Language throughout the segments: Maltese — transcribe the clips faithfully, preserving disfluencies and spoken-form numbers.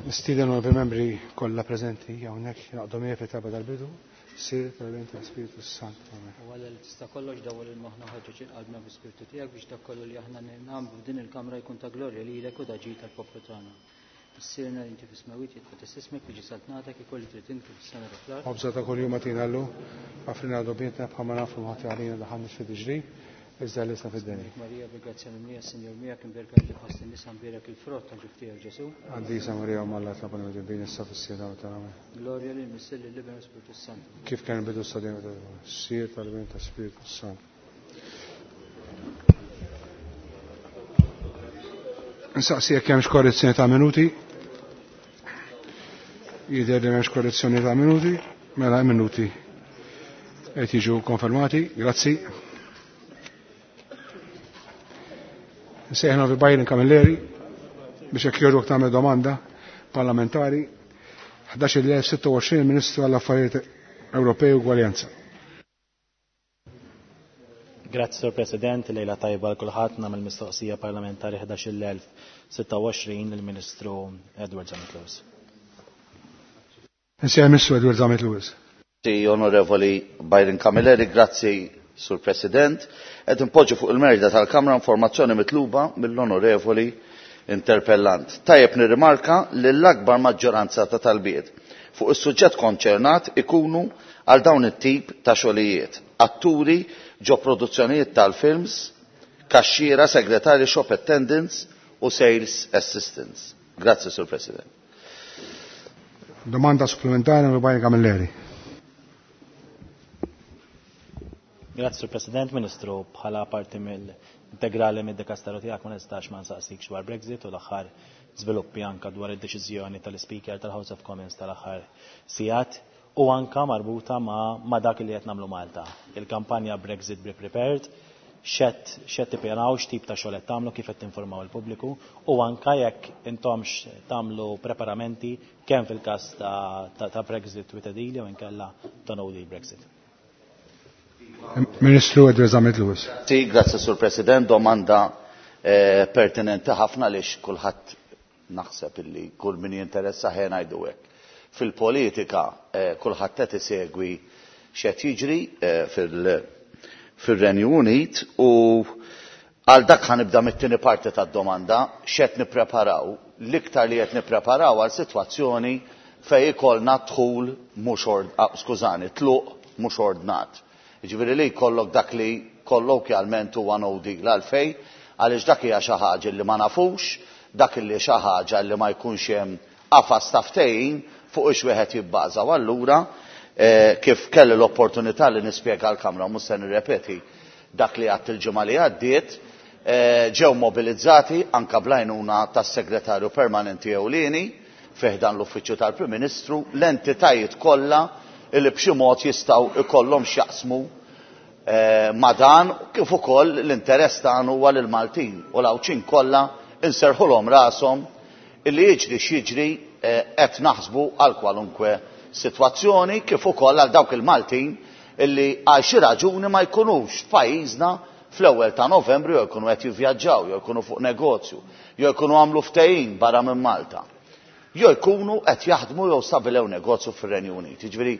Nistieden membri kollha preżenti hawnhekk jingħaqdu miegħi fit-talba tal-bidu, Sir tal-Bin tal-Spiritu Santu. Amen. U Alla li tista' kollox dawwal il-moħħna ħaġġeġ il-qalbna bi-Spiritu tiegħek biex dak kollu li aħna nagħmlu f'din il-kamra jkun ta' glorja lilek u ta' ġid tal-poplu tagħna. Missierna li inti fis-smewwiet jitqaddes ismek, tiġi saltnatek, ikun li trid inti fis-sema u fl-art. Ħobża ta' kuljum agħtina llum, aghfrilna dnubietna bħalma nafu ħati għalina daħalniex fi tiġrib, iżda ħlisna fid-deni. Marija bil-grazzja mimlija, Sinjur miegħek, imberka inti fost in-nisa, mbierek il-frott ta' ġuf tiegħek Ġesù. Qaddisa Marija Omm Alla, itlob għalina midinbin issa fis-siegħa ta' Amen. Glorja lil Missier lill-Iben u Spiritu Santu. Kif kien bidu sa dejjem dejjem, Sir tal-Bin tal-Spiritu Santu. Nsaqsi jekk hemmx korrezzjoni ta' minuti. Jidher li m'hemmx korrezzjoni ta' minuti, mela minuti qed jiġu konfermati. Grazzi. Nsejħna fi Byron Camilleri biex jekk jogħġbok tagħmel domanda parlamentari ħdax-il elf sitta u għoxrin Ministru għall-Affarijiet Ewropej u Ugwaljanza. Grazzi, Sur President, lejla tajba l kulħadd. Nagħmel mistoqsija parlamentari ħdax-il elf sitta u għoxrin lill-Ministru Edward Zammit Lewis. Nsejħ Ministru Edward Zammit Lewis. Grazzi, Onorevoli Byron Camilleri, grazzi, Sur President. Qed inpoġġu fuq il-merda tal-Kamra informazzjoni mitluba mill-Onorevoli interpellant. Tajjeb nirrimarka li l-akbar maġġoranza ta' talbiet fuq is-suġġett konċernat ikunu għal dawn it-tip ta' xogħlijiet. Atturi ġo produzzjonijiet tal-films, kaxxiera, segretari, shop attendants u sales assistants. Grazzi, Sur President. Domanda supplementare mill Byron Camilleri. Grazzi, Sur President. Ministru, bħala parti mill-integrali mid-dikasteru tiegħek ma nistax ma nsaqsik dwar Brexit u l-aħħar żviluppi anka dwar id-deċiżjoni tal-Speaker tal-House of Commons tal-aħħar sigħat u anka marbuta ma, ma dak li qed nagħmlu Malta. Il-kampanja Brexit Be Prepared, x'qed, x'qed tippjanaw, x'tip ta' xogħol qed tagħmlu, kif qed tinformaw il-pubbliku u anka jekk intomx tagħmlu preparamenti kemm fil-każ ta', ta, ta' Brexit with a deal jew inkella ta' no deal Brexit. Ministru Edward Zammit Lewis. Sì, grazie Sur President, domanda, eh, pertinenti ħafna għaliex kulħadd naħseb illi kull min jinteressa ħen ngħidu hekk. Fil-politika, eh, kulħadd qed isegwi x'qed jiġri, eh, fil-, fir-Renju Unit u għal dak ħanibda mit-tieni parti tad-domanda x'qed nippreparaw, l-iktar li qed nippreparaw għal sitwazzjoni fejn ikollna dħul mhux ord-, ah, skużani, tluq mhux ordnat. Jiġifieri li jkollok dak li kollokjalment huwa no deal għalfejn, għaliex dak hija xi ħaġa li ma nafux, dak li xi ħaġa li ma jkunx hemm qafas ta' ftehim fuq ix wieħed jibbaża. U allura, eh, kif kelli l-opportunità li nispjega l-Kamra, mhux se nirrepeti dak li għadt il-ġimgħa li għaddiet, eh, ġew mobilizzati anka bl-għajnuna tas-Segretarju Permanenti Ewlieni fih dan l-Uffiċċju tal-Prim Ministru l-entitajiet kollha li b'xi mod jistgħu ikollhom x'jaqsmu, eh, ma' dan, kif ukoll l-interess tagħna huwa lil Maltin u l-Għawdxin kollha inserħulhom rashom illi jiġri x'jiġri, eh, qed naħsbu għal kwalunkwe sitwazzjoni, kif ukoll għal dawk il-Maltin illi għal xi raġuni ma jkunux f'pajjiżna fl-ewwel ta' Novembru, jew jkunu qed jivvjaġġaw, jew jkunu fuq negozju, jew jkunu għamlu ftehim barra minn Malta, jew jkunu qed jaħdmu jew stabilew negozju fir-Renju Unit. Jiġifieri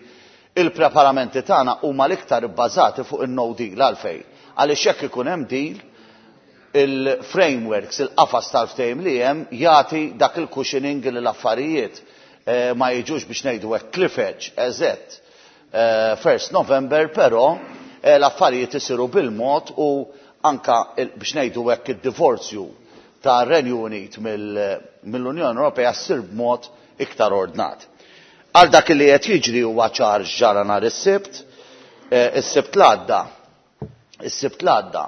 il-preparamenti tagħna huma l-iktar ibbażati fuq in-no deal. Għalfejn? Għaliex jekk ikun hemm deal, il-frameworks, il-qafas tal-ftehim li hemm jagħti dak il-cushioning li l-affarijiet, eh, ma jiġux biex ngħidu hekk cliff edge eżett, eh, first November, però, eh, l-affarijiet isiru bil-mod u anka il-, biex ngħidu hekk id-divorzju ta' Renju Unit mill-, mill-Unjoni Ewropea ssir b'mod iktar ordnat. Għal dak li qed jiġri huwa ċar ġara nhar is-Sibt, eh, is-Sibt l-għadda, is-Sibt l-għadda,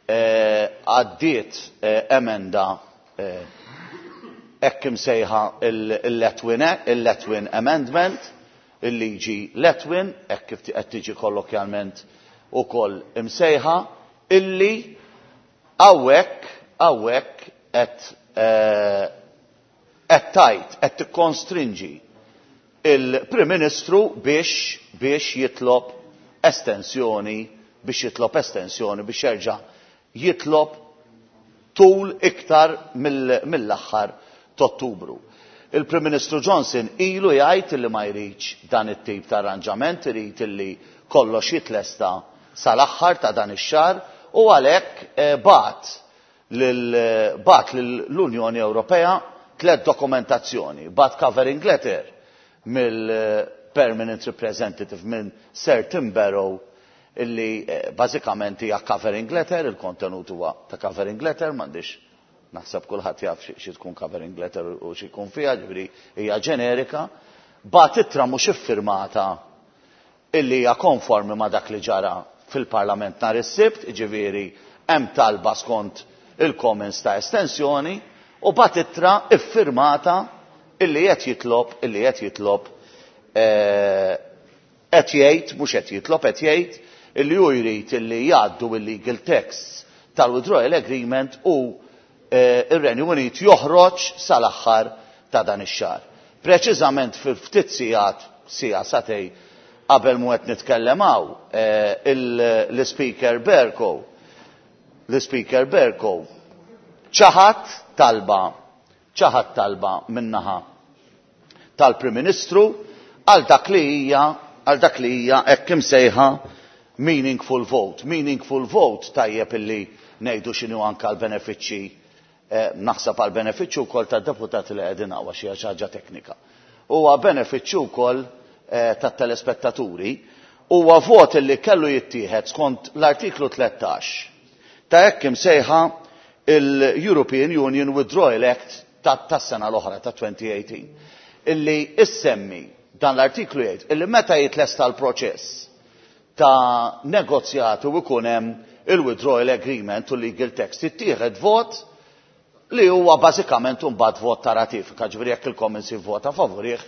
eh, għaddiet, eh, emenda, eh, hekk imsejħa il-Letwin, il-Letwin Amendment, il-liġi Letwin, hekk kif qed tiġi kollokjalment ukoll imsejħa, illi hawnhekk, hawnhekk qed, eh, qed tajt, qed tikkonstrinġi il-Prim Ministru biex, biex jitlob estensjoni, biex jitlob estensjoni, biex jerġa' jitlob tul iktar mill-, mill-aħħar t'Ottubru. Il-Prim Ministru Johnson ilu jgħid illi ma jridx dan it-tip ta' arranġament, irid illi kollox jitlesta sal-aħħar ta' dan ix-xahar u għalhekk bagħat bagħat lill-Unjoni Ewropea tliet dokumentazzjoni, bagħat covering letter mill-Permanent Representative minn Sir Tim Barrow illi bażikament hija covering letter, il-kontenut huwa ta' covering letter, m'għandix naħseb kulħadd jaf xi tkun covering letter u xi jkun fiha, ġifieri hija ġenerika, bagħat ittra mhux iffirmata illi hija konformi ma' dak li ġara fil-Parlament nhar is-Sibt, jiġifieri hemm talba skont il-Commons ta' estensjoni, u bagħat ittra iffirmata illi qed jitlob illi qed jitlob qed jgħid mhux qed jitlob qed jgħid illi hu jrid illi jgħaddu il-legal texts tal-withdrawal agreement u ir-Renju Unit joħroġ sal-aħħar ta' dan ix-xahar. Preċiżament fil-ftit sigħat siegħa sagħtejn qabel mu qed nitkellem hawn l-Speaker Bercow l-Speaker Bercow ċaħat talba ċaħat talba min-naħa tal-Prim Ministru għal dak li hija għal dak li hija hekk imsejħa meaningful vote. Meaningful vote tajjeb illi ngħidu x'inhu anke l-benefiċċji, naħseb għal benefiċċju wkoll tad-deputati li qegħdin hawn għax hija xi ħaġa teknika. Huwa benefiċċju wkoll tat-telespettaturi, huwa vot illi kellu jittieħed skont l-artiklu tlettax ta' hekk imsejħa il-European Union Withdrawal Act tas-sena l-oħra ta' twenty eighteen illi issemmi dan l-artiklu jgħid illi meta jitlesta l-proċess ta' negozjati u jkun hemm il-withdrawal agreement u legal text jittieħed vot li huwa bażikament imbagħad vot ta' ratifika, ġifieri jekk il-Commons jivvota favurih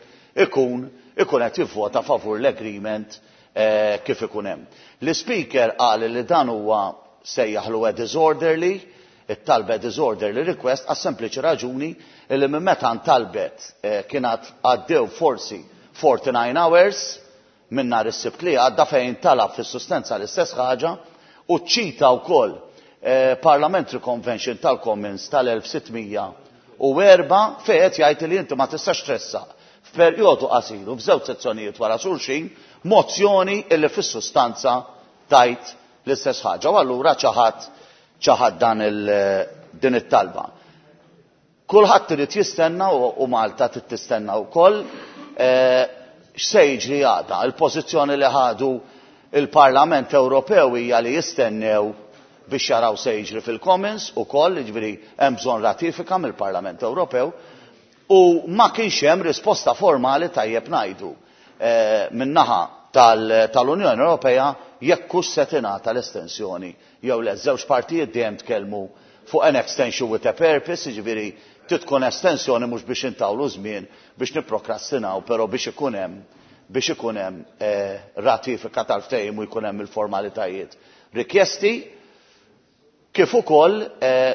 ikun ikun qed jivvota favur l-agreement kif ikun hemm. L-Speaker qal li dan huwa sejjaħlu a disorderly, it-talba disorderly request għas sempliċi raġuni li minn meta ntalbet kienet għaddew forsi forty-nine hours minn nhar is-Sibt li għadda fejn talab fis-sustanza l-istess ħaġa u ċita wkoll Parliamentary Convention tal-Commons tal-elf sittmija u erba' fejn qed jgħid li inti ma tistax tressaq f'perjodu qasir u f'żewġ sezzjonijiet wara xulxin mozzjoni illi fis-sustanza tajt l-istess ħaġa u allura ċaħad ċaħad dan il din it-talba. Kulħadd irid jistenna u Malta trid tistenna wkoll x'se jiġri għada. Il-pożizzjoni li ħadu il-Parlament Ewropew hija li jistennew biex jaraw se jiġri fil-Commons ukoll, jiġifieri hemm bżonn ratifika mill-Parlament Ewropew, u ma kienx hemm risposta formali tajjeb ngħidu min-naħa tal-Unjoni Ewropea jekk hux se tingħata l-estensjoni jew le. Żewġ partijiet dejjem tkellmu fuq an extension with a purpose, jiġifieri trid tkun estensjoni mhux biex intawlu żmien biex nipprokrastinaw, però biex ikun hemm biex ikun hemm ratifika tal-ftehim u jkun hemm il-formalitajiet rikjesti, kif ukoll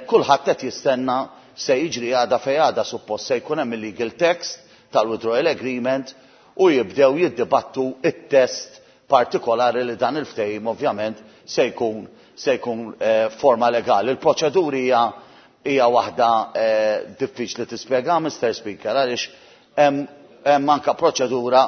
kulħadd qed jistenna se jiġri għada fejn għada suppost se jkun hemm il-legal text tal-withdrawal agreement u jibdew jiddibattu it-test partikolari li dan il-ftehim ovvjament se jkun se jkun forma legali. Il-proċeduri hija hija waħda diffiċli tispjega, Mister Speaker, għaliex hemm anke proċedura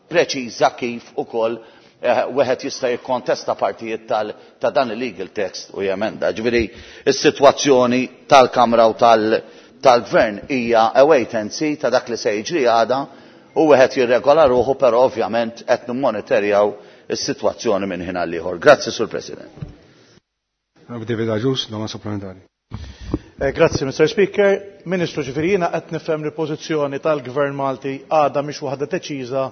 preċiża kif ukoll wieħed jista' jikkontesta partijiet ta' dan il-legal text u jemenda. Ġifieri is-sitwazzjoni tal-Kamra u tal-Gvern hija a wait and see ta' dak li se jiġri għada u wieħed jirregola ruħu, però ovvjament qed nimmonitorjaw is-sitwazzjoni minn ħin għal ieħor. Grazzi, Sur President. David Agius, domanda supplementari. Grazzi, Mister Speaker. Ministru, ġifieri jiena qed nifhem li l-pożizzjoni tal-Gvern Malti għadha mhix waħda deċiża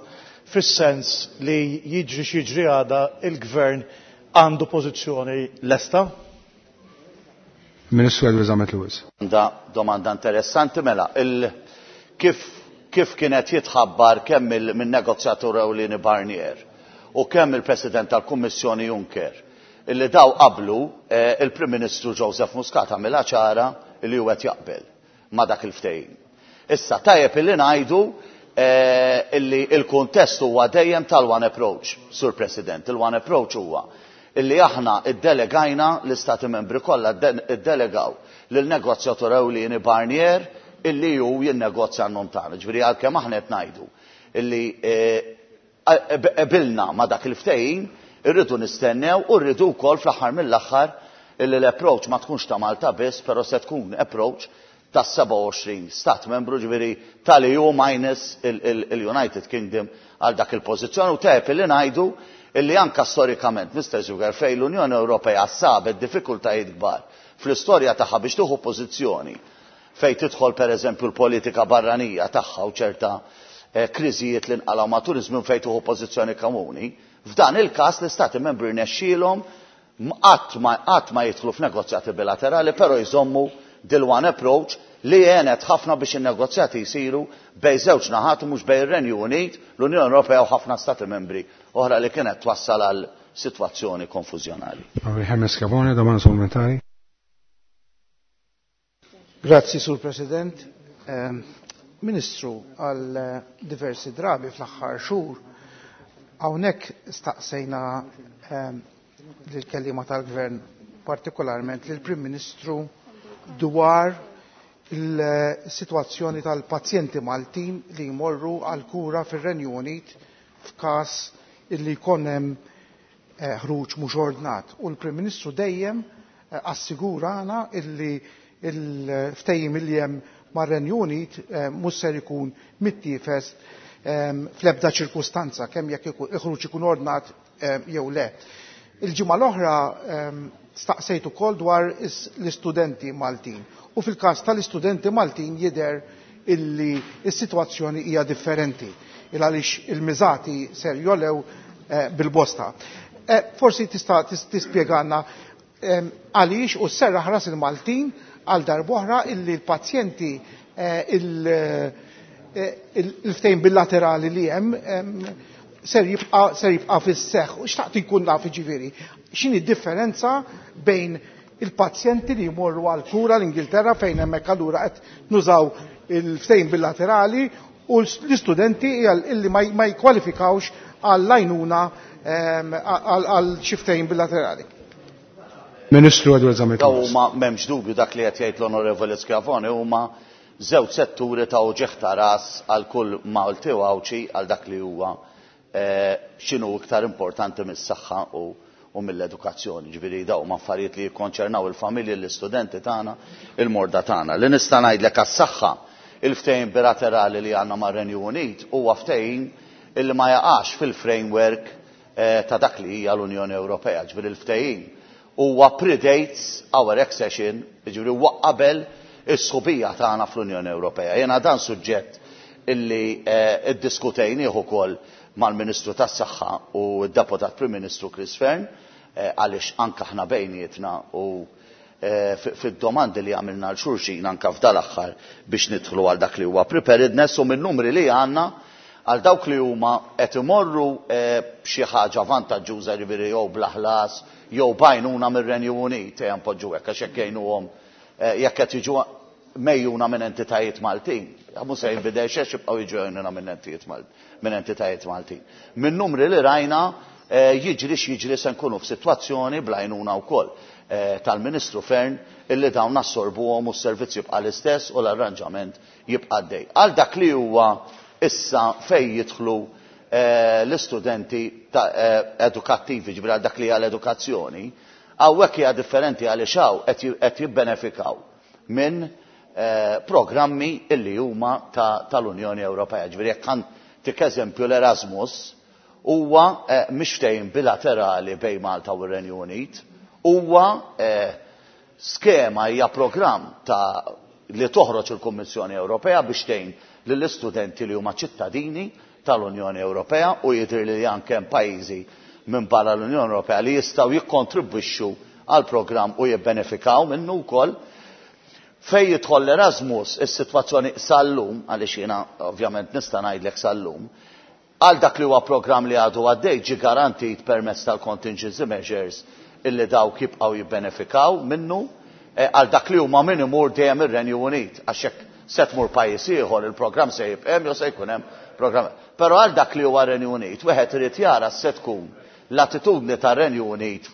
fis-sens li jiġri x'jiġri għada il-Gvern għandu pożizzjoni lesta? Ministru Edward Zammit Lewis. Domanda, domanda interessanti, mela, il, kif, kif kienet jitħabbar kemm min-negozjatur ewlieni Barnier u kemm il-President tal-Kummissjoni Juncker illi daw qablu il-Prim Ministru Joseph Muscat għamilha ċara li hu qed jaqbel ma' dak il-ftehim. Issa tajjeb illi ngħidu illi il-kuntest huwa dejjem tal-one approach, Sur President. Il-one approach huwa illi aħna iddelegajna l-Istati Membri kollha iddelegaw lil negozjatur ewlieni Barnier illi hu jinnegozja għan-nom tagħna. Ġifieri għalkemm aħna qed ngħidu illi qbilna ma' dak il-ftehim, irridu nistennew u rridu wkoll fl-aħħar mill-aħħar illi l-approach ma tkunx ta' Malta biss, però se tkun approach ta' sebgħa u għoxrin stat membru, ġifieri tal-E U minus il-United Kingdom għal dak il-pożizzjoni. U tajjeb illi ngħidu illi anka storikament, Mister Zucker, fejn l-Unjoni Ewropea sabet diffikultajiet kbar fl-istorja tagħha biex tieħu pożizzjoni fejn tidħol pereżempju l-politika barranija tagħha u ċerta eh, kriżijiet li nqalgħu matul iż-żmien fejn tieħu pożizzjoni komuni, f'dan il-każ l-istati membri rnexxielhom qatt ma qatt ma jidħlu f'negozjati bilaterali, però jżommu dil-one approach li għenet ħafna biex in-negozjati jsiru bejn żewġ naħat u mhux bejn ir-Renju Unit, l-Unjoni Ewropea u ħafna stati membri oħra li kienet twassal għal sitwazzjoni konfużjonali. Hermes Schiavone, domanda supplementari. Grazzi, Sur President. Ehm, Ministru, għal eh, diversi drabi fl-aħħar xhur hawnhekk staqsejna ehm, lill-kelliema tal-Gvern, partikolarment lill-Prim Ministru, dwar il-sitwazzjoni tal-pazjenti Maltin li jmorru għal kura fir-Renju Unit f'każ illi jkun hemm eh, ħruġ mhux ordnat. U l-Prim Ministru dejjem eh, assigurana illi il-ftehim illi hemm mar-Renju Unit eh, mhux ser ikun mittiefes fl-ebda ċirkustanza, kemm jekk il-ħruġ ikun ordnat jew le. Il-ġimgħa l-oħra staqsejt ukoll dwar l-istudenti Maltin. U fil-każ tal-istudenti Maltin jidher illi s-sitwazzjoni hija differenti il għaliex il-miżati ser jogħlew eh, bil-bosta. Eh, forsi tista' tispjegana għaliex u sserraħ ras il-Maltin għal darb'oħra illi l-pazjenti eh, il-ftehim bilaterali li hemm ser jibqa' ser jibqa' fis-seħħ. U xtaqt inkun naf, ġifieri, x'inhi differenza bejn il-pazjenti li jmorru għal kura l-Ingilterra, fejn hemmhekk allura qed nużaw il-ftehim bilaterali, u l-istudenti illi ma jkwalifikawx għall-għajnuna għal xi ftehim bilaterali. Ministru Edward Zammit. Huma m'hemmx dubju, dak li qed jgħid l-Onorevoli Schiavone huma żewġ setturi ta' uġigħ ta' ras għal kull Malti u Għawdxi għal dak li huwa eh, x'inhu iktar importanti mis-saħħa u u mill-edukazzjoni. Ġifieri daw ma affarijiet li jikkonċernaw il-familji, l-istudenti tagħna, il-morda tagħna. Li nista' ngħidlek għas-saħħa, il-ftehim bilaterali li għandna mar-Renju Unit huwa ftehim illi ma jaqax fil-framework eh, ta' dak li hija l-Unjoni Ewropea. Ġifieri il-ftehim huwa predates our accession, ġifieri huwa qabel is-sħubija tagħna fl-Unjoni Ewropea. Jiena dan suġġett illi eh, iddiskutejnieh ukoll mal-Ministru tas-Saħħa u d-Deputat Prim Ministru Chris Fearne, eh, għaliex anka aħna bejnietna u eh, fid-domandi li għamilna lil xulxin anka f'dal-aħħar biex nidħlu għal dak li huwa preparedness u minn numri li għandna għal dawk li huma qed imorru eh, b'xi ħaġa vantaġġuża, ġifieri jew bla ħlas jew b'għajnuna mir-Renju Unit, ejja npoġġu hekk, għax jekk jgħinuhom, jekk qed jiġu megħjuna minn entitajiet Maltin. Mhux se jinbidel xejn, jibqgħu jiġu megħjuna minn entitajiet minn entitajiet Maltin. Minn numri li rajna, eh, jiġri x'jiġri se nkunu f'sitwazzjoni bl-għajnuna wkoll eh, tal-Ministru Fearne illi dawn nassorbuhom u s-servizz jibqa' l-istess u l-arranġament jibqa' dej. Għal dak li huwa issa fejn jidħlu eh, l-istudenti edukattivi, ġifieri għal dak li hija l-edukazzjoni, hawnhekk hija differenti għaliex hawn qed jibbenefikaw minn programmi illi huma tal-Unjoni Ewropea. Ġifieri jekk ntik eżempju, l-Erasmus huwa eh, mhix ftehim bilaterali bejn Malta u r-Renju Unit, huwa eh, skema, hija programm ta' li toħroġ il-Kummissjoni Ewropea biex tgħin lill-istudenti li huma ċittadini tal-Unjoni Ewropea, u jidher li anke hemm pajjiżi minn barra l-Unjoni Ewropea li jistgħu jikkontribwixxu għal programm u jibbenefikaw minnu wkoll. Fejn jidħol l-Erasmus, is-sitwazzjoni sal-lum, għaliex jiena ovvjament nista' ngħidlek sal-lum, għal dak li huwa programm li għadu għaddej ġi garantit permezz tal-contingency measures illi dawk jibqgħu jibbenefikaw minnu eh, għal dak li huma min imur dejjem ir-Renju Unit, għax jekk se tmur pajjiż ieħor il-programm se jibqa' hemm jew se jkun hemm programm. Però għal dak li huwa Renju Unit, wieħed irid jara se tkun l-attitudni tar-Renju Unit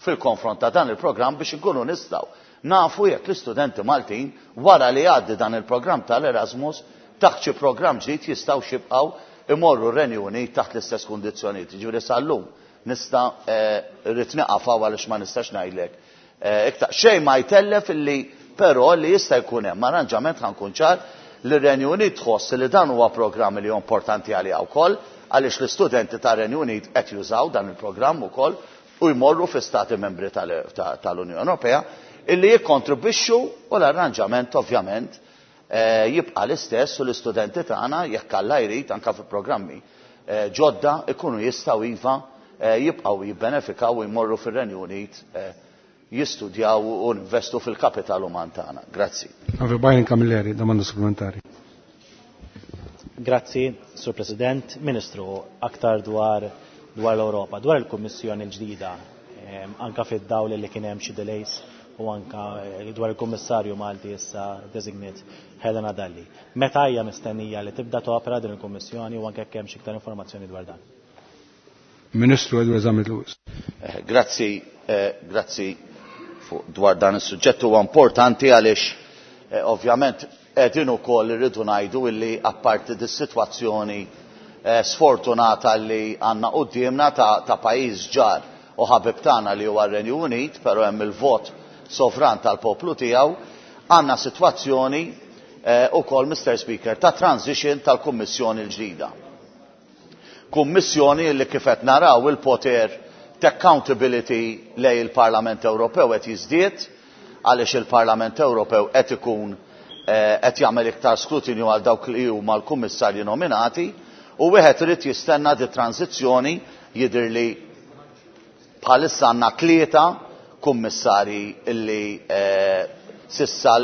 fil-konfront ta' dan il-programm biex inkunu nistgħu nafu jekk l-istudenti Maltin wara li jgħaddi dan il-programm tal-Erasmus taħt xi programm ġdid jistgħu jibqgħu imorru r-Renju Unit taħt l-istess kundizzjonijiet. Jiġifieri sal-lum nista' rrid nieqaf hawn għaliex ma nistax ngħidlek iktar. Xejn ma jtellef illi però li jista' jkun hemm arranġament, ħa nkun ċar, li r-Renju Unit tħoss li dan huwa programm li huwa importanti għaliha wkoll, għaliex l-istudenti tar-Renju Unit qed jużaw dan il-programm ukoll u jmorru fi stati membri tal-Unjoni Ewropea illi jikkontribwixxu, u l-arranġament ovvjament jibqa' l-istess u l-istudenti tagħna, jekk Alla jrid, anke fi programmi ġodda ikunu jistgħu iva jibqgħu jibbenefikaw u jmorru fir-Renju Unit jistudjaw u investu fil-kapital uman tagħna. Grazzi. Byron Camilleri, domanda supplementari. Grazzi, Sur President. Ministru, aktar dwar dwar l-Ewropa, dwar il-Kummissjoni l-ġdida, anka fid-dawl li kien hemm xi delays u anka dwar il-Kummissarju Malti issa designate Helena Dalli. Meta hija mistennija li tibda topera din il-Kummissjoni u anke jekk hemm xi iktar informazzjoni dwar dan? Ministru Edward Zammit Lewis. Grazzi, grazzi dwar dan is-suġġett huwa importanti għaliex ovvjament qegħdin ukoll irridu ngħidu illi apparti dis-sitwazzjoni sfortunata li għandna quddiemna ta' pajjiż ġar u ħabib tagħna li huwa r-Renju Unit, però hemm il-vot sovran tal-poplu tiegħu, għandna sitwazzjoni ukoll, Mister Speaker, ta' transition tal-Kummissjoni l-ġdida. Kummissjoni li kif qed naraw il-poter ta' accountability lej il-Parlament Ewropew qed jiżdied, għaliex il-Parlament Ewropew qed ikun qed jagħmel iktar skrutinju għal dawk li huma l-kummissarji nominati, u wieħed irid jistenna di transizzjoni. Jidher li bħalissa għandna tlieta kummissarji illi sissa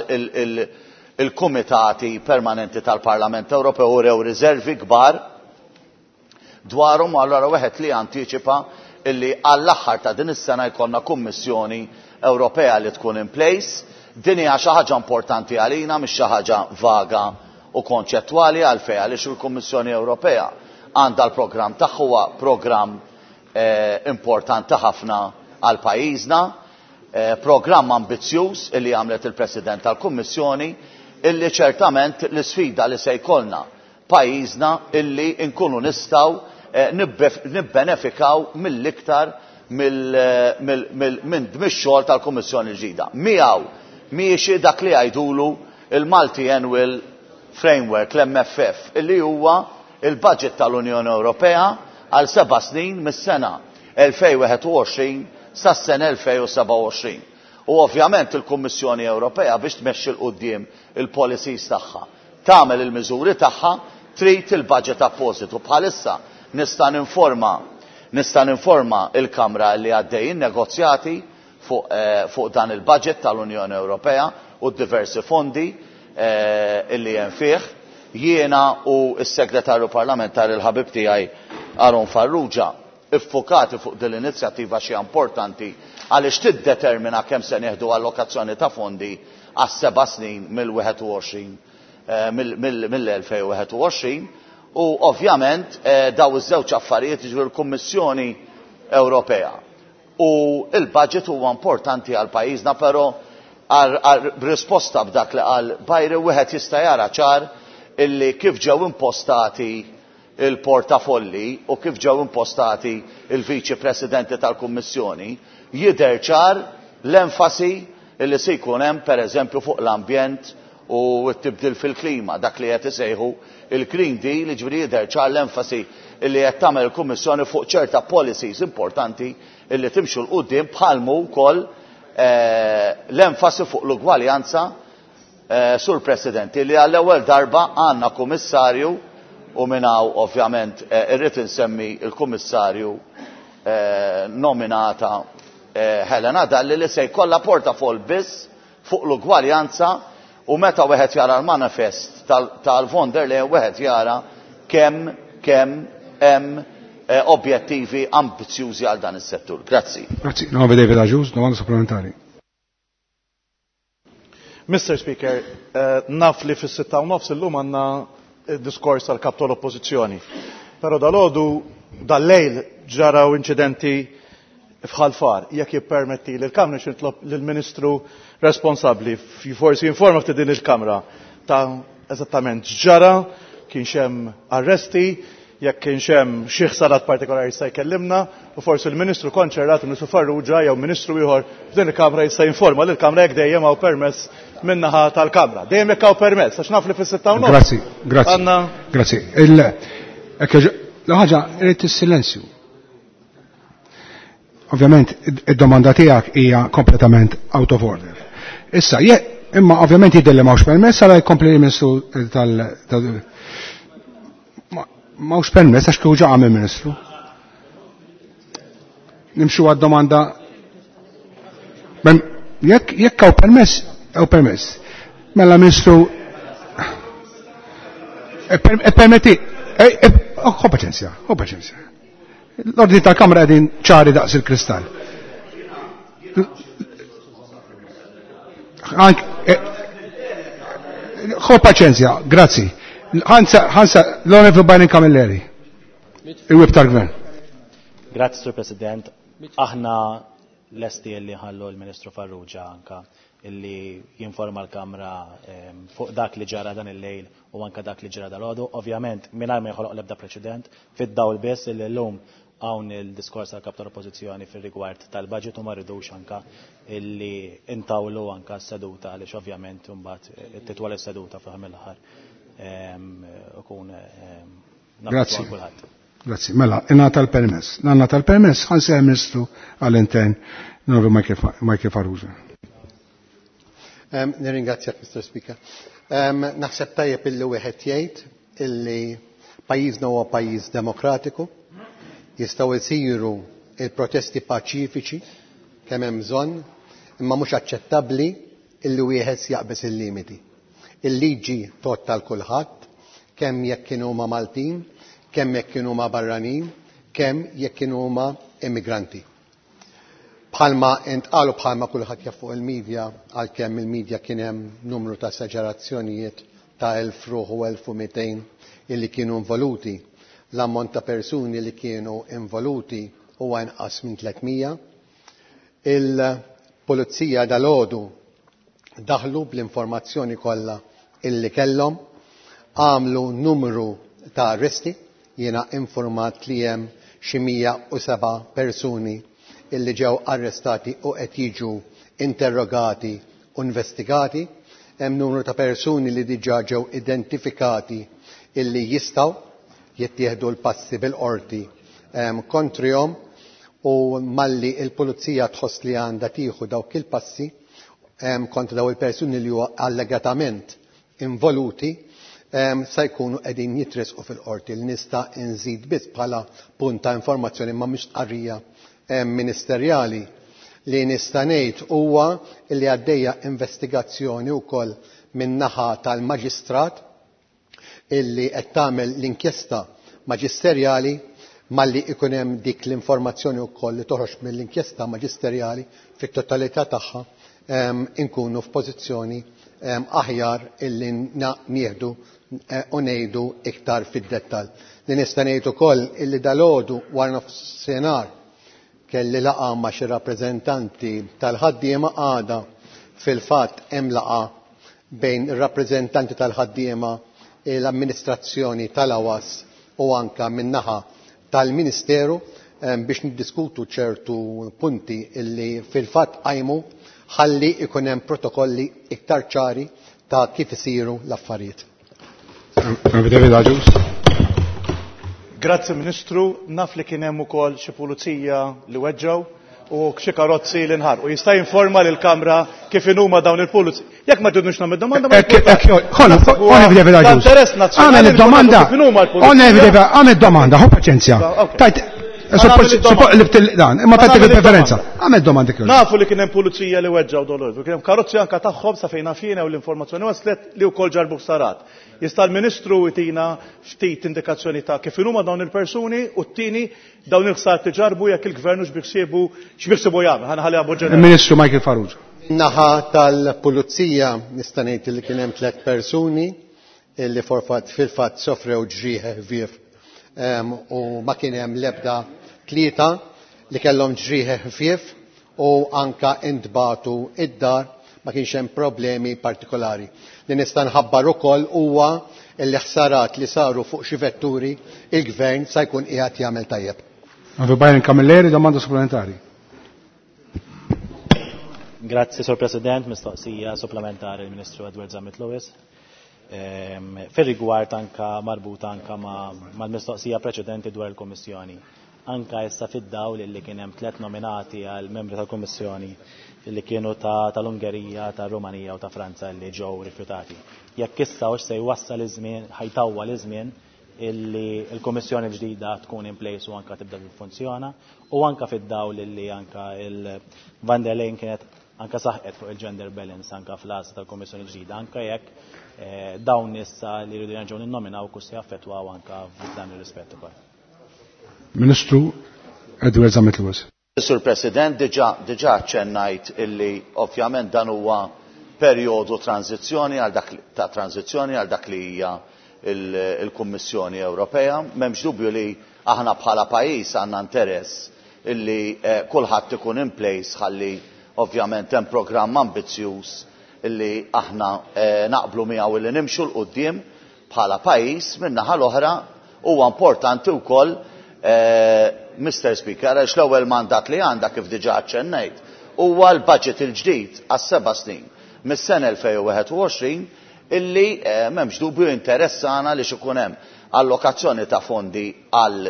il-kumitati permanenti tal-Parlament Ewropew urew riservi kbar dwarhom, u allura wieħed li antiċipa illi għall-aħħar ta' din is-sena jkollna Kummissjoni Ewropea li tkun in place. Din hija xi ħaġa importanti għalina, mhix xi ħaġa vaga u konċettwali, għalfejn għaliex il-Kummissjoni Ewropea għandha l-programm tagħha, huwa programm importanti ħafna għal pajjiżna, programm ambizzjuż illi għamlet il-President tal-Kummissjoni, illi ċertament l-isfida li se jkollna pajjiżna illi nkunu nistgħu nibbenefikaw mill-iktar minn mix-xogħol tal-Kummissjoni l-ġdida. Miegħu miexi dak li jgħidulu il-Multi-Annual Framework, l-M F F, illi huwa il-budget tal-Unjoni Ewropea għal seba' snin mis-sena elfejn wieħed u għoxrin sas-sena elfejn u seba' u għoxrin. U ovvjament il-Kummissjoni Ewropea biex tmexxi 'l quddiem il-policies tagħha, tagħmel il-miżuri tagħha, trid il-budget appositu. Bħalissa nista' ninforma, nista' ninforma il-Kamra li għaddejjin negozjati fuq, eh, fuq dan il-budget tal-Unjoni Ewropea u diversi fondi, eh, illi hemm fih. Jiena u s-segretarju parlamentari l-ħabib tiegħi Aaron Farrugia iffokati fuq din l-inizjattiva xi importanti għaliex tiddetermina kemm se nieħdu allokazzjoni ta' fondi għas seba' snin mill-wieħed u għoxrin, eh, mill-elfejn u wieħed u għoxrin. U ovvjament, eh, daw iż-żewġ affarijiet, jiġifieri l-Kummissjoni Ewropea u il-budget huwa importanti għal pajjiżna, però għal risposta b'dak li qal Bajri wieħed jista' jara ċar illi kif ġew impostati il-portafolli u kif ġew impostati il-Viċi Presidenti tal-Kummissjoni, jidher ċar l-enfasi illi se jkun hemm pereżempju fuq l-ambjent u t-tibdil fil-klima, dak li qed isejħu il-Green Deal, jiġifieri jidher ċar l-enfasi illi qed tagħmel il-Kummissjoni fuq ċerta policies importanti illi timxu 'l quddiem, bħalmu wkoll, eh, l-enfasi fuq l-ugwaljanza, eh, Sur President, illi għall-ewwel darba għandna kummissarju, u minn hawn ovvjament, eh, irrid insemmi il-kummissarju, eh, nominata, eh, Helena Dalli, li se jkollha portafol biss fuq l-ugwaljanza, u meta wieħed jara l-manifest tal-, tal-von der Leyen wieħed jara kemm, kemm hemm, eh, objettivi ambizzjużi għal dan is-settur. Grazzi. Grazzi. Nove David Agius, domanda supplementari. Mister Speaker, eh, naf li fis-sitta u nofs illum għandna diskors tal-kap tal-oppożizzjoni. Però dal-għodu, dal-lejl ġaraw inċidenti f'Ħal Far, jekk jippermetti li l-Kamra nitlob lill-Ministru responsabbli forsi jinforma ftit din il-Kamra ta' eżattament x'ġara, kienx hemm arresti, jekk kienx hemm xi ħsarat partikolari jista' jkellimna, u forsi l-Ministru konċernat, il-Ministru Farrugia jew Ministru ieħor f'din il-Kamra jista' jinforma lill-Kamra jekk dejjem hawn permess min-naħa tal-Kamra. Dejjem jekk hawn permess, għax naf li fis-sitta u nofs. Grazzi, grazzi. Grazzi. Il-ħaġa irid is-silenzju. Ovvjament id-domanda tiegħek hija kompletament out of order. Issa, imma ovvjament jidher li m'hawnx permess, għala jkompli l-Ministru tal m'hawnx permess għax kieku ġa qam il-Ministru. Nimxu għad-domanda. Jekk jekk hawn permess, hawn permess. Mela Ministru permetti, ho paċenzja, ho paċenzja. L-ordni tal-Kamra qegħdin ċari daqs il-kristall. Ho paċenzja, grazzi. Ħansa, ħansa, l-Onorevoli Byron Camilleri, il-Whip tal-Gvern. Grazzi, Sur President. Aħna lesti li ħallu l-Ministru Farrugia anka illi jinforma l-Kamra fuq dak li ġara dan il-lejl u anka dak li ġara dal-għodu. Ovvjament, mingħajr ma joħloq l-ebda preċedent, fid-dawl biss illi llum hawn il-diskors tal-kap tal-Oppożizzjoni fir-rigward tal-budget u ma rridux anka illi intawlu anka s-seduta għaliex ovvjament imbagħad titwal is-seduta fl-aħħar mill-aħħar ikun Grazzi. Grazzi. Mela, ingħata l-permess. Ngħata l-permess ħanseħ Ministru għall-Intern Michael Farrugia. Nirringrazzjak, Mister Speaker. Naħseb tajjeb illi wieħed jgħid illi pajjiżna huwa pajjiż demokratiku, jistgħu jsiru il-protesti paċifiċi kemm hemm bżonn, imma mhux aċċettabbli illi wieħed jaqbeż il-limiti. Il-liġi tgħodd għal kulħadd, kemm jekk kienu huma Maltin, kemm jekk kienu huma barranin, kemm jekk kienu huma immigranti. Bħalma intqalu bħalma kulħadd jaf fuq il-medja, għalkemm il-medja kien hemm numru ta' esaġerazzjonijiet ta' elf ruħ u elf u mitejn illi kienu involuti. L-ammont ta' persuni li kienu involuti huwa inqas minn tliet mija. Il-pulizija dalgħodu daħlu bl-informazzjoni kollha illi kellhom, għamlu numru ta' arresti, jiena informat li hemm xi mija u seba' persuni illi ġew arrestati u qed jiġu interrogati u investigati. Hemm numru ta' persuni li diġà ġew identifikati illi jistgħu jittieħdu l-passi bil-qorti kontrihom, u malli il-pulizija tħoss li għandha tieħu dawk il-passi kontra daw il-persuni li huwa allegatament involuti se jkunu qegħdin jitresqu fil-qorti. Li nista' nżid biss bħala punt ta' informazzjoni ma mhix tqarrija ministerjali li nista' ngħid huwa li għaddejja investigazzjoni wkoll min-naħa tal-maġistrat illi qed tagħmel l-inkjesta maġisterjali. Malli ikun hemm dik l-informazzjoni wkoll li toħroġ mill-inkjesta maġisterjali fit-totalità tagħha inkunu f'pożizzjoni aħjar illi nieħdu u ngħidu iktar fid-dettall. Li nista' ngħid ukoll illi dalgħodu wara nofsinhar kelli laqgħa ma' xi rappreżentanti tal-ħaddiema, għada fil-fatt hemm laqgħa bejn ir-rappreżentanti tal-ħaddiema, l-amministrazzjoni tal-A W A S u anka min-naħa tal-Ministeru biex niddiskutu ċertu punti illi fil-fatt qajmu ħalli ikun hemm protokolli iktar ċari ta' kif isiru l-affarijiet. Grazzi Ministru, naf li kien hemm ukoll xi pulizija li weġġgħu u xi karozzi li nħarqu. Jista' jinforma lill-Kamra kif inhuma dawn il-pulizija. Jekk ma tridux nagħmel domanda, ma Interess nazzjonali. Għamel domanda. Għamel domanda, ħu paċenzja. Tajt, dan, imma tajt il-preferenza. Għamel domanda kif. Nafu li kien hemm pulizija li weġġgħu dolor, kien hemm karozzi anke tagħhom sa fejn nafina u l-informazzjoni waslet li wkoll ġarbu ħsarat. Jista' l-Ministru jtina ftit indikazzjoni ta' kif huma dawn il-persuni u t-tieni dawn il-ħsar li ġarbu jekk il-gvern x'biħsiebu x'biħsiebu jagħmel. Ħa nħalliha b'mod ġenerali. Il-Ministru Michael Farrugia. Naħa tal-pulizija nista' ngħid li kien hemm tliet persuni illi forfat fil-fatt sofrew ġrieħ ħfief u ma kien hemm l-ebda tlieta li kellhom ġrieħi ħfief u anka intbatu id-dar, ma kienx hemm problemi partikolari. Li nista' nħabbar ukoll huwa li ħsarat li saru fuq xi vetturi il-gvern sa jkun qiegħed jagħmel tajjeb. Byron Camilleri, domanda supplementari. Grazzi, Sur President, mistoqsija supplementari l-Ministru Edward Zammit Lewis. Fir-rigward anka marbuta anka mal-mistoqsija preċedenti dwar il-Kummissjoni. Anka issa fid-dawl li kien hemm tliet nominati għal membri tal-Kummissjoni li kienu tal-Ungerija, tal-Rumanija u ta' Franza li ġew rifjutati. Jekk issa hux se jwassal iż-żmien, ħajtawwa l-iżmien illi l-Kummissjoni l-ġdida tkun in place u anka tibda tiffunzjona, u anka fid-dawl illi anka il-Van der Leyen kienet anka saħqet fuq il-gender balance anka fl-għażla tal-Kummissjoni ġdida, anka jekk dawn issa li jridu jerġgħu ninnominaw kus se jaffettwaw anka f'dan ir-rispett ukoll. Ministru Edward Zammit Lewis. Sur President, diġà diġà ċennajt illi ovvjament dan huwa perjodu tranzizzjoni għal dak ta' tranzizzjoni għal dak li hija il-Kummissjoni Ewropea. M'hemmx dubju li aħna bħala pajjiż għandna interess illi kulħadd ikun in place ħalli ovvjament hemm programm ambizzjuż illi aħna naqblu miegħu illi nimxu l quddiem bħala pajjiż. Min-naħa l-oħra huwa importanti wkoll, Mister Speaker, għax l-ewwel mandat li għandha kif diġà aċċennejt huwa l-budget il-ġdid għas-seba' snin mis-sena elfejn u wieħed u għoxrin illi m'hemmx dubju interessana li x'ikun hemm allokazzjoni ta' fondi għal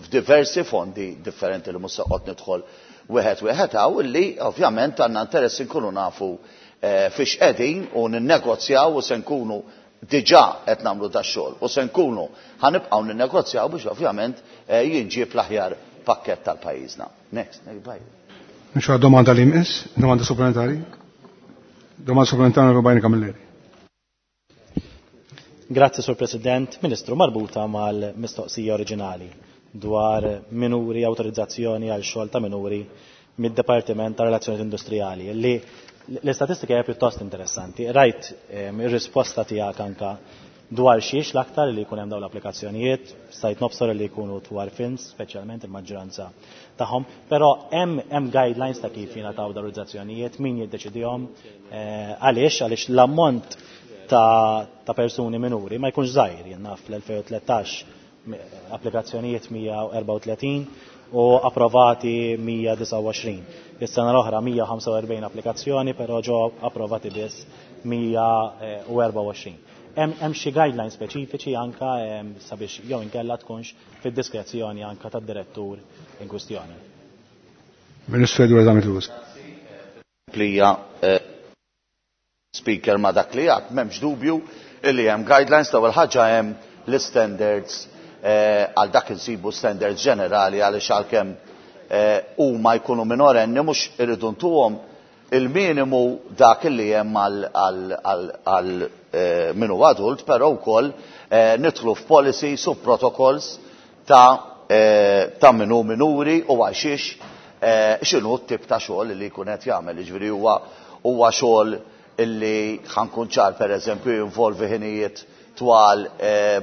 f'diversi fondi differenti li mhux se noqgħod nidħol wieħed wieħed hawn, illi ovvjament għandna interess inkunu nafu fiex qegħdin u ninnegozjaw u se nkunu diġà qed nagħmlu dax-xogħol u se nkunu ħanibqgħu ninnegozjaw biex ovvjament jinġieb l-aħjar pakkett tal-pajjiżna. Next, next, bye. Nixu domanda li jmiss, domanda supplementari. Domanda supplementari Byron Camilleri. Grazzi, Sur President. Ministru, marbuta mal-mistoqsija oriġinali dwar minuri, autorizzazzjoni għal xogħol ta' minuri mid-Dipartiment ta' Relazzjonijiet Industrijali, li l-istatistika hija pjuttost interessanti. Rajt ir-risposta tiegħek anka dwar xiex l-aktar li jkun hemm dawn l-applikazzjonijiet, stajt nobsor li jkunu dwar films, speċjalment il-maġġoranza tagħhom, però hemm hemm guidelines ta' kif jingħataw autorizzazzjonijiet, min jiddeċidihom, għaliex għaliex l-ammont ta', ta' persuni minuri ma jkunx żgħir, jien naf fl-elfejn u tlettax applikazzjonijiet mija u erbgħa u tletin u approvati mija disgħa u għoxrin. Is-sena l-oħra mija u ħamsa u erbgħin applikazzjoni, però ġew approvati biss mija u erbgħa u għoxrin. Hemm xi guidelines speċifiċi anka sabiex jew inkella tkunx fid-diskrezzjoni anka tad-direttur in kwistjoni. Ministru Edward Zammit Lewis. Plija Speaker ma dak li għad, m'hemmx dubju illi hemm guidelines. L-ewwel ħaġa hemm l-standards, għal dak insibu standards ġenerali għaliex għalkemm huma jkunu minorenni mhux irridu ntuhom il-minimu dak li hemm għal minu adult, però wkoll nidħlu f'policies u protocols ta' ta' minu minuri u għaxiex x'inhu t-tip ta' xogħol li jkun qed jagħmel. Jiġifieri huwa huwa xogħol illi ħankun ċar pereżempju jinvolvi ħinijiet twal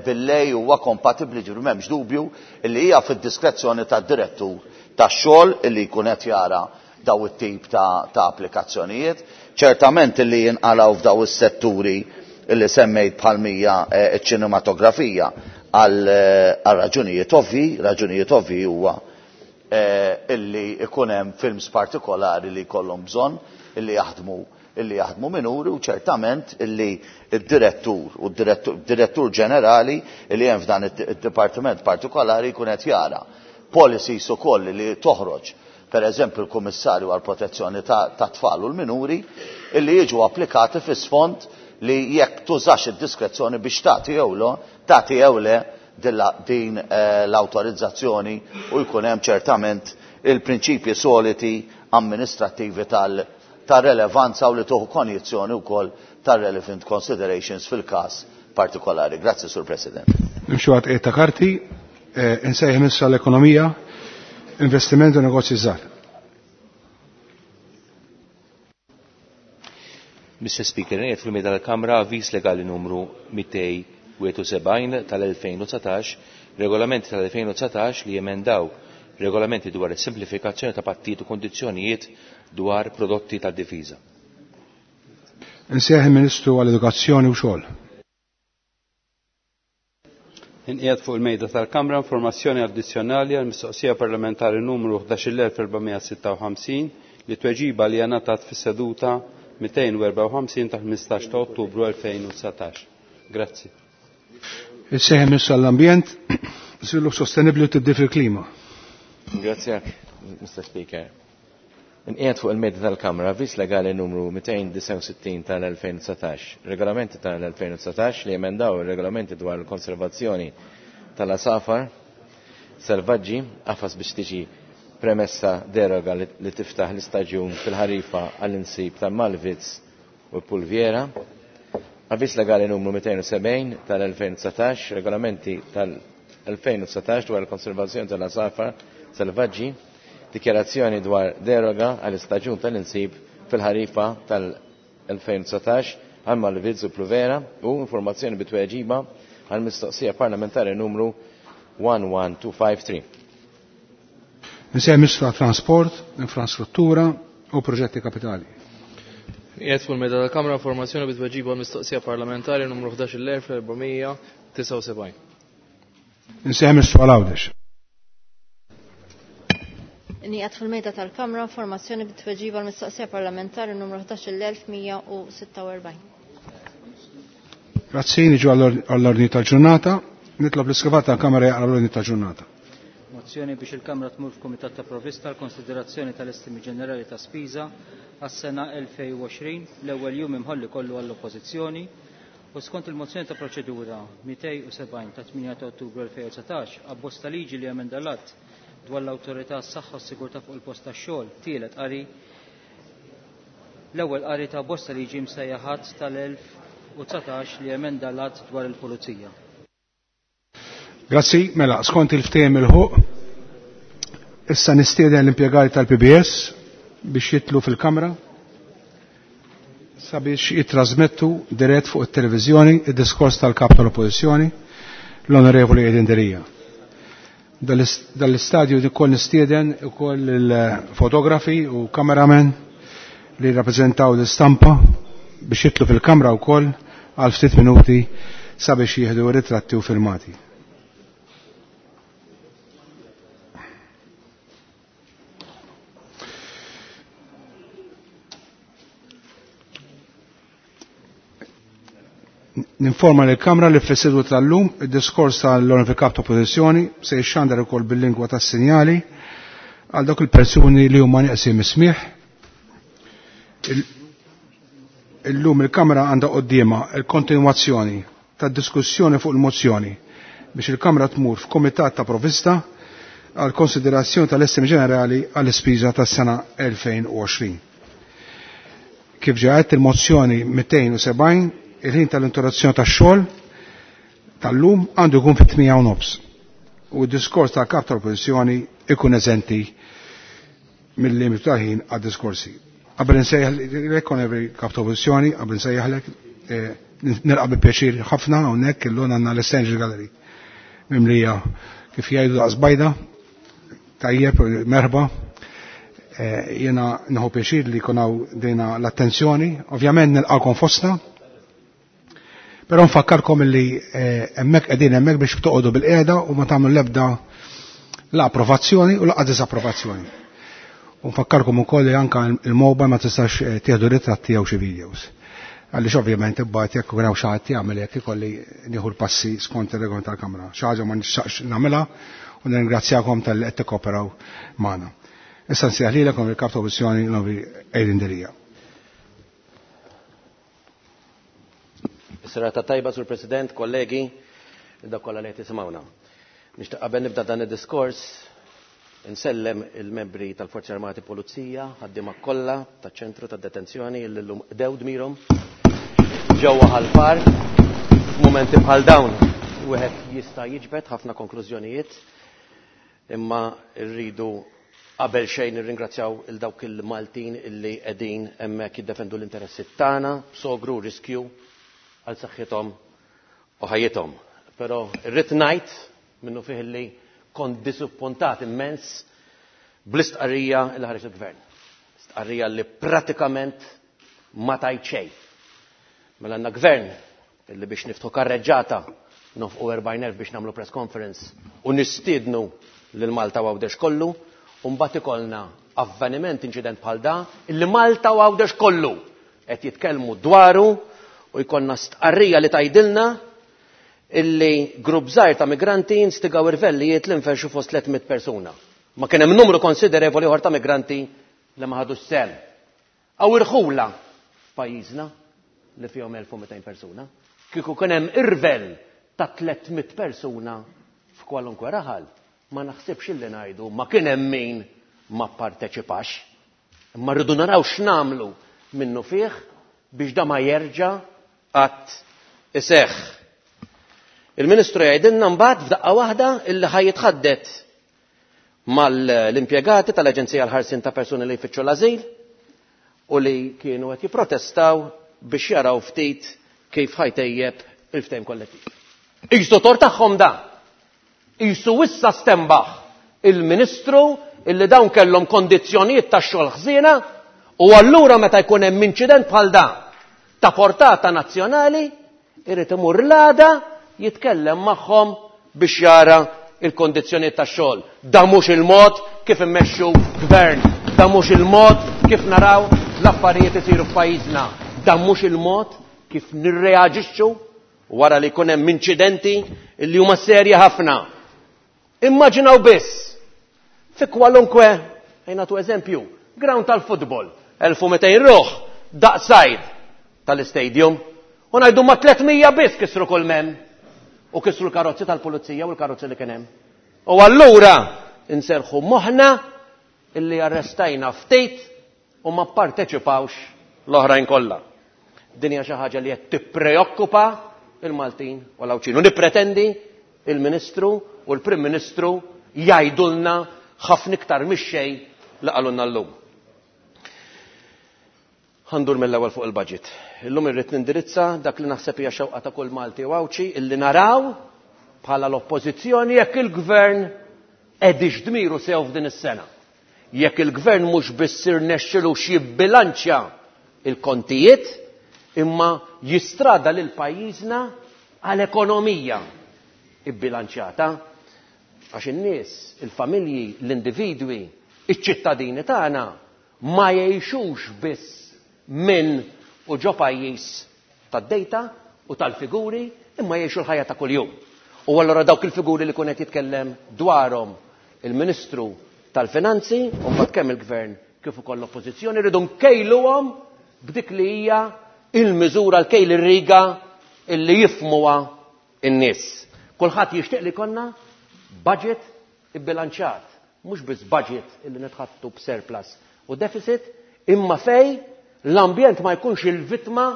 billej huwa kompatibbli, ġifieri m'hemmx dubju illi hija fid-diskrezzjoni tad-direttur tax-xogħol illi jkun qed jara daw it-tip ta', ta' applikazzjonijiet. Ċertament illi jinqalgħu f'daw is-setturi illi semmejt bħalmija ċ-ċinematografija għal raġunijiet ovvi, raġunijiet ovvi huwa illi ikun hemm films partikolari li jkollhom bżonn illi jaħdmu illi jaħdmu minuri, u ċertament illi id-direttur u d-direttur ġenerali illi hemm f'dan id-dipartiment partikolari jkun qed jara policies ukoll li toħroġ, per eżempju l-Kummissarju għal Protezzjoni ta' Tfal u l-Minuri, illi jiġu applikati fi sfond li jekk tużax id-diskrezzjoni biex tagħti jew le, tagħti jew le din l-awtorizzazzjoni, u jkun hemm ċertament il-prinċipji soliti amministrattivi tal ta' relevanza u li tuħu konjizzjoni wkoll ta' relevant considerations fil-każ partikolari. Grazzi, Sur President. Nimxu għat ta' karti, insejħ issa l-ekonomija, investiment u negozji żgħar. Mister Speaker, ngħid fil-mejda tal-Kamra avviż legali numru mitej wieħed u sebgħin tal-elfejn u dsatax, regolamenti tal-elfejn u dsatax li jemendaw regolamenti dwar is-simplifikazzjoni ta' pattijiet u kondizzjonijiet dwar prodotti tad-difiża. Insejjaħ il-Ministru għall-Edukazzjoni u Xogħol. Inqiegħed fuq il-mejda tal-Kamra informazzjoni addizzjonali għal mistoqsija parlamentari numru ħdax-il elf erba' sitta u ħamsin li tweġiba li ngħatat fis-seduta mitejn u erbgħa u ħamsin ta' ħmistax ta' Ottubru elfejn u dsatax. Grazzi. Insejjaħ il-Ministru għall-Ambjent, Żvilupp Sostenibbli u Tibdil fil-Klima. Grazie, Mister Speaker. Inqiegħed fuq il-mejda tal-Kamra avviż legali numru mitejn disgħa u sittin tal-elfejn u dsatax, regolamenti tal-elfejn u dsatax li emendaw ir-regolamenti dwar il-konservazzjoni tal-asafar selvaġġi qafas biex tiġi premessa deroga li tiftaħ l-istaġun fil-ħarifa għall-insib tal-Malvitz u l-Pulviera. Avviż legali numru mitejn u sebgħin tal-elfejn u dsatax, regolamenti tal-elfejn u dsatax dwar il-konservazzjoni tal-asafar selvaġġi, dikjarazzjoni dwar deroga għall-istaġun tal-insib fil-ħarifa tal-elfejn u dsatax għal Malvitz u Pluvera u informazzjoni bitweġiba għal mistoqsija parlamentari numru one one two five three. Insejjaħ Ministru għat-Trasport, Infrastruttura u Proġetti Kapitali. Qiegħed fuq il-mejda tal-Kamra informazzjoni bitweġiba għal mistoqsija parlamentari numru ħdax-il elf erba' disgħa u sebgħin. Insejjaħ Ministru għal Għawdex. Inqiegħed fil-mejda tal-Kamra informazzjoni bit-tweġiba għall-mistoqsija parlamentari numru ħdax-il elf mija u sitta u erbgħin. Grazzi, niġu għall-ordni tal-ġurnata. Nitlob l-iskrivat tal-Kamra jaqra l-ordni tal-ġurnata. Mozzjoni biex il-Kamra tmur f'Kumitat ta' Provvista l-konsiderazzjoni tal-estimi ġenerali ta' spiża għas-sena elfejn u għoxrin, l-ewwel jum imħolli kollu għall-Oppożizzjoni, u skont il-mozzjoni ta' proċedura mitejn u sebgħin ta' tmienja ta' Ottubru elfejn u dsatax, abbozz ta' liġi li emenda l-att dwar l-awtorità s-saħħa u s-sigurtà fuq il-post tax-xogħol, tielet qari, l-ewwel qari ta' bosta liġi msejjaħ tal-elf u dsatax li emenda l-att dwar il-pulizija. Grazzi, mela, skont il-ftehim il-ħuq, issa nistieden l-impjegati tal-P B S biex jitlu fil-kamra sabiex jitrasmettu dirett fuq it-televiżjoni id-diskors tal-kap tal-Oppożizzjoni, l-Onorevoli Adrian Delia. Dal-istadju ukoll nistieden ukoll il-fotografi u kameramen li rappreżentaw l-istampa biex jitlu fil-kamra wkoll għal ftit minuti sabiex jieħdu ritratti u filmati. Ninforma lill-Kamra li fis-seduta tal-lum id-diskors tal-Onorevoli Kap ta' Oppożizzjoni se jixxandar ukoll bil-lingwa tas-sinjali għal dawk il-persuni li huma nieqsin mis-smigħ. Illum il-Kamra għandha quddiemha l-kontinwazzjoni tad-diskussjoni fuq il-mozzjoni biex il-Kamra tmur f'Kumitat ta' Provvista għal konsiderazzjoni tal-estimi ġenerali għall-ispiża tas-sena elfejn u għoxrin. Kif ġaħet il-mozzjoni mitejn u sebgħin, il-ħin tal-interazzjoni tax-xogħol tal-lum għandu jkun fit-tmija u nofs u d-diskors tal-kap tal-Oppożizzjoni ikun eżenti mill-limitu tal-ħin għad-diskorsi. Qabel insejjaħlek, onorevoli kap tal-Oppożizzjoni, qabel insejjaħlek, eh, nilqa' bi pjaċir ħafna hawnhekk illum għandna l-Essential Gallery mimlija kif jgħidu daqs bajda, tajjeb, merħba. Eh, jiena nieħu pjaċir li jkun hawn dejna l-attenzjoni, ovvjament nilqakom fostna, però nfakkarkom li, eh, hemmhekk qegħdin hemmhekk biex toqgħodu bil-qiegħda u ma tagħmlu l-ebda la approvazzjoni u laqgħa disapprovazzjoni. U nfakkarkom ukoll li anke il-mobile ma tistax, eh, tieħdu ritratti jew xi videos. Għaliex ovvjament imbagħad jekk ikun hawn xi ħadd jagħmel hekk ikolli nieħu l-passi skont ir-regolament tal-Kamra. Xi ħaġa ma nixtaqx nagħmilha u nirringrazzjakom talli qed tikkoperaw magħna. Issa nsejjaħ lilek il-Kap ta' Oppożizzjoni l-Onorevoli Adrian Delia. Serata tajba, Sur President, kollegi, dak kollha li qed tisimgħuna. Nixtieq qabel nibda dan id-diskors insellem il-membri tal-Forzi Armati Pulizija, ħaddiema kollha taċ-ċentru tad-detenzjoni li llum qdew dmirhom ġewwa Ħal-Far. F'mumenti bħal dawn wieħed jista' jiġbed ħafna konklużjonijiet, imma rridu qabel xejn nirringrazzjaw il dawk il-Maltin illi qegħdin hemmhekk jiddefendu l-interessi tagħna b'sogru riskju għal saħħithom u ħajjithom. Però rrid ngħid minnu fih li Kont disappuntat immens bl-istqarrija li ħareġ il-gvern. Stqarrija li pratikament ma tajt xejn. Mela għandna gvern illi biex niftħu karreġġata nofqu erbgħin elf biex nagħmlu press conference u nistiednu lil Malta u Għawdex kollu, u mbagħad ikollna avveniment, inċident bħal da, illi Malta u Għawdex kollu qed jitkellmu dwaru u jkollna stqarrija li tgħidilna illi grupp żgħir ta' migranti instigaw irvellijiet li nferxu fost tliet mitt persuna. Ma kien hemm numru konsiderevoli ieħor ta' migranti li ma ħadux sehem. Aw irħula f'pajjiżna li fihom elf u mitejn persuna. Kieku kien hemm irvell ta' tliet mitt persuna f'kwalunkwe raħal, ma naħsibx illi ngħidu ma kien hemm min ma pparteċipax. Imma rridu naraw x'nagħmlu minnu fih biex da ma jerġa' qatt iseħħ. Il-Ministru jgħidilna mbagħad f'daqqa waħda illi ħaj jitħaddet mal-impjegati tal-Aġenzija għall-Ħarsien ta' Persuni li jfittxu l-Ażil u li kienu qed jipprotestaw biex jaraw ftit kif ħajtejjeb il-ftehim kollettiv. Isu tor tagħhom da. Isu issa stembaħ il-Ministru illi dawn kellhom kondizzjonijiet ta' xogħol ħżiena u allura meta jkun hemm inċident bħal da ta' portata nazzjonali irid imur l-għada jitkellem magħhom biex jara il-kondizzjonijiet tax-xogħol. Da mhux il-mod kif immexxu gvern, da mhux il-mod kif naraw l-affarijiet isiru f'pajjiżna, da mhux il-mod kif nirreaġixxu wara li jkun hemm inċidenti li huma serji ħafna. Immaġinaw biss fi kwalunkwe, ejnatu eżempju, ground tal-futbol, elf u mitejn ruħ, daqsajd tal-istadium, u ngħidu ma tliet mija biss kisru kull mem u kisru l-karozzi tal-pulizija u l-karozzi li kien hemm. U allura inserħu moħħna illi arrestajna ftit u ma pparteċipawx l-oħrajn kollha. Din hija xi ħaġa li qed tippreokkupa il-Maltin u l-Għawdxin. U nippretendi il-Ministru u l-Prim Ministru jgħidulna ħafna iktar mix-xejn li qalulna llum. Ħandur mill-ewwel fuq il-budget. Illum irrid nindirizza dak li naħseb hija xewqa ta' kull Malti u Għawdxi illi naraw bħala l-oppożizzjoni jekk il-gvern qedix dmiru sew f'din is-sena. Jekk il-gvern mhux biss irnexxilu x'jibbilanċja il-kontijiet, imma jistrada lil pajjiżna għal ekonomija ibbilanċjata. Għax in-nies, il-familji, l-individwi, iċ-ċittadini tagħna ma jgħixux biss minn u ġo pajjiż tad-dejta u tal-figuri, imma jgħixu l-ħajja ta' kuljum. U allura dawk il-figuri li kun qed jitkellem dwarhom il-Ministru tal-Finanzi, u mbagħad kemm il-Gvern kif ukoll l-Oppożizzjoni rridu nkejluhom b'dik li hija il-miżura l-kejl ir-riga illi jifhmuha n-nies. Kulħadd jixtieq li jkollna budget ibbilanċjat, mhux biss budget illi nitħattu b'surplus u deficit, imma fej l-ambjent ma jkunx il-vittma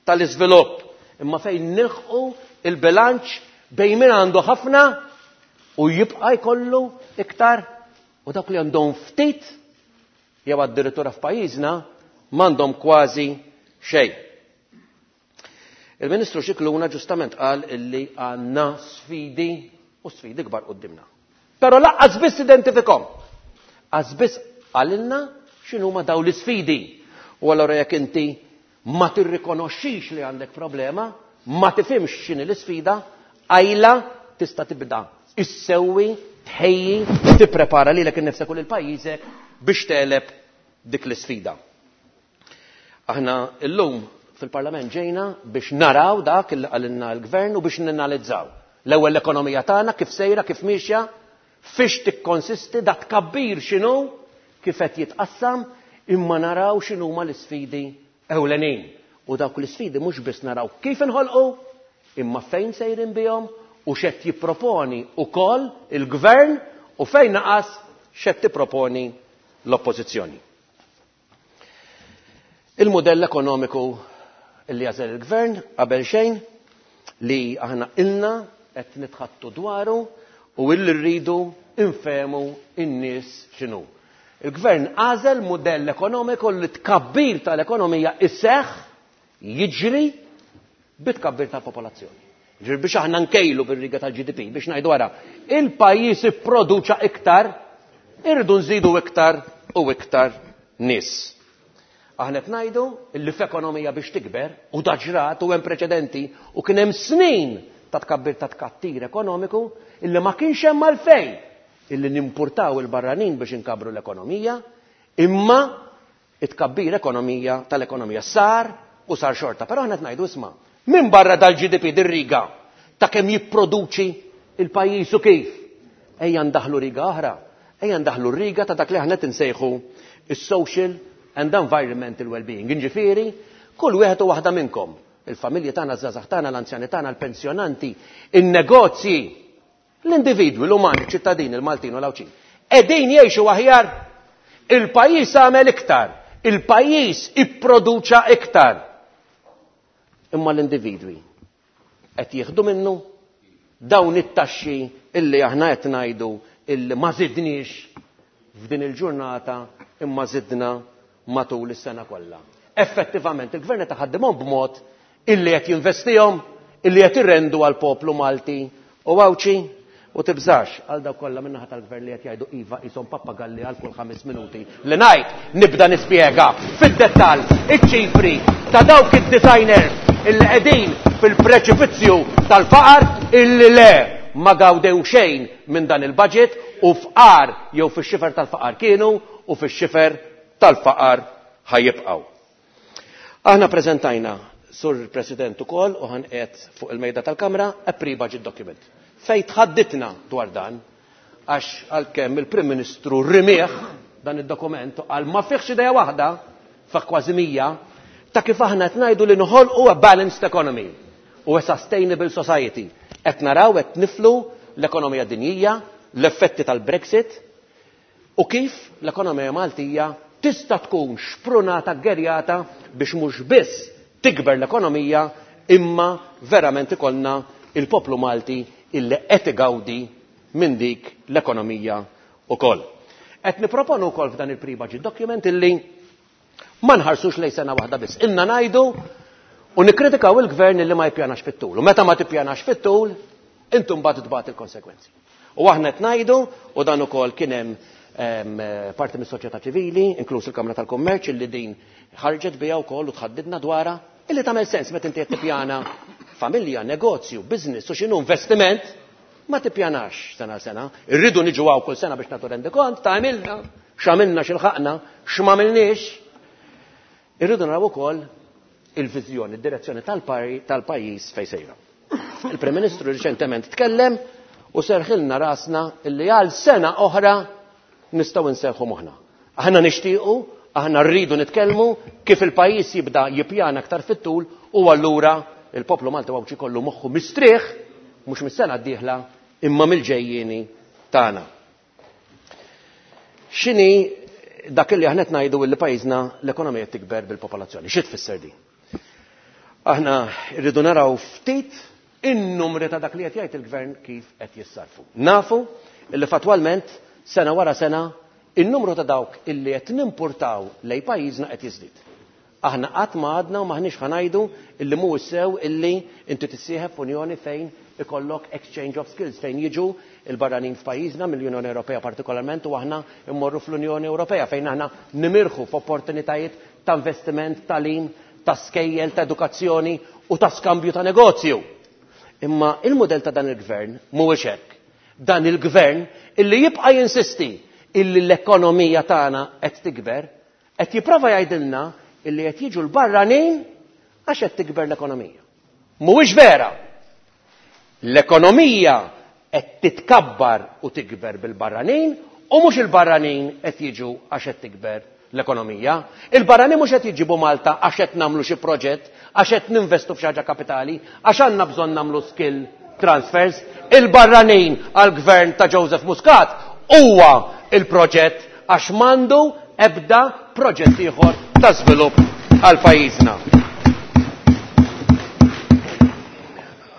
tal-iżvilupp, imma fejn nilħqu il-bilanċ bejn min għandu ħafna u jibqa' jkollu iktar u dawk li għandhom ftit jew addirittura f'pajjiżna m'għandhom kważi xejn. Il-Ministru Scicluna ġustament qal illi għandna sfidi u sfidi kbar qudiemna. Però laqqas biss identifikhom. Qas biss qalilna x'inhuma dawn l-isfidi. U allura jekk inti ma tirrikonoxxix li għandek problema, ma tifhimx x'inhi l-isfida, għajla tista' tibda issewwi, tħejji, tipprepara lilek innifsek u lil pajjiżek biex tegħleb dik l-isfida. Aħna llum fil-Parlament ġejna biex naraw dak li qalilna l-Gvern u biex ninalizzaw. L-ewwel l-ekonomija tagħna kif sejra, kif miexja, fiex tikkonsisti, dak tkabbir x'inhu, kif qed jitqassam, imma naraw x'inhuma l-isfidi ewlenin. U dawk l-isfidi mhux biss naraw kif inħolqu, imma fejn sejrin bihom u x'qed jipproponi wkoll il-Gvern u fejn naqas x'qed tipproponi l-Oppożizzjoni. Il-modell ekonomiku li għażel il-Gvern qabel xejn li aħna ilna qed nitħattu dwaru u illi rridu infehmu n-nies x'inhu. Il-Gvern għażel mudell ekonomiku li tkabbir tal-ekonomija isseħħ jiġri bit-tkabbir tal-popolazzjoni. Ġifieri biex aħna nkejlu bir-riga tal-G D P, biex ngħidu wara, il-pajjiż ipproduċa iktar, irridu nżidu iktar u iktar nies. Aħna qed ngħidu li f'ekonomija biex tikber, u daġrat u hemm preċedenti, u kien hemm snin ta' tkabbir ta' tkattir ekonomiku illi ma kienx hemm għalfejn illi nimpurtaw il-barranin biex inkabru l-ekonomija, imma it-tkabbir ekonomija tal-ekonomija sar u sar xorta. Però aħna qed ngħidu, isma', minn barra dal-G D P dir-riga ta' kemm jipproduċi il-pajjiż u kif, ejja ndaħlu riga oħra, ejja ndaħlu riga ta' dak li aħna qed insejħu is-social and environmental well-being. Jiġifieri, kull wieħed u waħda minnkom, il-familji tagħna, ż-żgħażagħ tagħna, l-anzjani tagħna, l-pensjonanti, in-negozji, l-individwi, l-umani, ċittadini, il-Maltin u l-Għawdxin, qegħdin jgħixu aħjar, il-pajjiż għamel iktar, il-pajjiż ipproduċa iktar. Imma l-individwi qed jieħdu minnu dawn it-taxxi illi aħna qed ngħidu illi ma żidniex f'din il-ġurnata imma żidna matul is-sena kollha. Effettivament il-gvern qed iħaddimhom b'mod illi qed jinvestihom, illi qed irrendu għal poplu Malti u Għawdxi. U tibżax għal dawk kollha min-naħa tal-gvern li qed jgħidu iva qishom pappagalli għal kull ħames minuti. Li ngħid nibda nispjega fid-dettall iċ-ċifri ta' dawk id-designers illi qegħdin fil-preċipizzju tal-faqar illi le ma gawdew xejn minn dan il-budget u fqar jew fix-xifer tal-faqar kienu u fix-xifer tal-faqar ħajibqgħu. Aħna preżentajna, Sur President, ukoll u ħanqiegħed fuq il-mejda tal-Kamra a pre-budget document. Fej tħadditna dwar dan, għax għalkemm il-Prim Ministru rimieħ dan id-dokument għal ma fiħx idea waħda, fa' kważi mija, ta' kif aħna qed ngħidu li noħolqu a balanced economy u a sustainable society. Qed naraw qed niflu l-ekonomija dinjija, l-effetti tal-Brexit u kif l-ekonomija Maltija tista' tkun xprunata, ggerjata biex mhux biss tikber l-ekonomija imma verament ikollna il-poplu Malti illi qed igawdi minn dik l-ekonomija ukoll. Qed niproponu wkoll f'dan il-pre-budget document illi ma nħarsux lejn sena waħda biss. Inna ngħidu u nikkritikaw il-gvern illi ma jippjanax fit-tul. U meta ma tippjanax fit-tul, intum mbagħad tbagħat il-konsekwenzi. U aħna qed ngħidu, u dan ukoll kien hemm parti mis-soċjetà ċivili, inkluż il-Kamra tal-Kummerċ, illi din ħarġet biha wkoll u tħaddidna dwarha, illi tagħmel sens meta inti qed tippjana familja, negozju, business u x'inhu investiment, ma tippjanax sena sena. Irridu niġu hawn kull sena biex nagħtu rendikont ta' għamilna, x'għamilna, x'ilħaqna, x'm'għamilniex. Irridu naraw ukoll il-viżjoni, id-direzzjoni tal-pajjiż fejn sejra. Il-Prim Ministru riċentement tkellem u serħilna rasna illi għal sena oħra nistgħu nserħu moħħna. Aħna nixtiequ, aħna rridu nitkellmu kif il-pajjiż jibda jippjana aktar fit-tul u allura il-poplu Malti Għawdxi kollu moħħu mistrieħ mhux mis-sena d-dieħla imma mill-ġejjieni tagħna. X'inhi dak li aħna qed ngħidu li pajjiżna l-ekonomija tikber bil-popolazzjoni? Xi tfisser din? Aħna rridu naraw ftit in-numri ta' dak li qed jgħid il-gvern kif qed jissarfu. Nafu li fatwalment sena wara sena in-numru ta' dawk illi qed nimpurtaw lejn pajjiżna qed jiżdied. Aħna qatt ma għadna u maħniex ħa ngħidu illi mhuwiex sew illi inti tissieħeb f'unjoni fejn ikollok exchange of skills, fejn jiġu il-barranin f'pajjiżna mill-Unjoni Ewropea partikolarment u aħna immorru fl-Unjoni Ewropea fejn aħna nimirħu f'opportunitajiet ta' investiment, tagħlim, ta' skejjel, ta' edukazzjoni u ta' skambju ta' negozju. Imma il-modell ta' dan il-gvern mhuwiex hekk. Dan il-gvern illi jibqa' jinsisti illi l-ekonomija tagħna qed tikber, qed jipprova jgħidilna illi qed jiġu l-barranin għax qed tikber l-ekonomija. Mhuwiex vera. L-ekonomija qed titkabbar u tikber bil-barranin u mhux il-barranin qed jiġu għax qed tikber l-ekonomija. Il-barranin mhux qed jiġibu Malta għax qed nagħmlu xi proġett, għax qed ninvestu f'xi ħaġa kapitali, għax għandna bżonn nagħmlu skill transfers. Il-barranin għall-gvern ta' Joseph Muscat huwa il-proġett għax m'għandu ebda proġett ieħor ta' żvilupp għal pajjiżna.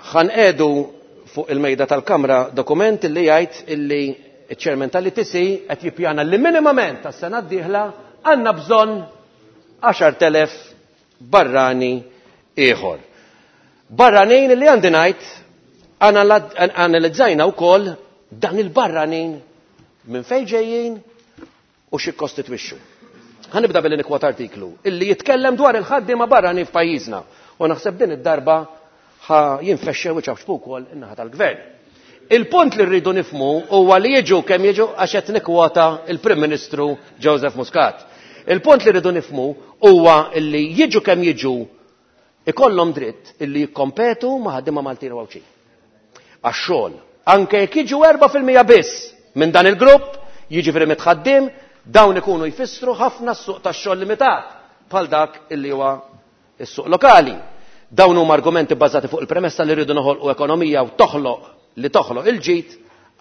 Ħanqedu fuq il-mejda tal-Kamra dokument illi jgħid illi iċ-ċermen tal-I T C qed jippjana li minimament tas-sena d-dieħla għandna bżonn għaxart elef barrani ieħor. Barranin li għandi ngħid Analizzajna wkoll dan il-barranin minn fejn ġejjin u xi kkostitwixxu. Ħa nibda billi nikkwota artiklu illi jitkellem dwar il-ħaddiema barranin f'pajjiżna u naħseb din id-darba ħa jinfexxew iċapċpu wkoll in-naħa tal-gvern. Il-punt li rridu nifhmu huwa li jiġu kemm jiġu għax qed nikkwota il-Prim Ministru Joseph Muscat. Il-punt li rridu nifhmu huwa li jiġu kemm jiġu ikollhom dritt illi jikkompetu ma' ħaddiema Maltin u Għawdxin. Għax-xogħol, anke jekk jiġu erba' fil-mija biss minn dan il-grupp, jiġifieri mitt ħaddiem, dawn ikunu jfissru ħafna s-suq tax-xogħol limitat bħal dak illi huwa s-suq lokali. Dawn huma argumenti bbażati fuq il-premessa li rridu noħolqu ekonomija u toħloq li toħloq il-ġid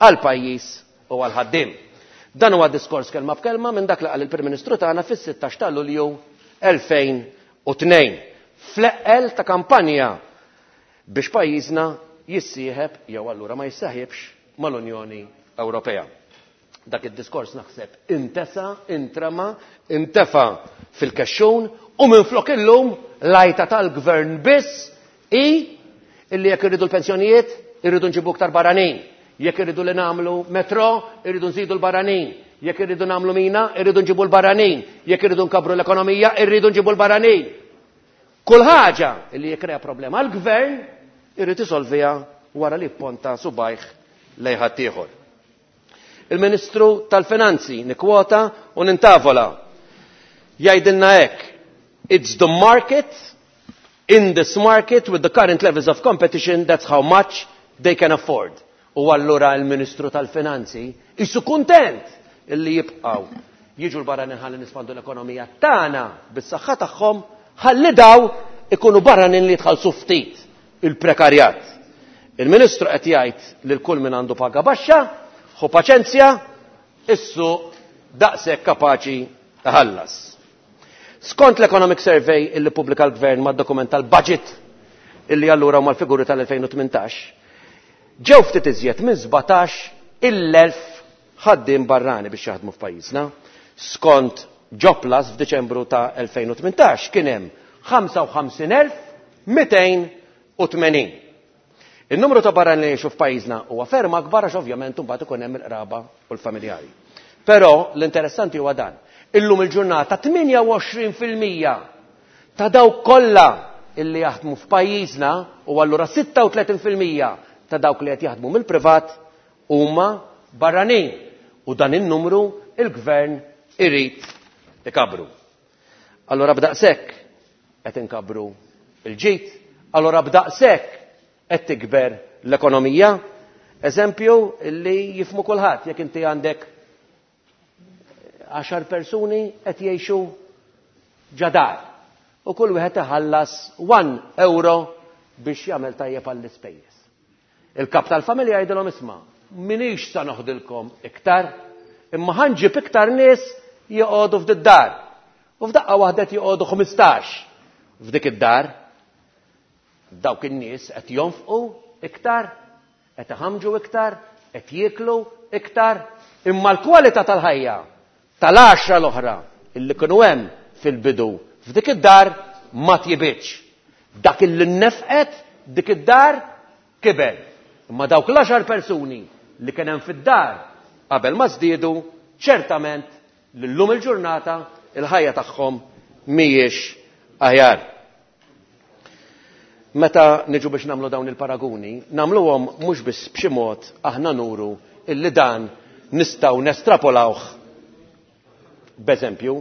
għal pajjiż u għal ħaddiem. Dan huwa diskors kelma b'kelma minn dak li qal il-Prim Ministru tagħna fis-sittax ta' Lulju elfejn u tnejn. Fl-eqqel ta' kampanja biex pajjiżna jissieħeb jew allura ma jisseħibx mal-Unjoni Ewropea. Dak id-diskors naħseb intesa, intrema, intefa fil-kexxun u minflok illum l-għajta tal-gvern biss hi illi jekk irridu l-pensjonijiet irridu nġibu iktar barranin, jekk irridu li nagħmlu metro irridu nżidu l-barranin, jekk irridu nagħmlu mina irridu nġibu l-barranin, jekk irridu nkabbru l-ekonomija irridu nġibu l-barranin. Kull ħaġa illi jikkrea problema għall-gvern irrid isolviha wara li jipponta subajh lejn ħaddieħor. Il-Ministru tal-Finanzi nikkwota u nintavola jgħidilna hekk: It's the market, in this market with the current levels of competition, that's how much they can afford. U allura il-Ministru tal-Finanzi isu kuntent illi jibqgħu jiġu l-barranin ħalli nispandu l-ekonomija tagħna bis-saħħa tagħhom, ħalli daw ikunu barranin li jitħallsu ftit il-prekarjat. Il-Ministru qed jgħid lil kull min għandu paga baxxa, ħu paċenzja, issu daqshekk kapaċi iħallas. Skont l-Economic Survey illi pubblika l-Gvern mad-dokument tal-budget illi allura huma l-figuri tal-elfejn u tmintax, ġew ftit iżjed minn sbatax il-elf ħaddiem barrani biex jaħdmu f'pajjiżna. Skont Jobplus f'Diċembru ta' elfejn u tmintax kien hemm ħamsa u ħamsin elf mitejn u tmenin. Il-numru ta' barranin li jgħixu f'pajjiżna huwa ferm akbar għax ovvjament imbagħad ikun hemm il-qraba u l-familjari. Però l-interessanti huwa dan. Illum il-ġurnata tmienja u għoxrin fil-mija ta' dawk kollha illi jaħdmu f'pajjiżna u allura sitta u tletin fil-mija ta' dawk li qed jaħdmu mill-privat huma barranin. U dan in-numru il-gvern irid ikabru. Allura b'daqshekk qed inkabru il-ġid, allura b'daqshekk qed tikber l-ekonomija. Eżempju li jifmu kulħadd, jekk inti għandek għaxar persuni qed jgħixu ġadar u kull wieħed iħallas one euro biex jagħmel tajjeb għall-ispejjeż. Il-kap tal-familja jgħidilhom isma', minix sa noħdilkom iktar, imma ħanġib iktar nies joqogħdu f'dik id-dar. U f'daqqa waħda qed joqogħdu ħmistax f'dik id-dar. Dawk in-nies qed jonfqu iktar, qed iħamġu iktar, qed jieklu iktar, imma l-kwalità tal-ħajja tal-għaxra l-oħra illi kienu hemm fil-bidu f'dik id-dar ma tjibitx. Dak illi nnefqet dik id-dar kiber. Imma dawk l-għaxar persuni li kien hemm fid-dar qabel ma żdiedu, ċertament li llum il-ġurnata il-ħajja tagħhom mhijiex aħjar. Meta niġu biex nagħmlu dawn il-paraguni, nagħmluhom mhux biss b'xi mod aħna nuru illi dan nistgħu nestrapolawh b'eżempju,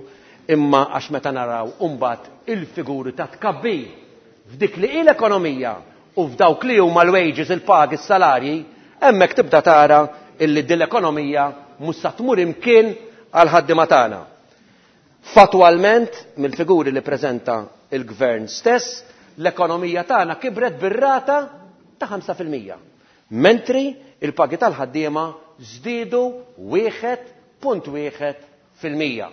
imma għax meta naraw imbagħad il-figuri ta' tkabbir f'dik li hi l-ekonomija u f'dawk li huma l-wages, il-pagi, is-salarji, hemmhekk tibda tara illi din l-ekonomija mhux sa tmur imkien għal ħaddiema tagħna. Fatwalment, mill-figuri li preżenta il-gvern stess, l-ekonomija tagħna kibret bir-rata ta' ħamsa fil-mija, mentri il-pagi tal-ħaddiema żdiedu wieħed punt wieħed fil-mija.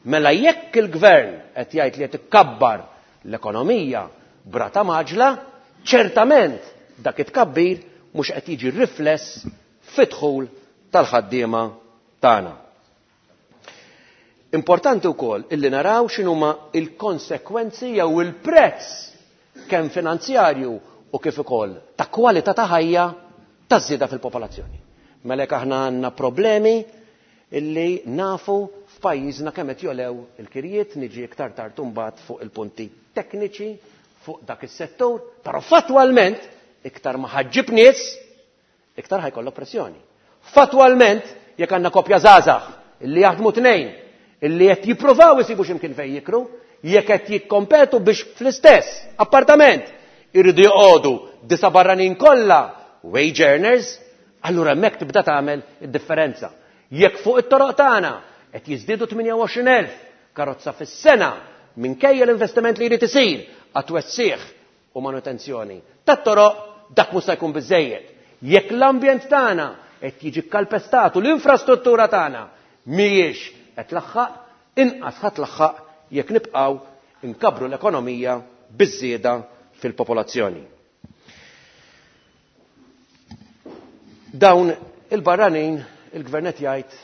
Mela jekk il-gvern qed jgħid li qed ikkabbar l-ekonomija brata maġla, ċertament dak it-tkabbir mhux qed jiġi rifless fid-dħul tal-ħaddiema tagħna. Importanti wkoll illi naraw x'inhuma il-konsekwenzi jew il-prezz kemm finanzjarju u kif ukoll ta' kwalità ta' ħajja taż-żieda fil-popolazzjoni. Mela jekk aħna għandna problemi illi nafu f'pajjiżna kemm qed jolew il-kirjiet, niġi iktar tard imbagħad fuq il-punti tekniċi fuq dak is-settur, però fattwalment iktar ma ħaġġib nies, iktar ħajkollok pressjoni. Fattwalment jekk għandna koppja żgħażagħ illi jaħdmu tnejn, illi qed jippruvaw isibu x'imkien fejn jikru, jekk qed jikkompetu biex fl-istess appartament irridu joqogħdu disa' barranin kollha wage earners, allura hemmhekk tibda tagħmel id-differenza. Jekk fuq it-toroq tagħna qed jiżdiedu tmienja u għoxrin elf karozza fis-sena minkejja l-investiment li jrid isir għat-twessiħ u manutenzjoni tat-toroq, dak mhux se jkun biżejjed. Jekk l-ambjent tagħna qed jiġi kkalpestat u l-infrastruttura tagħna mhijiex qed tlaħħaq, inqas ħadd tlaħħaq jekk nibqgħu nkabru l-ekonomija biż-żieda fil-popolazzjoni. Dawn il-barranin il-gvern qed jgħid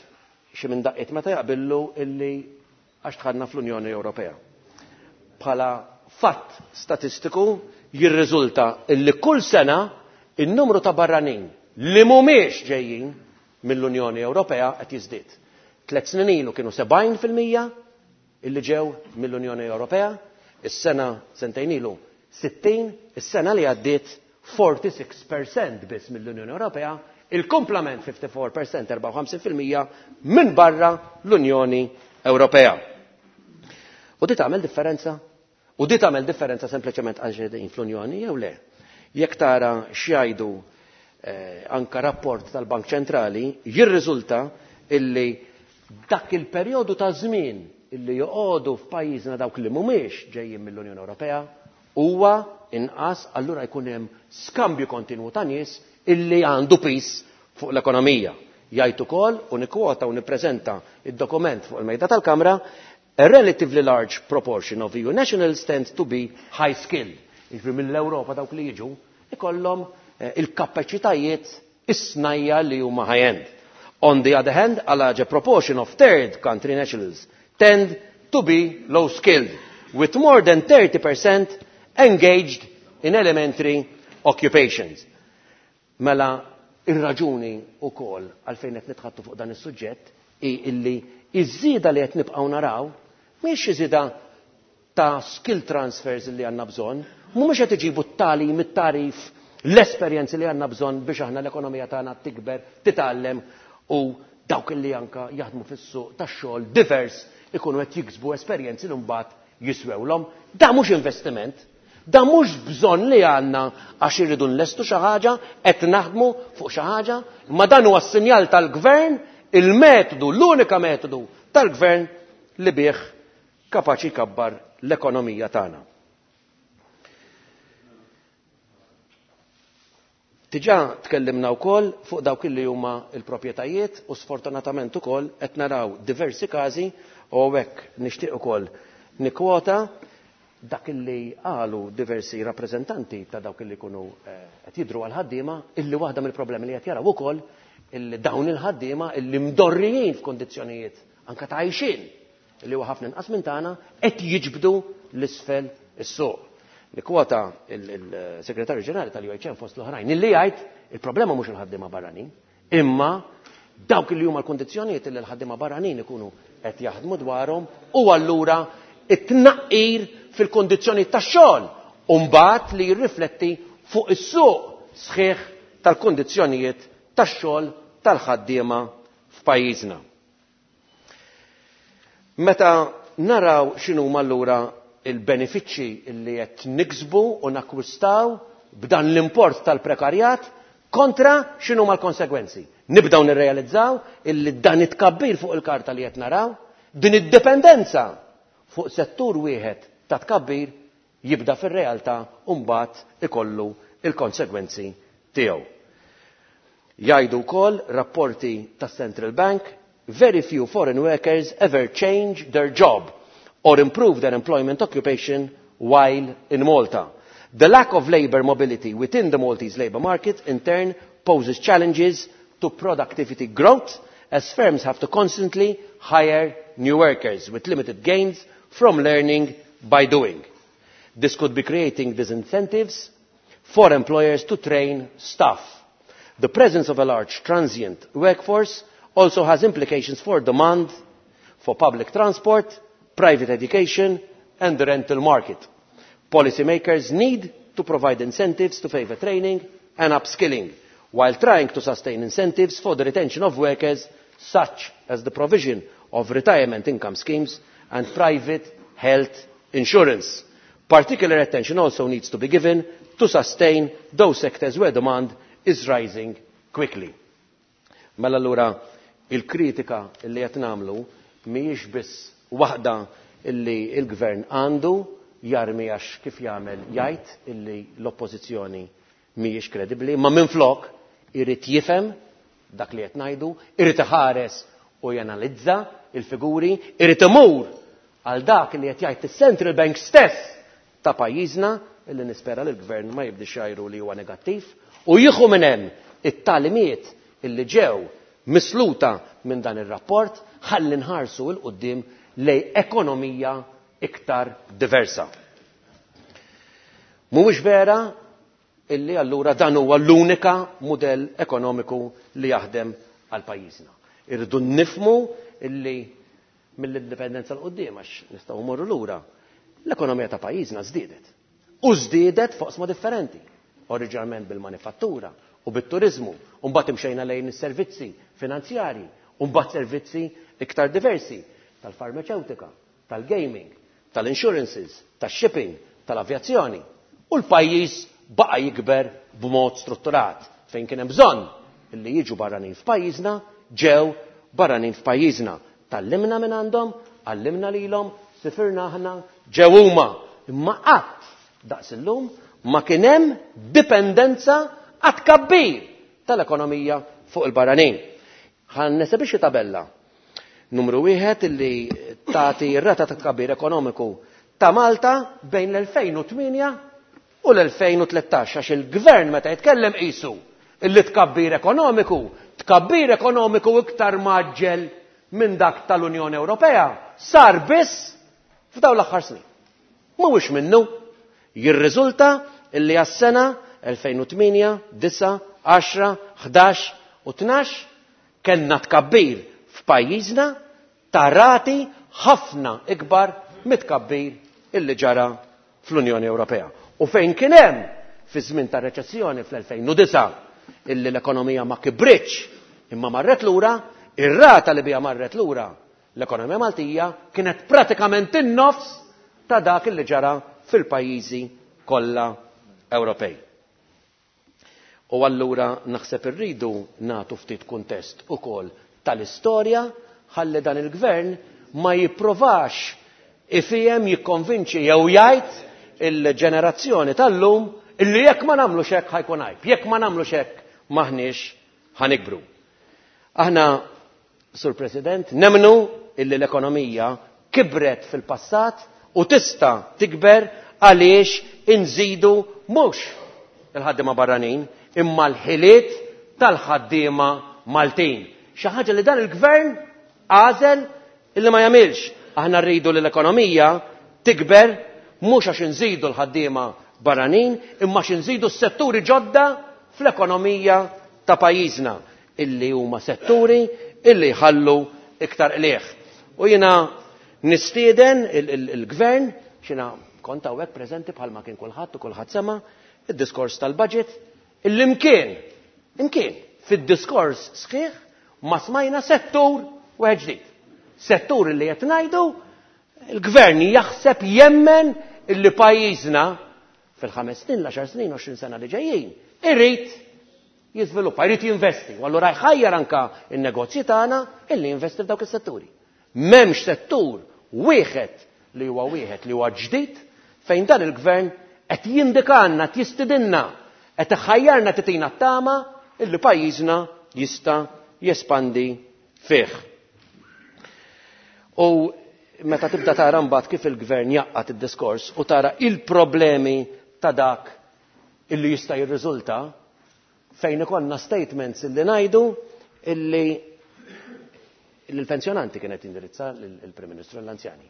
xi minn daqqiet meta jaqbillu illi għax dħalna fl-Unjoni Ewropea. Bħala fatt statistiku jirriżulta illi kull sena in-numru ta' barranin li mhumiex ġejjin mill-Unjoni Ewropea qed jiżdied. Tliet snin ilu kienu sebgħin fil-mija illi ġew mill-Unjoni Ewropea, is-sena sentejn ilu sittin, is-sena li għaddiet forty-six percent biss mill-Unjoni Ewropea, il-komplement fifty-four percent, erbgħa u ħamsin fil-mija minn barra l-Unjoni Ewropea. U di tagħmel differenza? U di tagħmel differenza sempliċement għal ġedin fl-Unjoni jew le? Jekk tara x'jgħidu, eh, anka rapport tal-Bank Ċentrali, jirriżulta illi dak il-perjodu ta' żmien illi joqogħdu f'pajjiżna dawk li mhumiex ġejjin mill-Unjoni Ewropea huwa inqas, allura jkun hemm skambju kontinwu ta' nies illi għandu pis fuq l-ekonomija. Jgħid ukoll u nikkwota u nippreżenta id-dokument fuq il-mejda tal-Kamra, a relatively large proportion of E U nationals tend to be high skilled. Jiġifieri mill-Ewropa dawk li jiġu ikollhom, eh, il-kapaċitajiet is-snajja li huma high-end. On the other hand, a larger proportion of third country nationals tend to be low skilled, with more than thirty percent engaged in elementary occupations. Mela, ir-raġuni wkoll għalfejn qed nitħattu fuq dan is-suġġett hi illi iż-żieda li qed nibqgħu naraw mhix xi żieda ta' skill transfers li għandna bżonn, mhumiex qed iġibu t-tagħlim, it-tarif, l-esperjenzi li għandna bżonn biex aħna l-ekonomija tagħna tikber, titgħallem u dawk li anka jaħdmu fis-suq tax-xogħol divers ikunu qed jiksbu esperjenzi li mbagħad jiswewlhom. Da mhux investiment, da mhux bżonn li għandna għax irridu nlestu xi ħaġa, qed naħdmu fuq xi ħaġa, imma dan huwa s-sinjal tal-gvern, il-metodu, l-unika metodu tal-gvern li bih kapaċi jkabbar l-ekonomija tagħna. Diġà tkellimna wkoll fuq dawk li huma l-proprjetajiet u sfortunatament ukoll qed naraw diversi każi u hawnhekk nixtieq ukoll nikkwota dak li qalu diversi rappreżentanti ta' dawk li jkunu, eh, qed jidhru għal ħaddiema illi waħda mill-problemi li qed jaraw ukoll illi dawn il-ħaddiema illi mdorrijin f'kondizzjonijiet anke ta' għajxien illi huwa ħafna inqas minn tagħna qed jiġbdu l-isfel is-suq. Nikkwota il-Segretarju Ġenerali tal-U H M fost l-oħrajn illi jgħid il-problema mhux il-ħaddiema barranin, imma dawk li huma l-kondizzjonijiet li l-ħaddiema barranin ikunu qed jaħdmu dwarhom u allura it-tnaqqir fil-kondizzjonijiet tax-xogħol u mbagħad li jirrifletti fuq is-suq sħiħ tal-kondizzjonijiet tax-xogħol tal-ħaddiema f'pajjiżna. Meta naraw x'inhuma allura il-benefiċċji li qed niksbu u nakkwistaw b'dan l-import tal-prekarjat kontra x'inhuma l-konsegwenzi. Nibdew nirrealizzaw illi dan it-tkabbir fuq il-karta li qed naraw, din id-dipendenza fuq settur wieħed ta' tkabbir jibda fir-realtà u mbagħad ikollu il-konsegwenzi tiegħu. Jgħidu wkoll rapporti tas-Central Bank, very few foreign workers ever change their job or improve their employment occupation while in Malta. The lack of labour mobility within the Maltese labour market in turn poses challenges to productivity growth as firms have to constantly hire new workers with limited gains from learning by doing. This could be creating disincentives for employers to train staff. The presence of a large transient workforce also has implications for demand for public transport, private education and the rental market. Policymakers need to provide incentives to favour training and upskilling, while trying to sustain incentives for the retention of workers, such as the provision of retirement income schemes and private health insurance. Particular attention also needs to be given to sustain those sectors where demand is rising quickly. Mela allura il-kritika li qed nagħmlu mhijiex biss waħda illi il-gvern għandu jarmi għax kif jagħmel jgħid illi l-oppożizzjoni mhijiex kredibbli, ma minflok irid jifhem dak li qed ngħidu, irid iħares u janalizza il-figuri, irid imur għal dak li qed jgħid is-Central Bank stess ta' pajjiżna illi nispera li l-gvern ma jibdix jgħidu li huwa negattiv u jieħu minn hemm it-tagħlimiet illi ġew misluta minn dan ir-rapport ħalli nħarsu 'l quddiem lejn ekonomija iktar diversa. Mhuwiex vera illi allura dan huwa l-unika mudell ekonomiku li jaħdem għal pajjiżna. Irridu nifhmu illi mill-indipendenza 'l quddiem għax nistgħu mmorru lura, l-ekonomija ta' pajjiżna żdiedet. U żdiedet f'oqsma differenti, oriġinarment bil-manifattura u bit-turizmu, u mbagħad imxejna lejn is-servizzi finanzjarji, u mbagħad servizzi iktar diversi tal-farmaceutika, tal-gaming, tal-insurances, tax-shipping, tal-avjazzjoni. U l-pajjiż baqa' jikber b'mod strutturat fejn kien hemm bżonn illi jiġu barranin f'pajjiżna, ġew barranin f'pajjiżna. Tgħallimna minn għandhom, għallimna lilhom, sifirna aħna, ġew huma. Imma qatt daqs illum ma kien hemm dipendenza għat-tkabbir tal-ekonomija fuq il-barranin. Ħa nesebixxi tabella. Numru wieħed illi tagħti r-rata ta' tkabbir ekonomiku ta' Malta bejn l-elfejn u tmienja u l-elfejn u tlettax, għax il-gvern meta jitkellem qisu illi tkabbir ekonomiku, tkabbir ekonomiku iktar maġġel minn dak tal-Unjoni Ewropea sar biss f'dawn l-aħħar snin. Mhuwiex minnu, jirriżulta illi għas-sena elfejn u tmienja, disa, għaxra, ħdax u tnax kellna tkabbir f'pajjiżna ta' rati ħafna ikbar mit-tkabbir illi ġara fl-Unjoni Ewropea. U fejn kien hemm fi żmien ta' reċessjoni fl-elfejn u disa illi l-ekonomija ma kibritx imma marret lura, ir-rata li biha marret lura l-ekonomija Maltija kienet pratikament in-nofs ta' dak illi ġara fil-pajjiżi kollha Ewropej. U allura naħseb irridu nagħtu ftit kuntest ukoll tal-istorja ħalli dan il-gvern ma jipprovax ifhem, jikkonvinċi jew jgħid il-ġenerazzjoni tal-lum illi jekk ma nagħmlux hekk ħajkun għajb, jekk ma nagħmlux hekk maħniex ħanikbru. Aħna, Sur President, nemnu illi l-ekonomija kibret fil-passat u tista' tikber għaliex inżidu mhux il-ħaddiema barranin imma l-ħiliet tal-ħaddiema Maltin. Xi ħaġa li dan il-gvern għażel illi ma jagħmilx. Aħna rridu li l-ekonomija tikber mhux għax inżidu l-ħaddiema barranin imma għax inżidu s-setturi ġodda fl-ekonomija ta' pajjiżna illi huma setturi illi jħallu iktar qligħ. U jiena nistieden il-, il-, il-gvern, xina kont hawnhekk preżenti bħalma kien kulħadd u kulħadd sema' id-diskors tal-budget, illi mkien, imkien fid-diskors sħiħ ma smajna settur wieħed ġdid. Settur illi qed ngħidu il-gvern jaħseb jemmen illi pajjiżna fil-ħames snin, l-għaxar snin, għoxrin sena li ġejjin, irid jiżviluppa, irid jinvesti. U allura jħajjar anka n-negozji tagħna illi jinvesti f'dawk is-setturi. M'hemmx settur wieħed li huwa wieħed li huwa ġdid fejn dan il-gvern qed jindikanna, qed jistidinna, qed iħajjarna titina t-tama illi pajjiżna jista' jespandi fih. U meta tibda tara mbagħad kif il-gvern jaqqat id-diskors u tara il-problemi ta' dak illi jista' jirriżulta fejn ikollna statements illi ngħidu illi l-pensjonanti kienet indirizza l-Prim Ministru l-anzjani.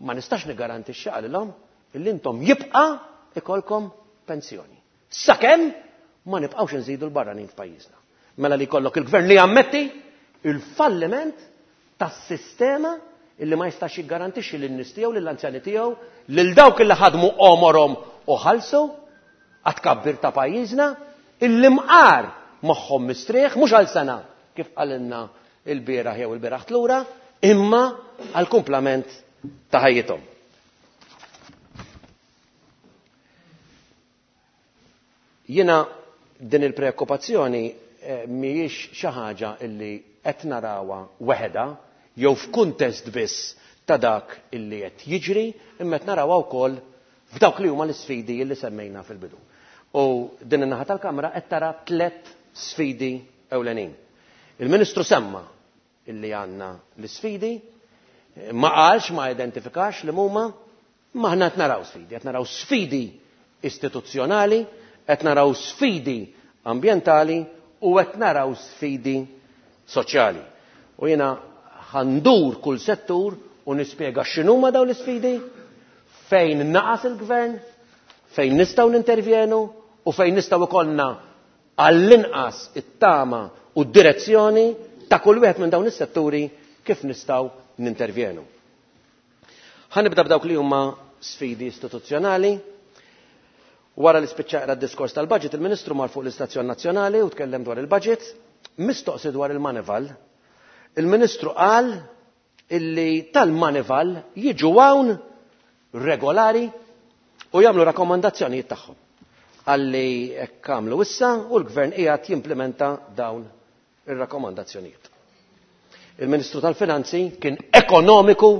Ma nistax niggarantixxi qalilhom illi intom jibqa' ikolkom pensjoni. Sakemm Ma nibqgħux nżidu l-barranin f'pajjiżna. Mela li jkollok il-gvern li jammetti il-falliment tas-sistema illi ma jistax jiggarantixxi lin-nies tiegħu, lill-anzjani tiegħu, lil dawk illi ħadmu għomorhom u ħallsu għat-tkabbir ta' pajjiżna, illi mqar moħħhom mistrieħ mhux għal sena kif qalilna il-bieraħ jew il-bieraħ tlura, imma għal kumplament ta' ħajjithom. Jiena din il-preokkupazzjoni mhijiex xi ħaġa illi qed narawha weħeda jew f'kuntest biss ta' dak illi qed jiġri, imma qed narawha wkoll f'dawk li huma l-isfidi illi semmejna fil-bidu. U din in-naħa tal-Kamra qed tara tliet sfidi ewlenin. Il-Ministru semma illi għandna l-isfidi, ma qalx, ma identifikax li huma, ma aħna qed naraw sfidi, qed naraw sfidi istituzzjonali, qed naraw sfidi ambjentali u qed naraw sfidi soċjali. U jiena ħandur kull settur u nispjega x'inhuma dawn l-isfidi, fejn naqas il-gvern, fejn nistgħu nintervjenu u fejn nistgħu ikollna għall-inqas it-tama u d-direzzjoni ta' kull wieħed minn dawn is-setturi kif nistgħu nintervjenu. Ħa nibda b'dawk li huma sfidi istituzzjonali. Wara li spiċċa qra d-diskors tal-budget, il-Ministru mar fuq l-Istazzjon Nazzjonali u tkellem dwar il-budget, mistoqsi dwar il-Manival. Il-Ministru qal illi tal-Manival jiġu hawn regolari u jagħmlu rakkomandazzjonijiet tagħhom. Għalli hekk għamlu issa u l-Gvern qiegħed jimplementa dawn ir-rakkomandazzjonijiet. Il-Ministru tal-Finanzi kien ekonomiku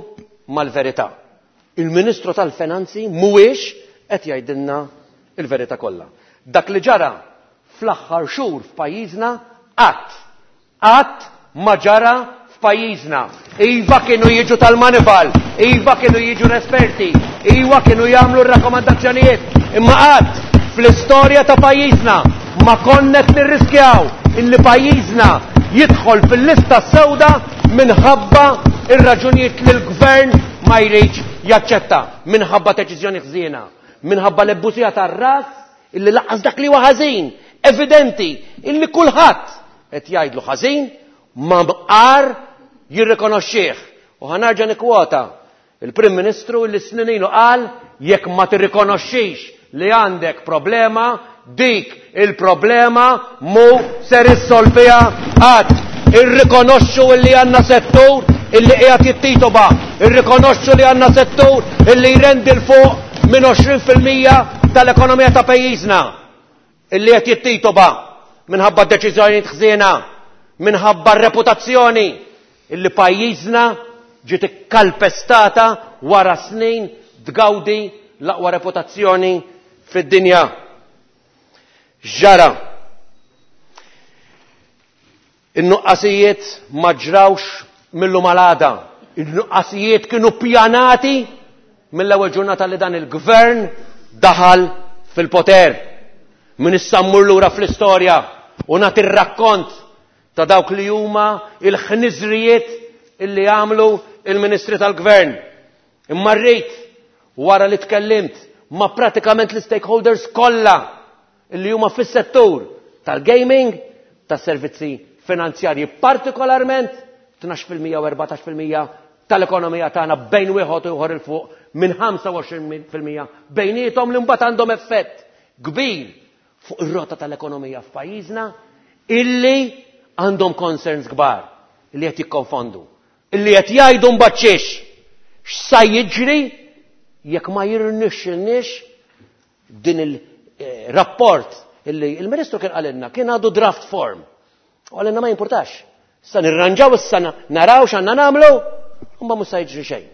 mal-verità. Il-Ministru tal-Finanzi mhuwiex qed jgħidilna il-verità kollha. Dak li ġara fl-aħħar xhur f'pajjiżna qatt qatt ma ġara f'pajjiżna. Iva kienu jiġu tal-Manival, iva kienu jiġu l-esperti, iva kienu jagħmlu r-rakkomandazzjonijiet, imma qatt fl-istorja ta' pajjiżna ma konna qed nirriskjaw illi pajjiżna jidħol fil-lista sewda minħabba ir-raġunijiet li l-gvern ma jridx jaċċetta, minħabba deċiżjoni ħżiena, minħabba l-ebbusija tar-ras illi laqqas dak li huwa ħażin, evidenti illi kulħadd qed jgħidlu ħażin ma mqar jirrikonoxxih. U ħa nerġa' nikkwota il-Prim Ministru illi snin ilu qal jekk ma tirrikonoxxix li għandek problema, dik il-problema mu ser issolviha qatt. Irrikonoxxu illi għandna settur illi qiegħed jittitoba, irrikonoxxu li għandna settur illi jrendi l fuq minn għoxrin fil-mija tal-ekonomija ta' pajjiżna, illi qed jittitoba minħabba deċiżjonijiet ħżiena, minħabba r-reputazzjoni illi pajjiżna ġiet ikkalpestata wara snin tgawdi l-aqwa reputazzjoni fid-dinja. Ġara. In-nuqqasijiet ma ġrawx mill-lum għal għada. In-nuqqasijiet kienu pjanati mill-ewwel ġurnata li dan il-gvern daħal fil-poter. Min issa mmur lura fl-istorja u nagħti r-rakkont ta' dawk li huma il-ħniżrijiet illi għamlu il-ministri tal-gvern. Imma rrid wara li tkellimt ma' pratikament l-stakeholders kollha illi huma fis-settur tal-gaming, tas-servizzi finanzjarji partikolarment, tnax fil-mija u erbatax fil-mija tal-ekonomija tagħna bejn wieħed u ieħor il fuq minn ħamsa u għoxrin fil-mija bejniethom li mbagħad għandhom effett kbir fuq ir-rota tal-ekonomija f'pajjiżna illi għandhom concerns kbar illi qed jikkonfondu, illi qed jgħidu mbagħad xiex x'sa jiġri jekk ma jirnexxilniex din il-rapport illi il-Ministru kien qalilna kien għadu draft form. U qalilna ma jimpurtax. Issa nirranġaw issa naraw x'għandna nagħmlu, u ma mhux se jiġri xejn.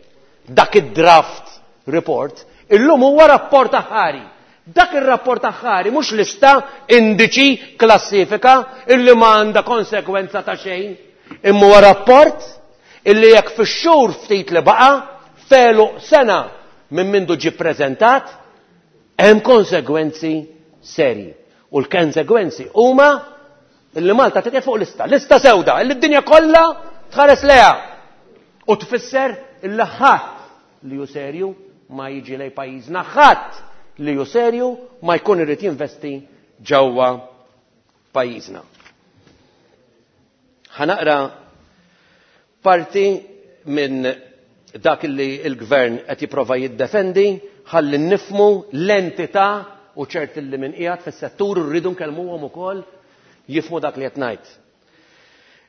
Dak id-draft report illum huwa rapport aħħari. Dak ir-rapport aħħari mhux lista, indiċi, klassifika illi ma għandha konsekwenza ta' xejn, imma huwa rapport illi jekk fix-xhur ftit li baqa' felu sena minn mindu ġie ppreżentat, hemm konsegwenzi serji. U l-konsegwenzi huma illi Malta titqiegħed fuq lista, lista sewda, illi d-dinja kollha tħares leha. U tfisser illi ħadd li hu serju ma jiġi lej pajjiżna, ħadd li hu serju ma jkun irid jinvesti ġewwa pajjiżna. Ħa naqra parti minn dak li l-gvern qed jipprova jiddefendi ħalli nifmu l-entità u ċert li min qiegħed fis-settur rridu nkellmuhom ukoll jifmu dak li qed ngħid.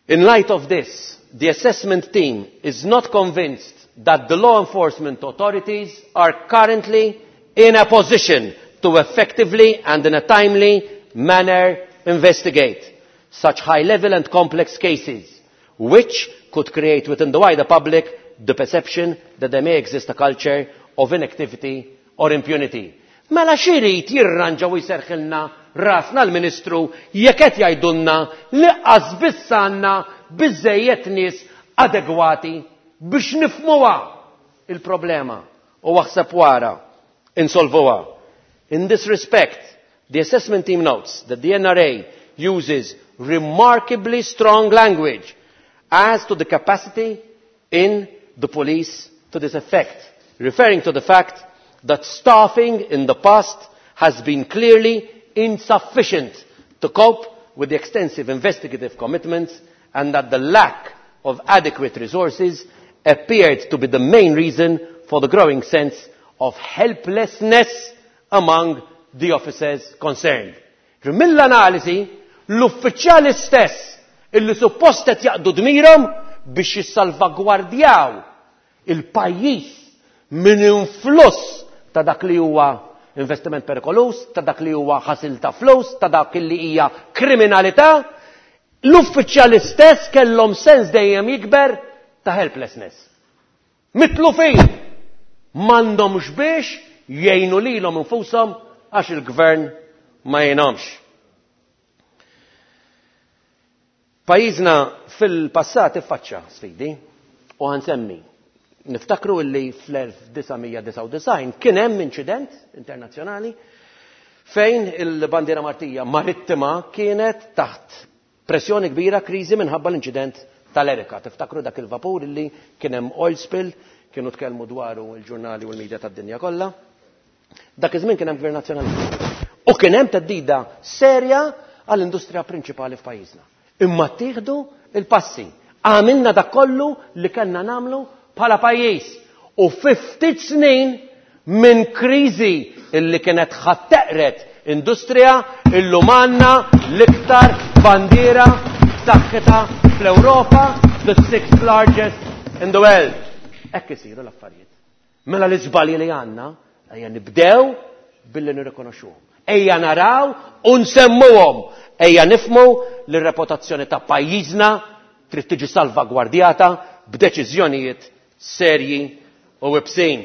In light of this, the assessment team is not convinced that the law enforcement authorities are currently in a position to effectively and in a timely manner investigate such high-level and complex cases, which could create within the wider public the perception that there may exist a culture of inactivity or impunity. Mela x'irid jirranġa u jserħilna rasna l-Ministru jekk qed jgħidulna li qas biss għandna biżejjed nies adegwati biex nifmuha il-problema u aħseb wara insolvuha. In this respect, the assessment team notes that the N R A uses remarkably strong language as to the capacity in the police to this effect, referring to the fact that staffing in the past has been clearly insufficient to cope with the extensive investigative commitments and that the lack of adequate resources appeared to be the main reason for the growing sense of helplessness among the officers concerned. Mill-analisi, l-uffiċjali stess illi suppost qed jaqdu dmirhom biex jissalvagwardjaw il-pajjiż minn influss ta' dak li huwa investiment perikolus, ta' dak li huwa ħasil ta' flus, ta' dak li hija kriminalità, l-uffiċjali stess kellhom sens dejjem jikber ta' helplessness. Mitlufin m'għandhomx biex jgħinu lilhom infushom għax il-gvern ma jgħinhomx. Pajjiżna fil-passat iffaċċa sfidi u ħansemmi. Niftakru illi fl-elf disa' mija disgħa u disgħin kien hemm inċident internazzjonali fejn il-bandiera Maltija marittima kienet taħt pressjoni kbira, kriżi minħabba l-inċident tal-Erika. Tiftakru dak il-vapur illi kien hemm oil spill, kienu tkellmu dwaru l-ġurnali u l-medja tad-dinja kollha. Dak iż-żmien kien hemm gvern nazzjonalista. U kien hemm theddida serja għall-industrija prinċipali f'pajjiżna. Imma ttieħdu il-passi. Għamilna dak kollu li kellna nagħmlu bħala pajjiż. U fi ftit snin minn kriżi illi kienet ħatteqret industrija, illum għandna l-iktar bandiera b'saħħitha fl-Ewropa, the sixth largest in the world. Hekk isiru l-affarijiet. Mela l-iżbalji li għandna, ejja nibdew billi nirrikonoxxuhom. Ejja naraw u nsemmuhom. Ejja nifhmu li r-reputazzjoni ta' pajjiżna trid tiġi salvagwardjata b'deċiżjonijiet serji u ibsin.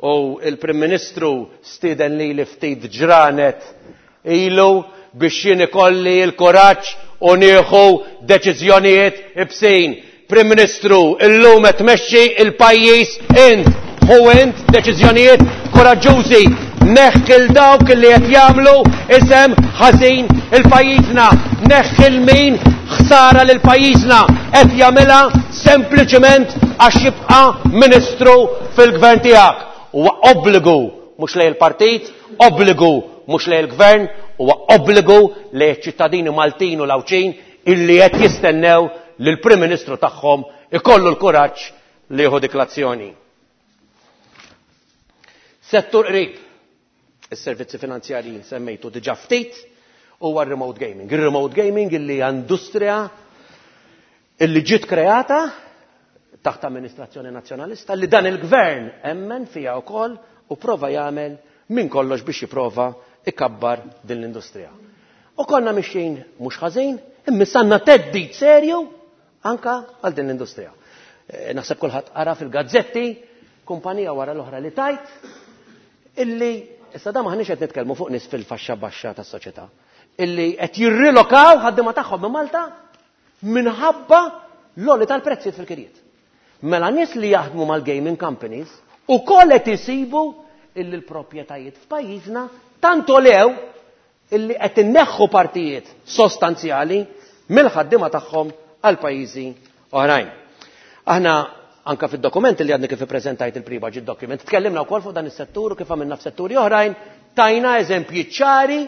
U il-Prim Ministru stieden li li ftit ġranet ilu biex jien ikolli l-kuraġġ u nieħu deċiżjonijiet ibsin. Prim Ministru, illum qed tmexxi il-pajjiż int, hu int deċiżjonijiet kuraġġużi. Neħħi l dawk li qed jagħmlu isem ħażin il-pajjiżna, neħħi l min ħsara lil pajjiżna qed jagħmilha sempliċement għax jibqa' ministru fil-gvern tiegħek. Huwa obbligu mhux lejn il-partit, obbligu mhux lejn il-gvern, huwa obbligu lejn iċ-ċittadini Maltin u l-Għawdxin illi qed jistennew li l-Prim Ministru tagħhom ikollu l-kuraġġ li jieħu dik l-azzjoni. Settur qrib, is-servizzi finanzjarji semmejtu diġà ftit, huwa r-remote gaming. Ir-remote gaming illi hija industrija illi ġiet kreata taħt amministrazzjoni nazzjonalista li dan il-gvern emmen fiha wkoll u prova jagħmel minn kollox biex jipprova ikabbar din l-industrija. U konna mixjin mhux ħażin, imma sanna theddid serju anka għal din l-industrija. Eh, naħseb kulħadd qara fil-gazzetti kumpanija wara l-oħra li tajt illi issa da maħniex qed nitkellmu fuq nies fil-faxxa baxxa tas-soċjetà illi qed jirrilokaw ħaddiema tagħhom minn Malta minħabba l-għoli tal-prezzijiet fil-kirjiet. Mela nies li jaħdmu mal-gaming companies ukoll qed isibu illi l-proprjetajiet f'pajjiżna tant olew illi qed inneħħu partijiet sostanzjali mill-ħaddiema tagħhom għal pajjiżi oħrajn. Aħna anka fid-dokument li għadni kif ippreżentajt il-pre-budget document, tkellimna wkoll fuq dan is-settur u kif għamilna f'setturi oħrajn, tajna eżempji ċari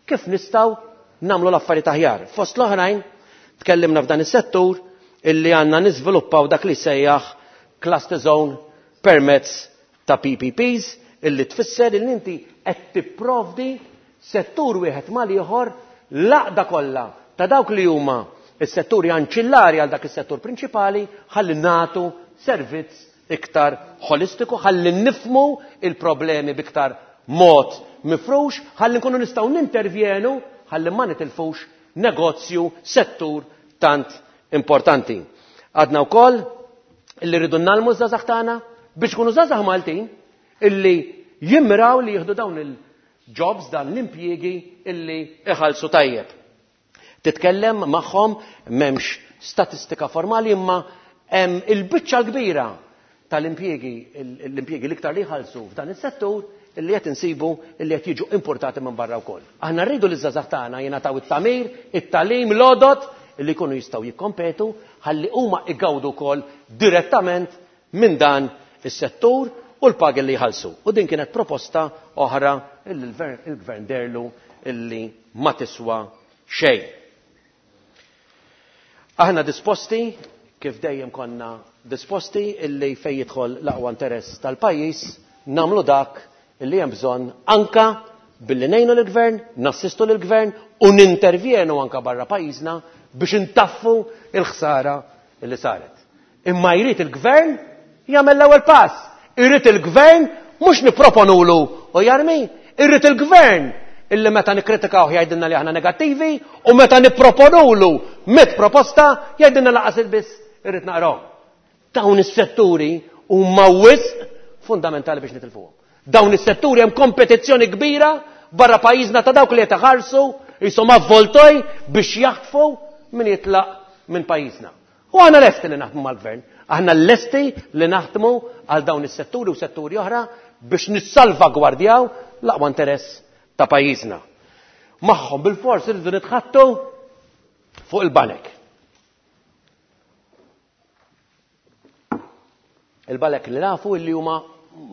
kif nistgħu nagħmlu l-affarijiet aħjar. Fost l-oħrajn tkellimna f'dan is-settur illi għandna niżviluppaw dak li sejjaħ cluster zone permezz ta' P P Ps illi tfisser illi inti qed tipprovdi settur wieħed mal-ieħor l-għaqda kollha ta' dawk li huma is-setturi anċillari għal dak is-settur prinċipali ħalli nagħtu servizz iktar holistiku, ħalli nifmu il-problemi b'iktar mod mifrux, ħalli nkunu nistgħu nintervjenu, ħalli ma nitilfux negozju, settur tant importanti. Għadna wkoll illi rridu nagħlmu ż-żgħażagħ tagħna biex ikunu żgħażagħ Maltin illi jimmiraw li jieħdu dawn il-jobs, dan l-impjiegi illi iħallsu tajjeb. Titkellem magħhom m'hemmx statistika formali imma hemm il-biċċa l-kbira tal-impjiegi, l-impjiegi l-iktar li jħallsu f'dan is-settur illi qed insibu illi qed jiġu importati minn barra wkoll. Aħna rridu li ż-żgħażagħ tagħna jingħataw it-tagħmir, it-tagħlim, l-għodod illi jkunu jistgħu jikkompetu ħalli huma igawdu wkoll direttament minn dan is-settur u l-pagi li jħallsu. U din kienet proposta oħra illi l-gvern derlu illi ma tiswa xejn. Aħna disposti, kif dejjem konna disposti, illi fejn jidħol l-aqwa interess tal-pajjiż nagħmlu dak illi hemm bżonn anka billi ngħinu lill-gvern, nassistu lill-gvern u nintervjenu anka barra pajjiżna biex intaffu il-ħsara illi saret. Imma jrid il-gvern jagħmel l-ewwel pass. Irid il-gvern mhux nipproponulu u jarmi, irid il-gvern illi meta nikkritikaw jgħidilna li aħna negattivi u meta nipproponulu mit proposta jgħidilna laqas il-biss irrid naqraw. Dawn is-setturi huma wisq fundamentali biex nitilfuhom. Dawn is-setturi hemm kompetizzjoni kbira barra pajjiżna ta' dawk li qed iħarsu jisom avvoltoj biex jaħtfu min jitlaq minn pajjiżna. U aħna lesti li naħdmu mal-gvern, aħna lesti li naħdmu għal dawn is-setturi u setturi oħra biex nissalvagwardjaw l-aqwa interess ta' pajjiżna. Magħhom bil-fors irridu nitħattu fuq il-banek. Il-banek li nafu illi huma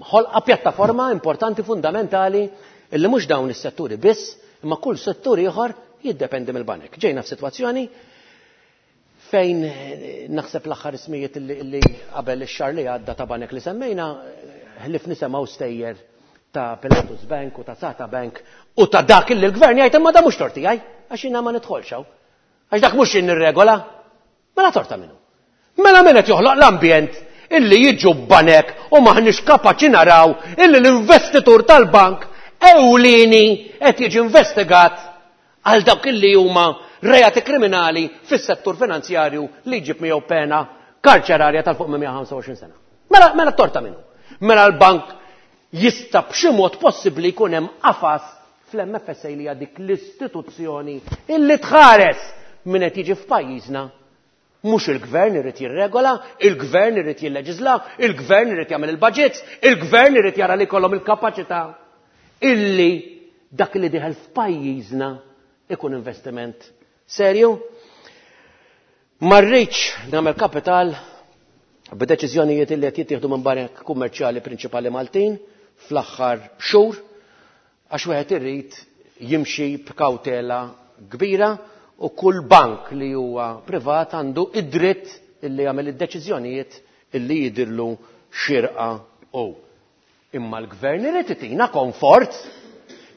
ħolqa pjattaforma importanti fundamentali illi mhux dawn is-setturi biss, imma kull settur ieħor jiddependi mill-banek. Ġejna f'sitwazzjoni fejn naħseb l-aħħar ismijiet illi, illi qabel ix-xahar li għadda ta' banek li semmejna, ħlif nisemgħu stejjer ta' Pilatus Bank u ta' Sata Bank u ta' dak illi l-gvern jgħid imma da mhux torti għaj, għax jiena ma nidħolx hawn. Għax dak mhux jien nirregola. Mela torta minnu. Mela min qed joħloq l-ambjent illi jiġu banek u maħniex kapaċi naraw illi l-investitur tal-bank ewlieni qed jiġi investigat għal dawk illi huma reati kriminali fis-settur finanzjarju li jġib miegħu pena karċerarja tal-fuq minn mija ħamsa u għoxrin sena. Mela, mela torta minnu. Mela l-bank jista' b'xi mod possibbli jkun hemm qafas fl-M F S A li hija dik l-istituzzjoni illi tħares min qed jiġi f'pajjiżna. Mhux il-gvern irid jirregola, il-gvern irid jilleġisla, il-gvern irid jagħmel il-budgets, il-gvern irid jara li jkollhom il-kapaċità illi dak li dieħel f'pajjiżna ikun investiment serju. Ma rridx nagħmel kapital b'deċiżjonijiet illi qed jittieħdu minn banek kummerċjali prinċipali Maltin fl-aħħar xhur, għax wieħed irid jimxi b'kawtela kbira u kull bank li huwa privat għandu id-dritt illi jagħmel id-deċiżjonijiet illi jidirlu xirqa u. Imma l-gvern irid itina komfort,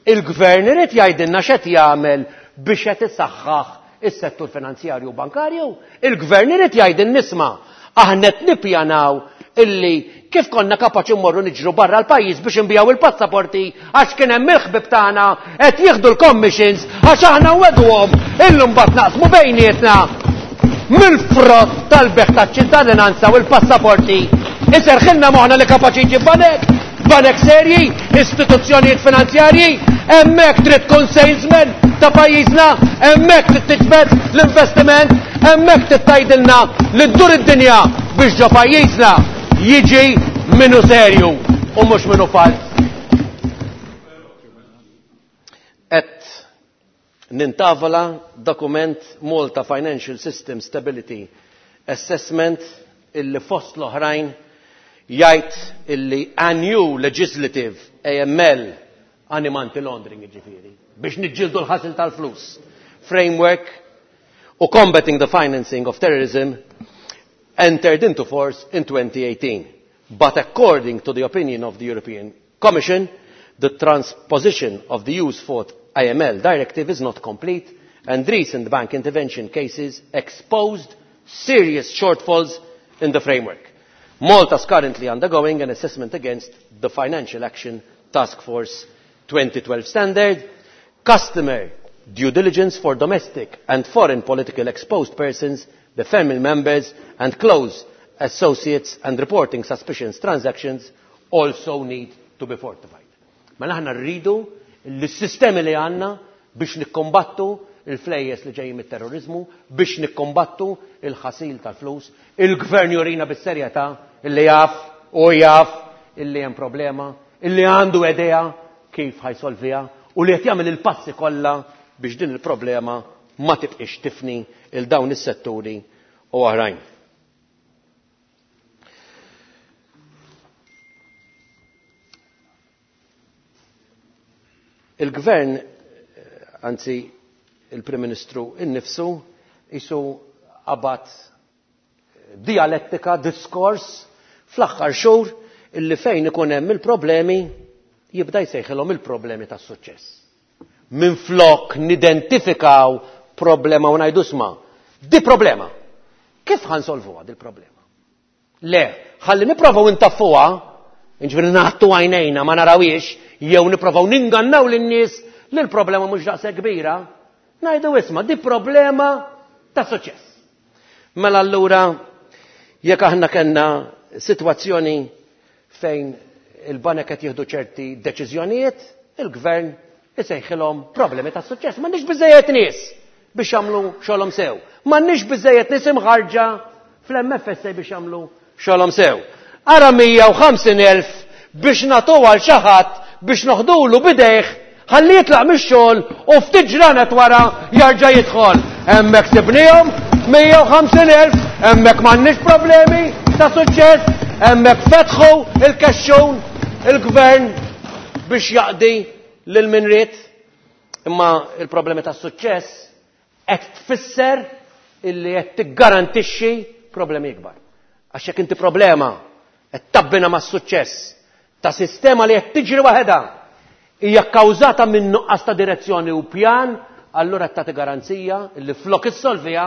il-gvern irid jgħidilna x'qed jagħmel biex qed isaħħaħ is-settur finanzjarju u bankarju, il-gvern irid jgħidil nisma' aħna qed nippjanaw illi kif konna kapaċi mmorru niġru barra l-pajjiż biex nbijaw il-passaporti għax kien hemm il-ħbib tagħna qed jieħdu l-commissions għax aħna wedhom illum mbagħad naqsmu bejnietna mill-frott tal-beħ taċ-ċittadinanza u l-passaporti. Iserħilna moħħna li kapaċi jġib banek, banek serji, istituzzjonijiet finanzjarji, hemmhekk trid tkun salesman ta' pajjiżna, hemmhekk trid tiġbed l-investiment, hemmhekk trid tgħidilna li ddur id-dinja biex ġo pajjiżna jiġi minnu serju u mhux minnu fals. Et nintavola dokument Malta Financial System Stability Assessment illi fost l-oħrajn jgħid illi a new legislative A M L anti-money laundering jiġifieri biex niġġieldu l-ħasil tal-flus Framework u Combating the Financing of Terrorism entered into force in twenty eighteen. But according to the opinion of the European Commission, the transposition of the E U's fourth A M L directive is not complete, and recent bank intervention cases exposed serious shortfalls in the framework. Malta is currently undergoing an assessment against the Financial Action Task Force twenty twelve standard, customer due diligence for domestic and foreign political exposed persons, the family members and close associates, and reporting suspicious transactions also need to be fortified. Mela aħna rridu li s-sistemi li għandna biex nikkombattu il-flejjes li ġejjin mit-terrorizmu, biex nikkombattu il-ħasil tal-flus, il-gvern jurina bis-serjetà illi jaf u jaf illi hemm problema, illi għandu idea kif ħajsolviha u li qed jagħmel il-passi kollha biex din il-problema ma tibqix tifni il dawn is-setturi u oħrajn. Il-gvern, anzi il-Prim Ministru innifsu, isu qabad dialettika, diskors fl-aħħar xhur illi fejn ikun hemm il-problemi jibda jsejħilhom il-problemi tas-suċċess. Minflok nidentifikaw problema u ngħidu sma, di problema. Kif ħansolvuha dil problema? Le, ħalli nipprovaw intaffuha, jiġifieri nagħtu għajnejna ma narawhiex, jew nipprovaw ningannaw lin-nies li l-problema mhux daqshekk kbira, ngħidu isma' di problema ta' suċċess. Mela allura jekk aħna kellna sitwazzjoni fejn il-banek qed jieħdu ċerti deċiżjonijiet, il-gvern isejħilhom problemi ta' suċċess. M'għandniex biżejjed nies biex jagħmlu xogħolhom sew. M'għandniex biżejjed nies imħarġa fl-M F S A biex jagħmlu xogħolhom sew. Ara mija u ħamsin elf biex nagħtuha għal xi ħadd biex noħdulu bidejh ħalli jitlaq mix-xogħol u ftit ġranet wara jarġa' jidħol. Hemmhekk sibnihom mija u ħamsin elf, hemmhekk m'għandniex problemi ta' suċċess, hemmhekk fetħu il-kexxun il-gvern biex jaqdi lil min ried. Imma il-problemi ta' suċċess qed tfisser illi qed tiggarantixxi problemi ikbar. Għax jekk inti problema qed tabbina mas-suċċess ta' sistema li qed tiġri waħedha hija kkawżata minn nuqqas ta' direzzjoni u pjan, allura qed tagħti garanzija li flok issolviha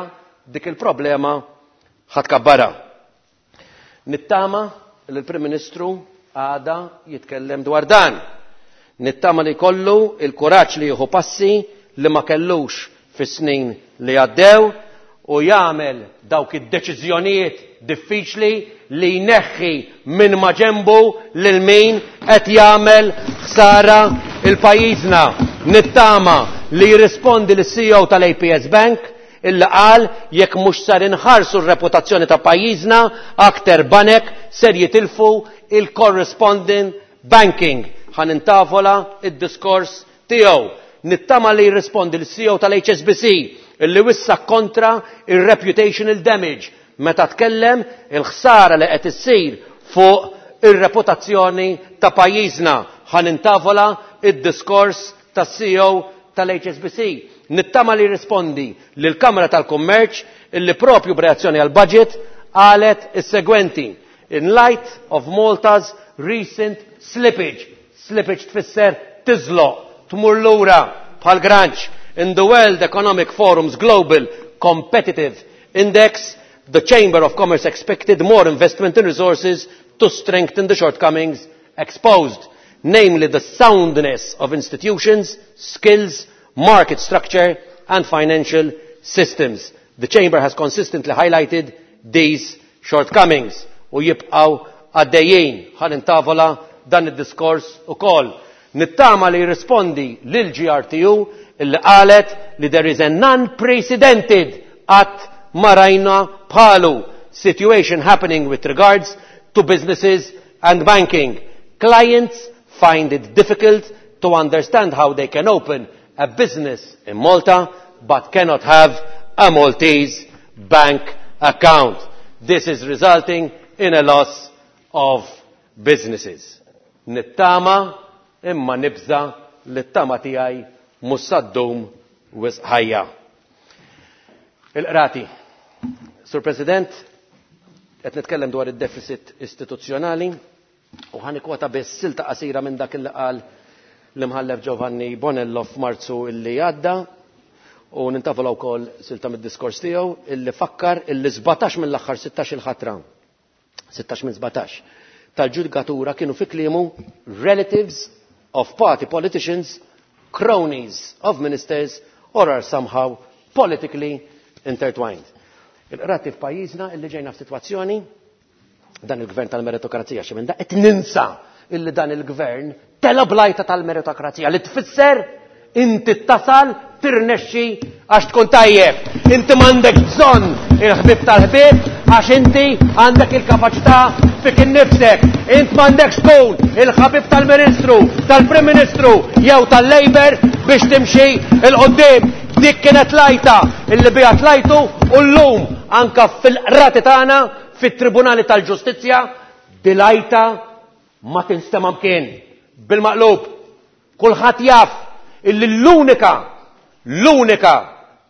dik il-problema ħadd kabbarha. Nittama li l-Prim Ministru għada jitkellem dwar dan. Nittama li kollu il-kuraġġ li jieħu passi li ma kellux fis-snin li għaddew u jagħmel dawk id-deċiżjonijiet diffiċli li jneħħi minn maġenbu lil min qed jagħmel ħsara il-pajjiżna. Nittama li jirrispondi lis-C E O tal-A P S Bank illi qal jekk mhux sar inħarsu r-reputazzjoni ta' pajjiżna aktar banek ser jitilfu il-corresponding banking. Ħa nintavola id-diskors tiegħu. Nittama li jirrispondi lis-C E O tal-H S B C illi wissa kontra il-reputational damage meta tkellem il-ħsara li qed issir fuq ir-reputazzjoni ta' pajjiżna. Ħa nintavola id-diskors tas-C E O tal-H S B C. Nittama li jirrispondi lill-Kamra tal-Kummerċ illi propju b'reazzjoni għal-budget qalet is-segwenti: in light of Malta's recent slippage. Slippage tfisser tiżloq, tmur lura bħal granċ. In the World Economic Forum's Global Competitive Index, the Chamber of Commerce expected more investment in resources to strengthen the shortcomings exposed, namely the soundness of institutions, skills, market structure and financial systems. The Chamber has consistently highlighted these shortcomings. U jibqaw għaddejjin. Ħa nintavola dan id-diskors ukoll. Nittama li jirrispondi lil G R T U illi qalet li there is an unprecedented qatt ma rajna bħalu situation happening with regards to businesses and banking. Clients find it difficult to understand how they can open a business in Malta but cannot have a Maltese bank account. This is resulting in a loss of businesses. Nittama imma nibża li t-tama tiegħi mhux saddum wisq ħajja. Il-qrati. Sur President, qed nitkellem dwar id-deficit istituzzjonali u ħa nikkwota biss silta qasira minn dak li qal l-imħallef Giovanni Bonello f'Marzu illi għadda u nintavola wkoll silta mid-diskors tiegħu illi fakkar illi sbatax mill-aħħar sittax il-ħatra, sittax minn sbatax tal-ġudikatura kienu fi kliemu relatives of party politicians, cronies of ministers or are somehow politically intertwined. Il-qrati f'pajjiżna illi ġejna f'sitwazzjoni dan il-gvern tal-meritokrazija xi minn da qed ninsa illi dan il-gvern tela blajta tal-meritokrazija li tfisser inti tasal tirnexxi għax tkun tajjeb. Inti m'għandek bżonn il-ħbieb tal-ħbieb għax inti għandek il-kapaċità fik innifsek. Int m'għandekx tkun il-ħabib tal-Ministru, tal-Prim Ministru jew tal-Labour biex timxi il-qoddim. Dik kienet lajta illi biha tlajtu u llum anka fil-qrati tagħna fit-Tribunali tal-Ġustizzja dilajta ma tinstema' mkien. Bil-maqlub, kulħadd jaf illi l-unika, l-unika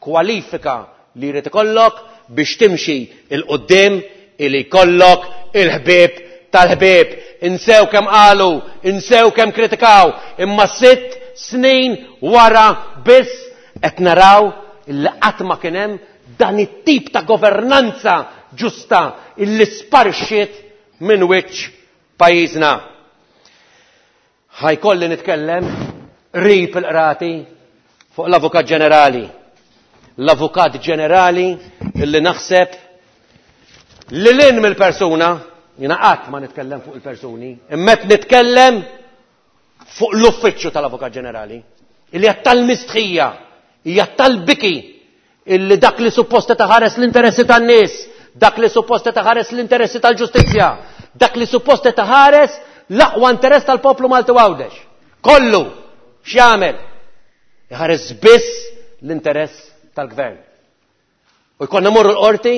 kwalifika li jrid ikollok biex timxi il-qoddim illi jkollok il-ħbieb tal-ħbieb. Insew kemm qalu, insew kemm kritikaw, imma sitt snin wara biss qed naraw illi qatt ma kien hemm dan it-tip ta' governanza ġusta illi sparixxiet minn wiċċ pajjiżna. Ħajkolli nitkellem qrib il-qrati fuq l-Avukat Ġenerali. L-Avukat Ġenerali illi naħseb li lin mill-persuna, jiena qatt ma nitkellem fuq il-persuni, imma qed nitkellem fuq l-uffiċċju tal-Avukat Ġenerali, illi hija tal-mistħija, hija tal-biki, illi dak li supposta taħares l-interessi tan-nies, dak li supposta taħares l-interessi tal-ġustizzja, dak li supposta taħares l-aqwa interess tal-poplu Malti Għawdex. Kollu x'jagħmel? Iħares biss l-interess tal-gvern. U jkollna morru l-qorti,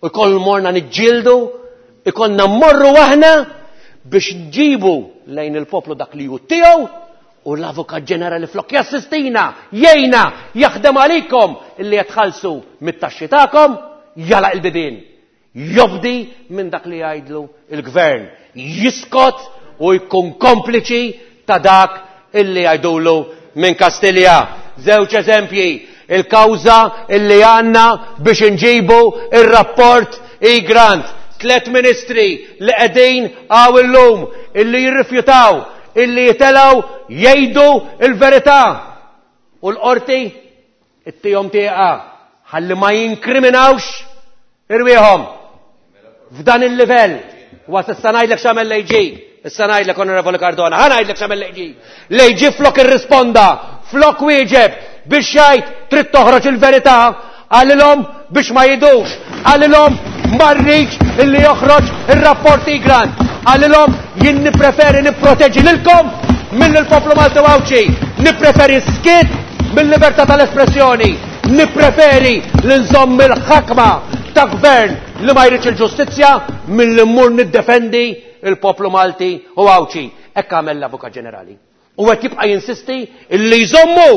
u jkollna morna niġġieldu, jkollna morru aħna biex nġibu lejn il-poplu dak li hu tiegħu u l-Avukat Ġenerali flok jassistina, jgħinna, jaħdem għalikom illi jitħallsu mit-taxxi tagħkom, jalaq il-bibien. Jobdi minn dak li jgħidlu il-gvern. Jiskot u jkun kompliċi ta' dak illi jgħidulu minn Kastilja. Żewġ eżempji, il-kawża illi għandna biex inġibu il-rapport Egrant. Tlet ministri li qegħdin għaw illum illi jirrifjutaw, illi jitelaw jgħidu il-verità. U l-qorti ittihom tieqa ħalli ma jinkriminawx irwieħhom. F'dan il-livell, was issa ngħidlek x'għamel l-A G, issa ngħidlek, Onorevoli Cardona, ħa ngħidlek x'għamel l-A G. L-A G flok irrisponda, flok wieġeb biex jgħid trid toħroġ il-verità, qalilhom biex ma jidux, qalilhom ma rridx illi joħroġ ir-rapport Egrant, qalilhom jien nippreferi nipproteġi lilkom mill il-poplu Malti Għawdxi, nippreferi skiet mill-libertà tal-espressjoni, nippreferi li nżomm il-ħakma ta' gvern li ma jridx il-ġustizzja milli mmur niddefendi il-poplu Malti u Għawdxi. Hekk għamel l-Avukat Ġenerali. U qed jibqa' jinsisti illi jżommu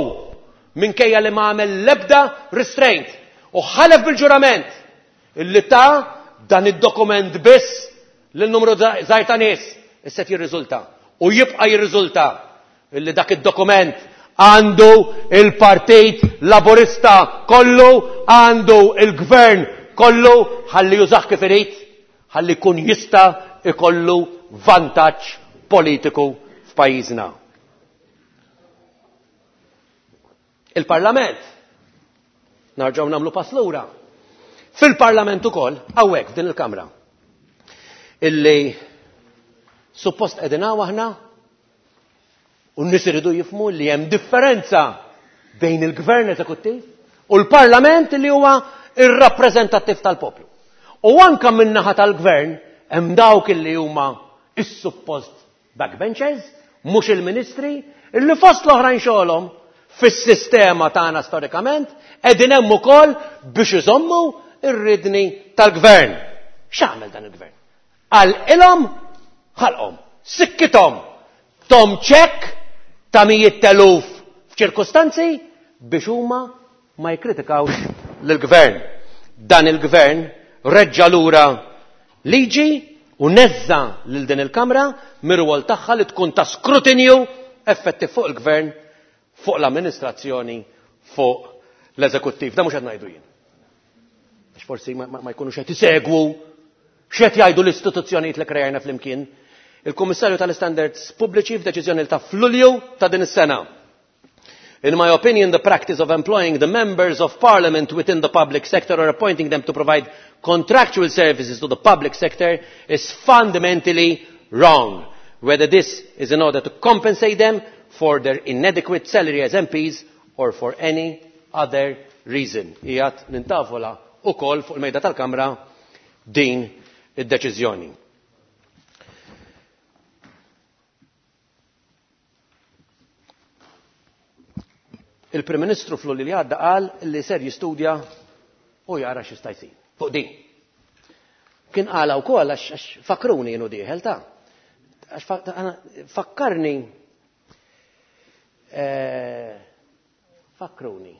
minkejja li ma għamel l-ebda restraint u ħalef bil-ġurament illi ta' dan id-dokument biss lil numru żgħir ta' nies. Issa jirriżulta u jibqa' jirriżulta illi dak id-dokument għandu il-Partit Laburista kollu, għandu il-gvern kollu, ħalli jużah kif irid, ħalli jkun jista' ikollu vantaġġ politiku f'pajjiżna. Il-Parlament, narġgħu nagħmlu pass lura. Fil-Parlament ukoll, hawnhekk f'din il-Kamra, illi suppost qegħdin hawn aħna u n-nies iridu jifhmu li hemm differenza bejn il-Gvern eżekuttiv u l-Parlament li huwa ir-rappreżentattiv tal-poplu. U anka min-naħa tal-Gvern hemm dawk illi huma is-suppost backbenchers, mhux il-ministri, illi fost l-oħrajn xogħolhom fis-sistema tagħna storikament qegħdin hemm ukoll biex iżommu ir-ridni tal-gvern. X'għamel dan il-gvern? Qal ilhom ħalqhom, sikkithom, tom ċekk ta' mijiet teluf f'ċirkustanzi biex huma ma jikkritikawx lill-gvern. Dan il-gvern reġġa lura liġi u neżża lil din il-Kamra mir-rwol tagħha li tkun ta' skrutinju effettiv fuq il-gvern, fuq l-amministrazzjoni, fuq l-eżekuttiv. Da mhux qed ngħidu jien. Għax forsi ma, ma jkunux qed isegwu x'qed jgħidu l-istituzzjonijiet li krejajna flimkien. Il-Kummissarju tal-Istandards Pubbliċi f'deċiżjoni ta' f'Lulju ta' din is-sena. In my opinion, the practice of employing the members of parliament within the public sector or appointing them to provide contractual services to the public sector is fundamentally wrong, whether this is in order to compensate them for their inadequate salary as M Ps or for any other reason. Ijat nintavola u kol fuq il-mejda tal-Kamra din id-deċiżjoni. Il-Prim Ministru fl-Lulju li għadda qal li ser jistudja u jara x'jista' jsir fuq din. Kien qala wkoll għax, għax fakruni jienu dieħel ta' għax fa-, għana, fakkarni, eh, fakruni.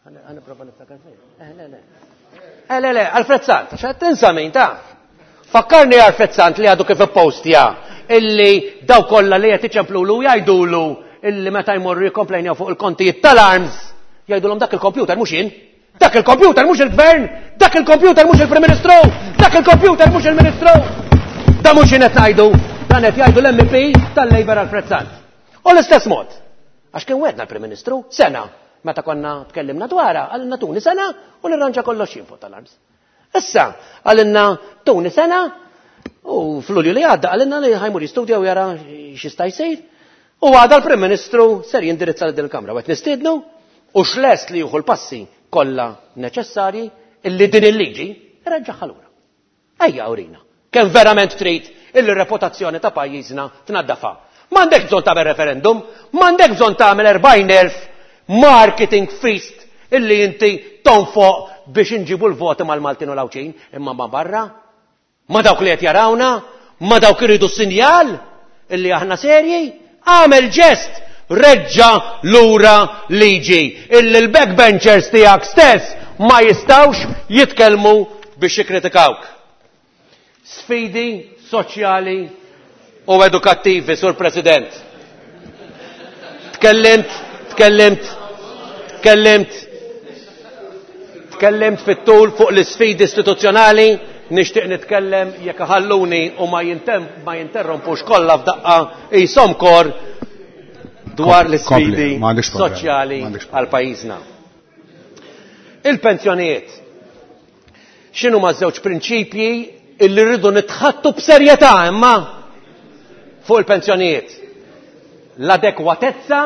Għana, għana prova niftakar fejn. Eh, le, le. Eh, le, le, Alfred Sant, għax qed tinsa min ta' Fakkarni Alfred Sant li għadu kif ippostja illi daw kollha li qed iċemplulu jgħidulu illi meta jmorru jikkomplejnjaw fuq il-kontijiet tal-arms, jgħidulhom dak il-kompjuter mhux jien, dak il-kompjuter mhux il-gvern, dak il-kompjuter mhux il-Prim Ministru, dak il-kompjuter mhux il-Ministru. Da mhux jien qed ngħidu, dan qed jgħidu l-M P tal-Labour Alfred Sant. U l-istess mod, għax kien wedna l-Prim Ministru sena meta konna tkellimna dwarha, għalilna tuni sena u nirranġa kollox jien fuq tal-arms. Issa, għalilna tuni sena u fl-Lulju li għadda għalilna li ħajmur jistudja u jara x'jista' jsir. U għada l-Prim Ministru ser jindirizza lil din il-Kamra u qed nistiednu u x'lest li jieħu l-passi kollha neċessarji illi din il-liġi reġġaħħa lura. Ejja urina, kemm verament trid illi r-reputazzjoni ta' pajjiżna tnaddafa. M'għandek bżonn tagħmel referendum, m'għandek bżonn tagħmel erbgħin elf marketing feast illi inti tonfoq biex inġibu l-voti mal-Maltin u l-Għawdxin, imma ma barra, ma dawk li qed jarawna, ma dawk iridu sinjal illi aħna serji. Għamel ġest, reġġa lura liġi illi l-backbenchers tiegħek stess ma jistawx jitkellmu biex jikkritikawk. Sfidi soċjali u edukattivi, Sur President. Tkellimt, tkellimt, tkellimt, tkellimt fit-tul fuq l-isfidi istituzzjonali, nixtieq nitkellem jekk ħalluni u ma jintem-, ma jinterrompux kollha f'daqqa qishom kor dwar Kompli, l-isfidi m'għandekx problema, soċjali m'għandekx problema. għal pajjiżna. Il-pensjonijiet. X'inhu ma' żewġ prinċipji illi rridu nitħattu b'serjetà imma fuq il-pensjonijiet? L-adekwatezza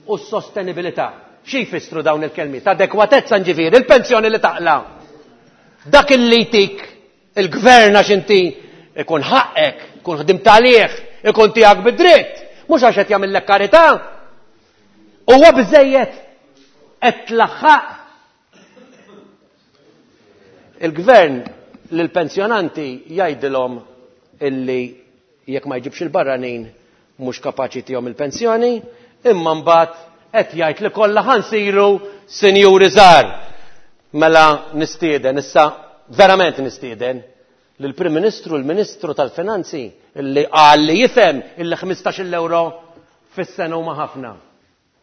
u s-sostenibilità. Xi jfissru dawn il-kelmiet? Adekwatezza nġifieri, il-pensjoni li taqla. Dak illi jtik il-gvern għax inti ikun ħaqek, ikun ħdimt għalih, ikun tiegħek bid-dritt, mhux għax qed jagħmellek karità. Huwa biżejjed qed tlaħħaq. Il-gvern lill-pensjonanti jgħidilhom illi jekk ma jġibx il-barranin mhux kapaċi tihom il-pensjoni, imma mbagħad qed jgħid li kollha ħansiru sinjuri żgħar. Mela nistieden issa verament nistieden lill-Prim Ministru, l-Ministru tal-Finanzi illi qal li jifhem illi ħmistax-il euro fis-sena huma ħafna.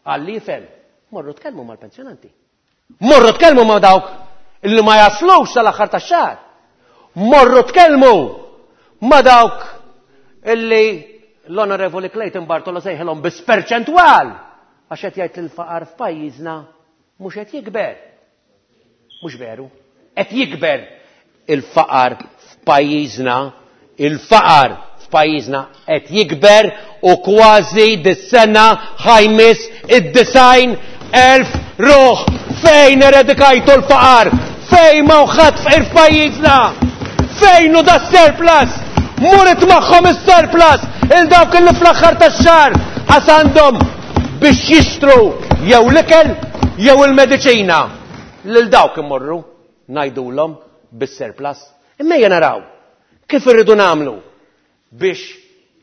Qal li jifhem. Morru tkellmu mal-pensjonanti. Morru tkellmu ma' dawk illi ma jaslux sal-aħħar tax-xahar. Morru tkellmu ma' dawk illi l-Onorevoli Clayton Bartolo sejħilhom biss perċentwal għax qed jgħid li l-faqar f'pajjiżna mhux qed jikber. Mhux veru. Qed jikber il-faqar f'pajjiżna, il-faqar f'pajjiżna qed jikber u kważi dis-sena ħajmis id-design elf ruħ. Fejn eredikajtu l-faqar? Fejn ma ħadd fqir f'pajjiżna? Fejn hu da surplus? Muret magħhom is-surplus il dawk li fl-aħħar tax-xahar qas għandhom biex jixtru jew l-ikel jew il-mediċina. Lil dawk imorru ngħidulhom bis-surplus. Imma ejja naraw kif irridu nagħmlu biex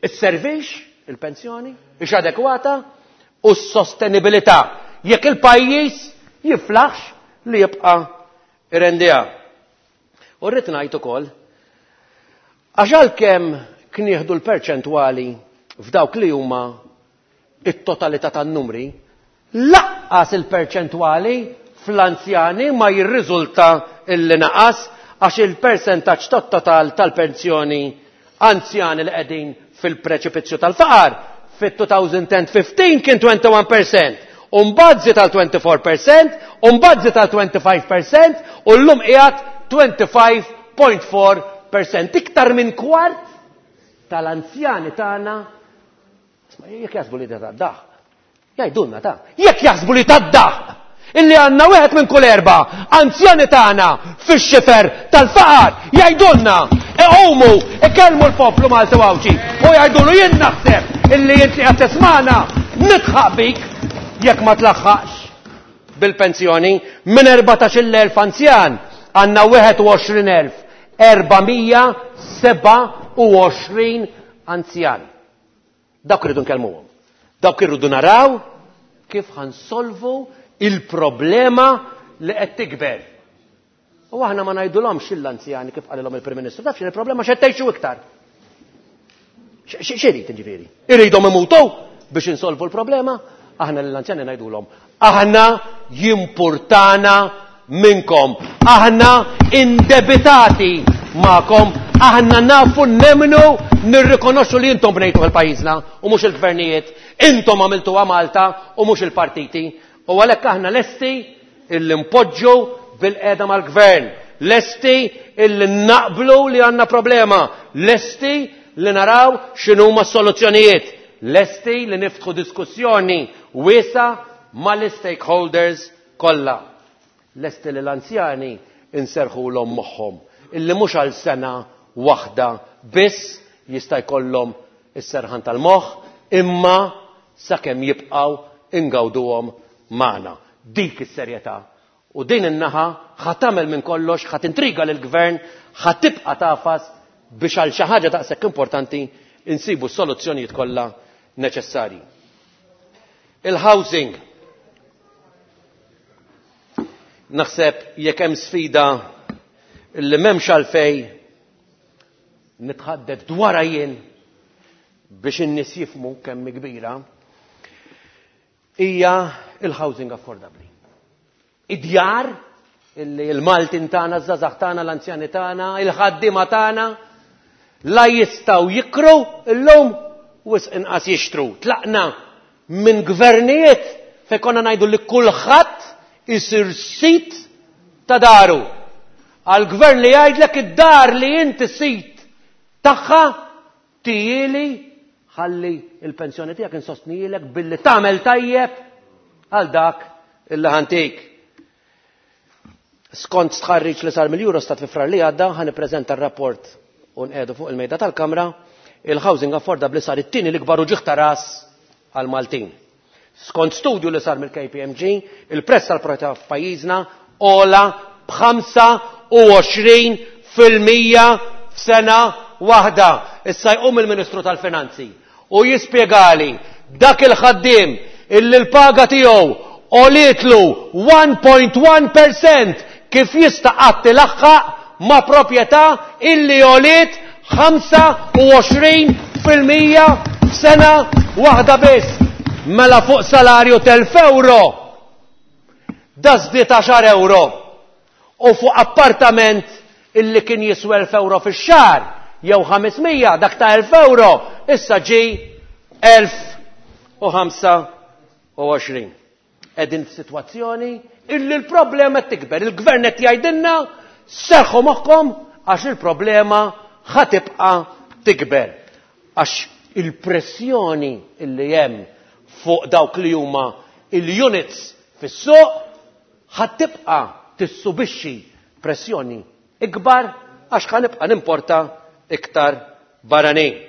isservix il-pensjoni, ix adekwata u s-sostenibilità jekk il-pajjiż jiflaħx li jibqa' irrendiha. U rrid ngħid ukoll, għax għalkemm knieħdu l-perċentwali f'dawk li huma it-totalità tan-numri, laqqas il-perċentwali fl-anzjani ma jirriżulta illi naqas, għax il-persentaġġ tat-total tal-pensjoni anzjani li qegħdin fil-preċipizzju tal-faqar fit-twenty fifteen kien twenty-one percent, u mbagħad żied għal twenty-four percent, u mbagħad żied għal twenty-five percent, u llum qiegħed twenty-five point four percent. Iktar minn kwart tal-anzjani tagħna, jekk jaħsbu li tad-daħk, jgħidulna ta', jekk jaħsbu li tad-daħk illi għandna wieħed minn kull erba' anzjani tagħna fix-xifer tal-faqar, jgħidulna, iqumu, ikellmu l-poplu Malti Għawdxi u jgħidulu: jien naħseb illi inti qed tismagħna, nidħaq bik jekk ma tlaħħaqx bil-pensjoni. Minn erbatax-il elf anzjan għandna wieħed u għoxrin elf erba' mija sebgħa u għoxrin anzjan. Dawk irridu nkellmuhom. Dawk irridu naraw kif ħa nsolvu il-problema li qed tikber. U aħna ma ngħidulhomx l-anzjani kif qalilhom il-Prim Ministru, taf il-problema x'qed tgħixu iktar. X'irid ġifieri? Iridhom imutu biex insolvu l-problema? Aħna l-anzjani ngħidulhom: aħna jimpurtana minnkom, aħna indebitati magħkom, aħna nafu, nemmnu, nirrikonoxxu li intom bnejtu il-pajjiżna u mhux il-gvernijiet, intom għamiltu Malta u mhux il-partiti. U għalhekk aħna lesti illi npoġġu bilqiegħda mal-gvern, lesti illi naqblu li għandna problema, lesti li naraw x'inhuma s-soluzzjonijiet, lesti li niftħu diskussjoni wiesgħa mal-stakeholders kollha. Lesti li l-anzjani inserħulhom moħħhom illi mhux għal sena waħda biss jista' jkollhom is-serħan tal-moħħ, imma sakemm jibqgħu ingawduhom magħna. Dik is-serjetà. U din in-naħa ħa tagħmel minn kollox, ħa tintriga lill-gvern, ħa tibqa' tagħfas biex għal xi ħaġa daqshekk importanti insibu s-soluzzjonijiet kollha neċessarji. Il-housing. Naħseb jekk hemm sfida li m'hemmx għalfej nitħaddet dwarha jien biex in-nies jifhmu kemm kbira, hija il-housing affordabli. Id-djar illi il-Maltin tagħna, iż-żgħażagħ tagħna, l-anzjani tagħna, il-ħaddiema tagħna la jistgħu jikru illum, wisq inqas jixtru. Tlaqna minn gvernijiet fejn konna ngħidu li kulħadd isir sid ta' daru, għal gvern li jgħidlek: id-dar li inti sid tagħha ttihieli, ħalli il-pensjoni tiegħek insostnilek billi tagħmel tajjeb għal dak illi ħa ntik. Skont stħarriġ li sar mill-Eurostat fi Frar li għadda, ħa nippreżenta r-rapport u nqiegħdu fuq il-mejda tal-Kamra, il-housing affordabli sar it-tieni l-ikbar uġigħ ta' ras għal-Maltin. Skont studju li sar mill-K P M G, il-prezz tal-proprjetà f'pajjiżna għola b'ħamsa u għoxrin fil-mija f'sena waħda. Issa jqum il-Ministru tal-Finanzi u jispjegali dak il-ħaddiem illi l-paga tiegħu għolietlu wieħed punt wieħed percent kif jista' qatt ilaħħaq ma' proprjetà illi għoliet ħamsa u għoxrin fil-mija f'sena waħda biss? Mela fuq salarju t'elf euro da żdied għaxar euro, u fuq appartament illi kien jiswa elf euro fix-xahar jew ħames mija, dak ta' elf euro issa ġi elf u ħamsa u għoxrin. Qegħdin f'sitwazzjoni illi l-problema qed tikber. Il-gvern qed jgħidilna: serħu moħħkom għax il-problema ħa tibqa' tikber. Għax il-pressjoni illi hemm fuq dawk li huma il-units fis-suq ħa tibqa' tissubixxi pressjoni ikbar, għax ħa nibqa' nimporta iktar barranin.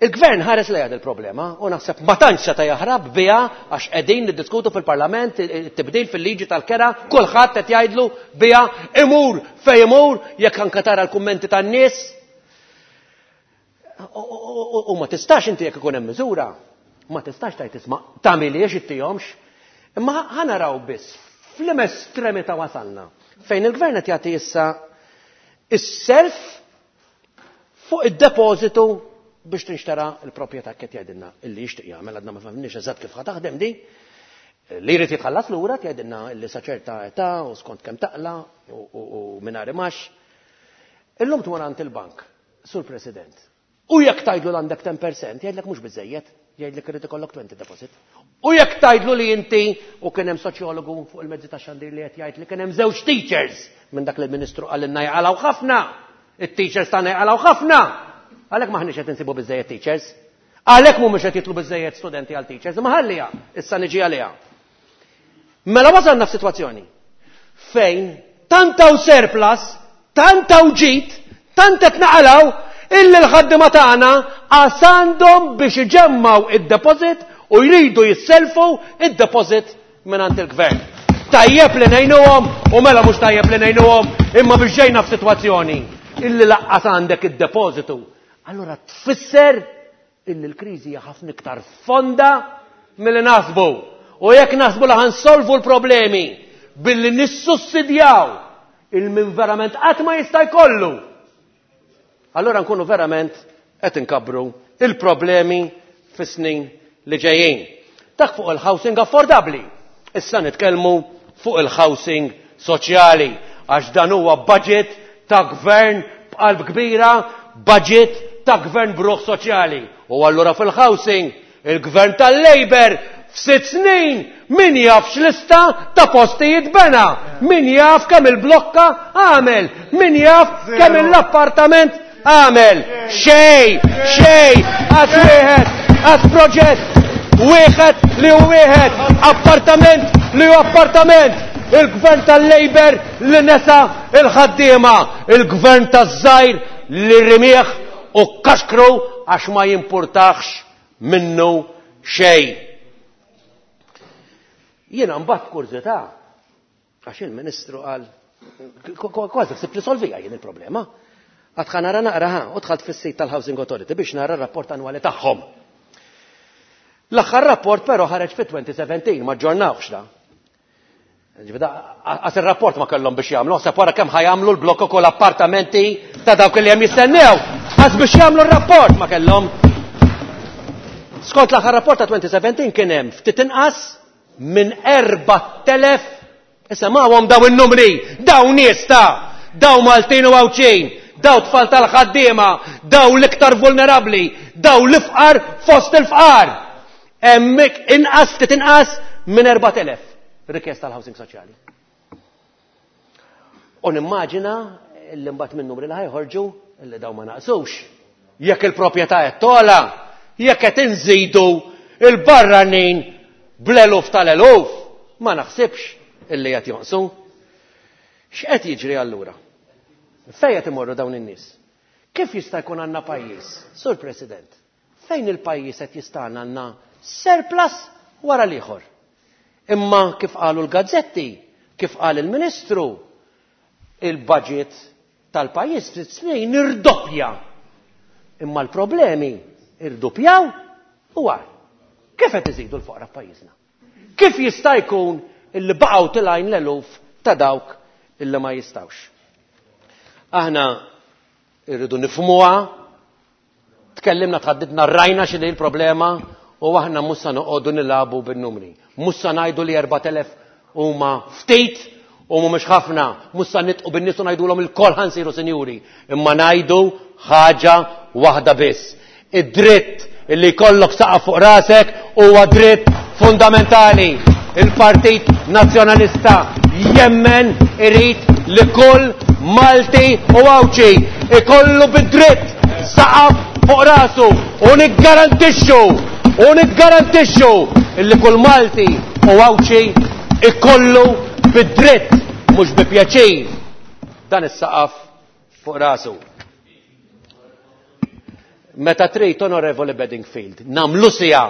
Il-gvern ħares lejha il-problema u naħseb ma tantx seta' jaħrab biha, għax qegħdin niddiskutu fil-Parlament it-tibdil fil-liġi tal-kera, kulħadd qed jgħidlu biha, imur fejn imur, jekk anke tara l-kummenti tan-nies. U ma tistax inti, jekk ikun hemm miżura, ma tistax tgħid: isma', tagħmiliex, ittihomx. Imma ħa naraw biss fl-estremità wasalna. Fejn il-gvern qed jagħti issa is-self fuq id-depożitu biex tinxtara l-proprjetà qed jgħidilna illi jixtieq jagħmel għadna ma fhimniex eżatt kif ħa taħdem di. Li jrid jitħallas lura jgħidilna illi sa ċerta età u skont kemm taqla u mingħajr imax. Illum tmur għand il-bank, Sur President. U jekk tgħidlu l għandek ten percent, jgħidlek mhux biżejjed, jgħidlek irid ikollok twenty deposit. U jekk tgħidlu li inti u kien hemm soċjologu fuq il-mezzi ta' xandir li qed jgħid li kien hemm żewġ teachers minn dak li l-Ministru qalilna jaqalgħu ħafna. It-teachers tagħna jaqalgħu ħafna. Għalhekk m'aħniex qed insibu biżejjed teachers. Għalhekk mhumiex qed jitlu biżejjed studenti għal teachers, imma ħalliha, issa niġi għaliha. Mela wasalna f'sitwazzjoni fejn tant hawn surplus, tant hawn ġid, tant qed naqalgħu illi l-ħaddiema tagħna qas għandhom biex iġemmaw id-deposit u jridu jisselfu id-deposit mingħand il-gvern. Tajjeb li ngħinuhom u mela mhux tajjeb li ngħinuhom, imma biex ġejna f'sitwazzjoni illi lanqas għandek id-depożitu. Allura tfisser illi l-kriżi hija ħafna iktar fonda milli naħsbu. U jekk naħsbu li ħa nsolvu l-problemi billi nissussidjaw il-min verament qatt ma jista' jkollu, allora nkunu verament qed inkabbru il-problemi fis-snin li ġejjin. Dak fuq il-housing affordabli. Issa nitkellmu fuq il-housing soċjali, għax dan huwa budget ta' gvern b'qalb kbira, budget ta' gvern b'ruħ soċjali. U allura fil-housing, il-gvern tal-Labour f'sitt snin min jaf x'lista ta' postijiet bena, min jaf kemm il-blokka għamel, min jaf kemm l-appartament għamel. Xej, xej, qas wieħed, qas proġett, wieħed li hu wieħed, appartament li hu appartament. Il-gvern tal-Labour li nesa il-ħaddiema, il-gvern taż-żgħir li remieh u kaxkru għax ma jimpurtax minnu xejn. Jiena mbagħad kurżità, għax il-Ministru qal kważi ħsibt li solvija jien il-problema. Għad ħa nara naqra ħa, u dħalt fis-sit tal-Housing Authority biex nara r-rapport annwali tagħhom. L-aħħar rapport però ħareġ fit-twenty seventeen, ma ġġornawx da. Għas il-rapport ma kellhom biex jagħmlu, ħseb wara kemm ħa jagħmlu l-blokok u l-appartamenti ta' dawk li hemm jistennew. Għas biex jagħmlu r-rapport ma kellhom. Skont l-aħħar rapport ta' twenty seventeen kien hemm ftit inqas minn erbat elef. Isimgħuhom daw in-numri, daw nies ta' daw Maltin u Għawdxin, daw tfal tal-ħaddiema, daw l-iktar vulnerabbli, daw l-ifqar fost il-fqar. Hemmhekk inqas ftit inqas minn erbat elef rikjesta tal-housing soċjali. U nimmaġina li mbagħad minn numri li ħa joħorġu li daw ma naqsux. Jekk il-proprjetà qed togħla, jekk qed inżidu il-barranin bl-eluf tal-eluf, ma naħsibx illi qed jonqsu. X'qed jiġri allura? Fejn qed imorru dawn in-nies? Kif jista' jkun għandna pajjiż, Sur President, fejn il-pajjiż qed jista' għandna surplus wara l-ieħor? Imma kif qalu l-gazzetti, kif qal il-Ministru, il-budget tal-pajjiż ftit snin irdoppja. Imma l-problemi irdoppjaw u għar. Kif qed iżidu l-foqra f'pajjiżna? Kif jista' jkun illi baqgħu tilgħin l-eluf ta' dawk illi ma jistawx? Aħna irridu nifhmuha, tkellimna, tħaddidna, rajna x'inhi l-problema u aħna mhux sa noqogħdu nilagħbu bin-numri. Mhux sa ngħidu li erbat elef huma ftit u mhumiex ħafna, mhux sa nidħqu bin-nies u ngħidulhom ilkoll ħa nsiru sinjuri, imma ngħidu ħaġa waħda biss. Id-dritt illi jkollok saqaf fuq rasek huwa dritt fundamentali. Il-Partit Nazzjonalista jemmen irid li kull Malti u Għawdxi ikollu bid-dritt saqaf fuq rasu u niggarantixxu u niggarantixxu illi kull Malti u Għawdxi ikollu bid-dritt, mhux bi pjaċir, dan is-saqaf fuq rasu. Meta trid, Onorevoli Bedingfield, nagħmlu sija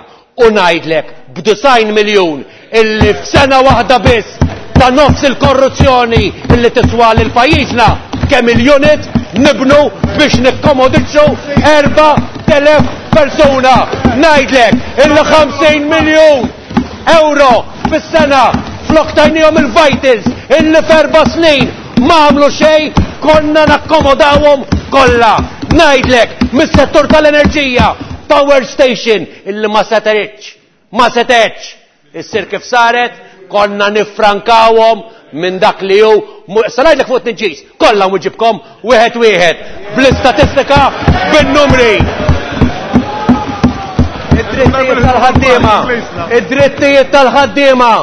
u ngħidlek b'disgħin miljun illi f'sena waħda biss ta' nofs il-korruzzjoni illi tiswa lil pajjiżna kemm il-unit nibnu biex nikkomodixxu erbat elef persuna. Ngħidlek illi ħamsin miljun euro fis-sena Flok tajnihom il-vitals illi f'erba' snin ma għamlu xejn, konna nakkomodawhom kollha. Ngħidlek, mis-settur tal-enerġija, power station illi ma setgħetx, ma setgħetx issir kif saret, konna nifrankawhom minn dak li hu. Issa ngħidlek fuq it-tniġġis, kollha nwiġibkom wieħed wieħed, bl-istatistika, bin-numri. Id-drittijiet tal-ħaddiema, id-drittijiet tal-ħaddiema.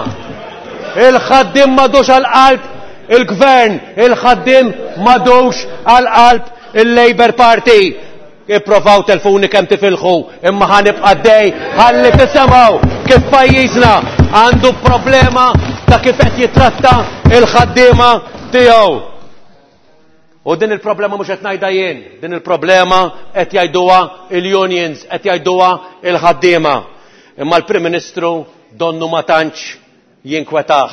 Il-ħaddiem m'għadux għall-qalb il-gvern, il-ħaddiem m'għadux għall-qalb il-Labour Party. Ipprovaw telfuni kemm tifilħu, imma ħa nibqa' għaddej ħalli tisimgħu kif pajjiżna għandu problema ta' kif qed jitratta il-ħaddiema tiegħu. U din il-problema mhux qed ngħidha jien, din il-problema qed jgħiduha il-unions, qed jgħiduha il-ħaddiema. Imma l-Prim Ministru donnu ma tantx jinkwetah.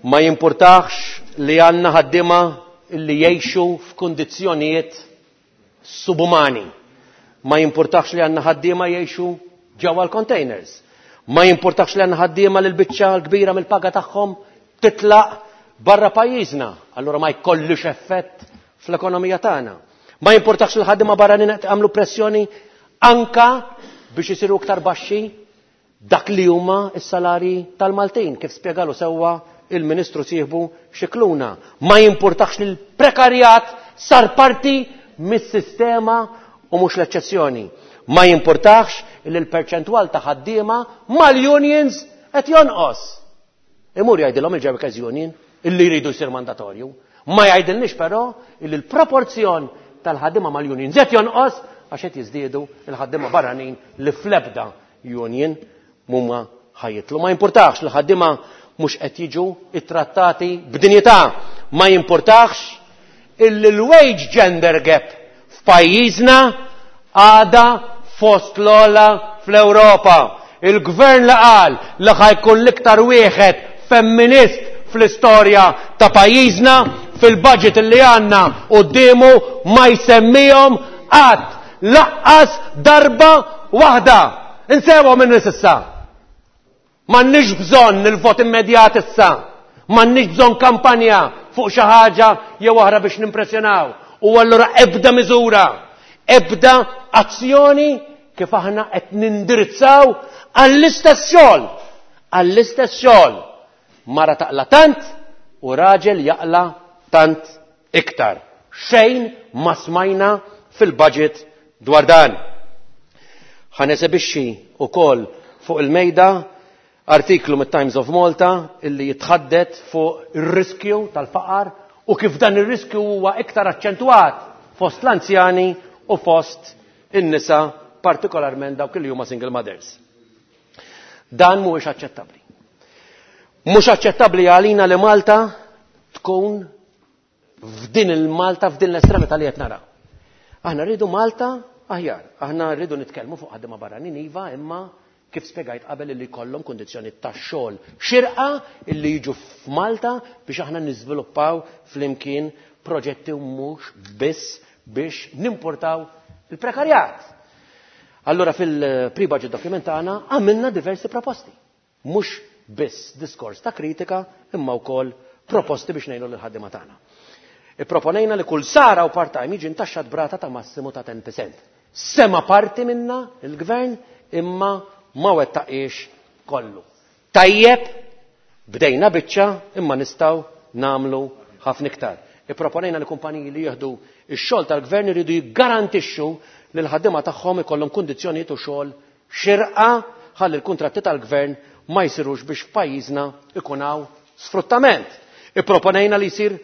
Ma jimpurtax li għandna ħaddiema li jgħixu f'kundizzjonijiet subumani. Ma jimpurtax li għandna ħaddiema jgħixu ġewwa l-containers. Ma jimpurtax li għandna ħaddiema li l-biċċa l-kbira mill-paga tagħhom titlaq barra pajjiżna. Allura ma jkollux effett fl-ekonomija tagħna. Ma jimpurtax li l-ħaddiema barranin qed jagħmlu pressjoni anka biex isiru iktar baxxi dak li huma s-salari tal-Maltin, kif spjegalu sewwa il-Ministru sieħbu Scicluna. Ma jimpurtax li l-prekarjat sar parti mis-sistema u mhux l-eċċezzjoni. Ma jimpurtax li l-perċentwal ta' ħaddiema mal-unions qed jonqos. Imur jgħidilhom il-Workers Union illi jridu jsir mandatorju. Ma jgħidilniex però illi l-proporzjon tal-ħaddiema mal-unions qed jonqos għax qed jiżdiedu l-ħaddiema barranin li fl-ebda union mhuma ħajjitlu. Ma jimpurtax li ħaddiema mhux qed jiġu ittrattati b'dinjità. Ma jimpurtax illi l-wage gender gap f'pajjiżna għada fost l-ogħla fl-Ewropa. Il-gvern li qal li ħajkun l-iktar wieħed femminist fl-istorja ta' pajjiżna fil-budget li għandna quddiemu ma jsemmihom qatt laqqas darba waħda. Insewhom minn nies issa. M'għandniex bżonn il-vot immedjat issa. M'għandniex bżonn kampanja fuq xi ħaġa jew oħra biex nimpressjonaw. U allura ebda miżura, ebda azzjoni kif aħna qed nindirizzaw għall-istess xogħol, għall-istess xogħol. Mara taqla tant u raġel jaqla tant iktar. Xejn ma smajna fil-budget dwar dan. Ħa nesebixxi wkoll fuq il-mejda artiklu mit-Times of Malta illi jitħaddet fuq ir-riskju tal-faqar u kif dan ir-riskju huwa iktar aċċentwat fost l-anzjani u fost in-nisa, partikolarment dawk li huma single mothers. Dan mhuwiex aċċettabbli. Mhux aċċettabbli għalina li Malta tkun f'din il-Malta, f'din l-estremità li qed naraw. Aħna rridu Malta aħjar, aħna rridu nitkellmu fuq ħaddiema barranin iva, imma kif spjegajt qabel illi jkollhom kundizzjoni tax-xogħol xirqa illi jiġu f'Malta biex aħna niżviluppaw flimkien proġetti u mhux biss biex nimportaw il-prekarjat. Allura fil-pre-budget document tagħna għamilna diversi proposti. Mhux biss diskors ta' kritika imma wkoll proposti biex ngħinu lil ħaddiema tagħna. Ipproponejna li kull sara u part-time jiġi ntaxxat brata ta' massimu ta' ten percent. Sema parti minna il-gvern imma ma wettaqiex kollu. Tajjeb, bdejna biċċa imma nistgħu nagħmlu ħafna iktar. Ipproponejna li kumpaniji li jieħdu ix-xogħol tal-gvern iridu jiggarantixxu li l-ħaddiema tagħhom ikollhom kundizzjonijiet u xogħol xirqa ħalli l-kuntratti tal-gvern ma jsirux biex f'pajjiżna ikun hawn sfruttament. Ipproponejna li jsir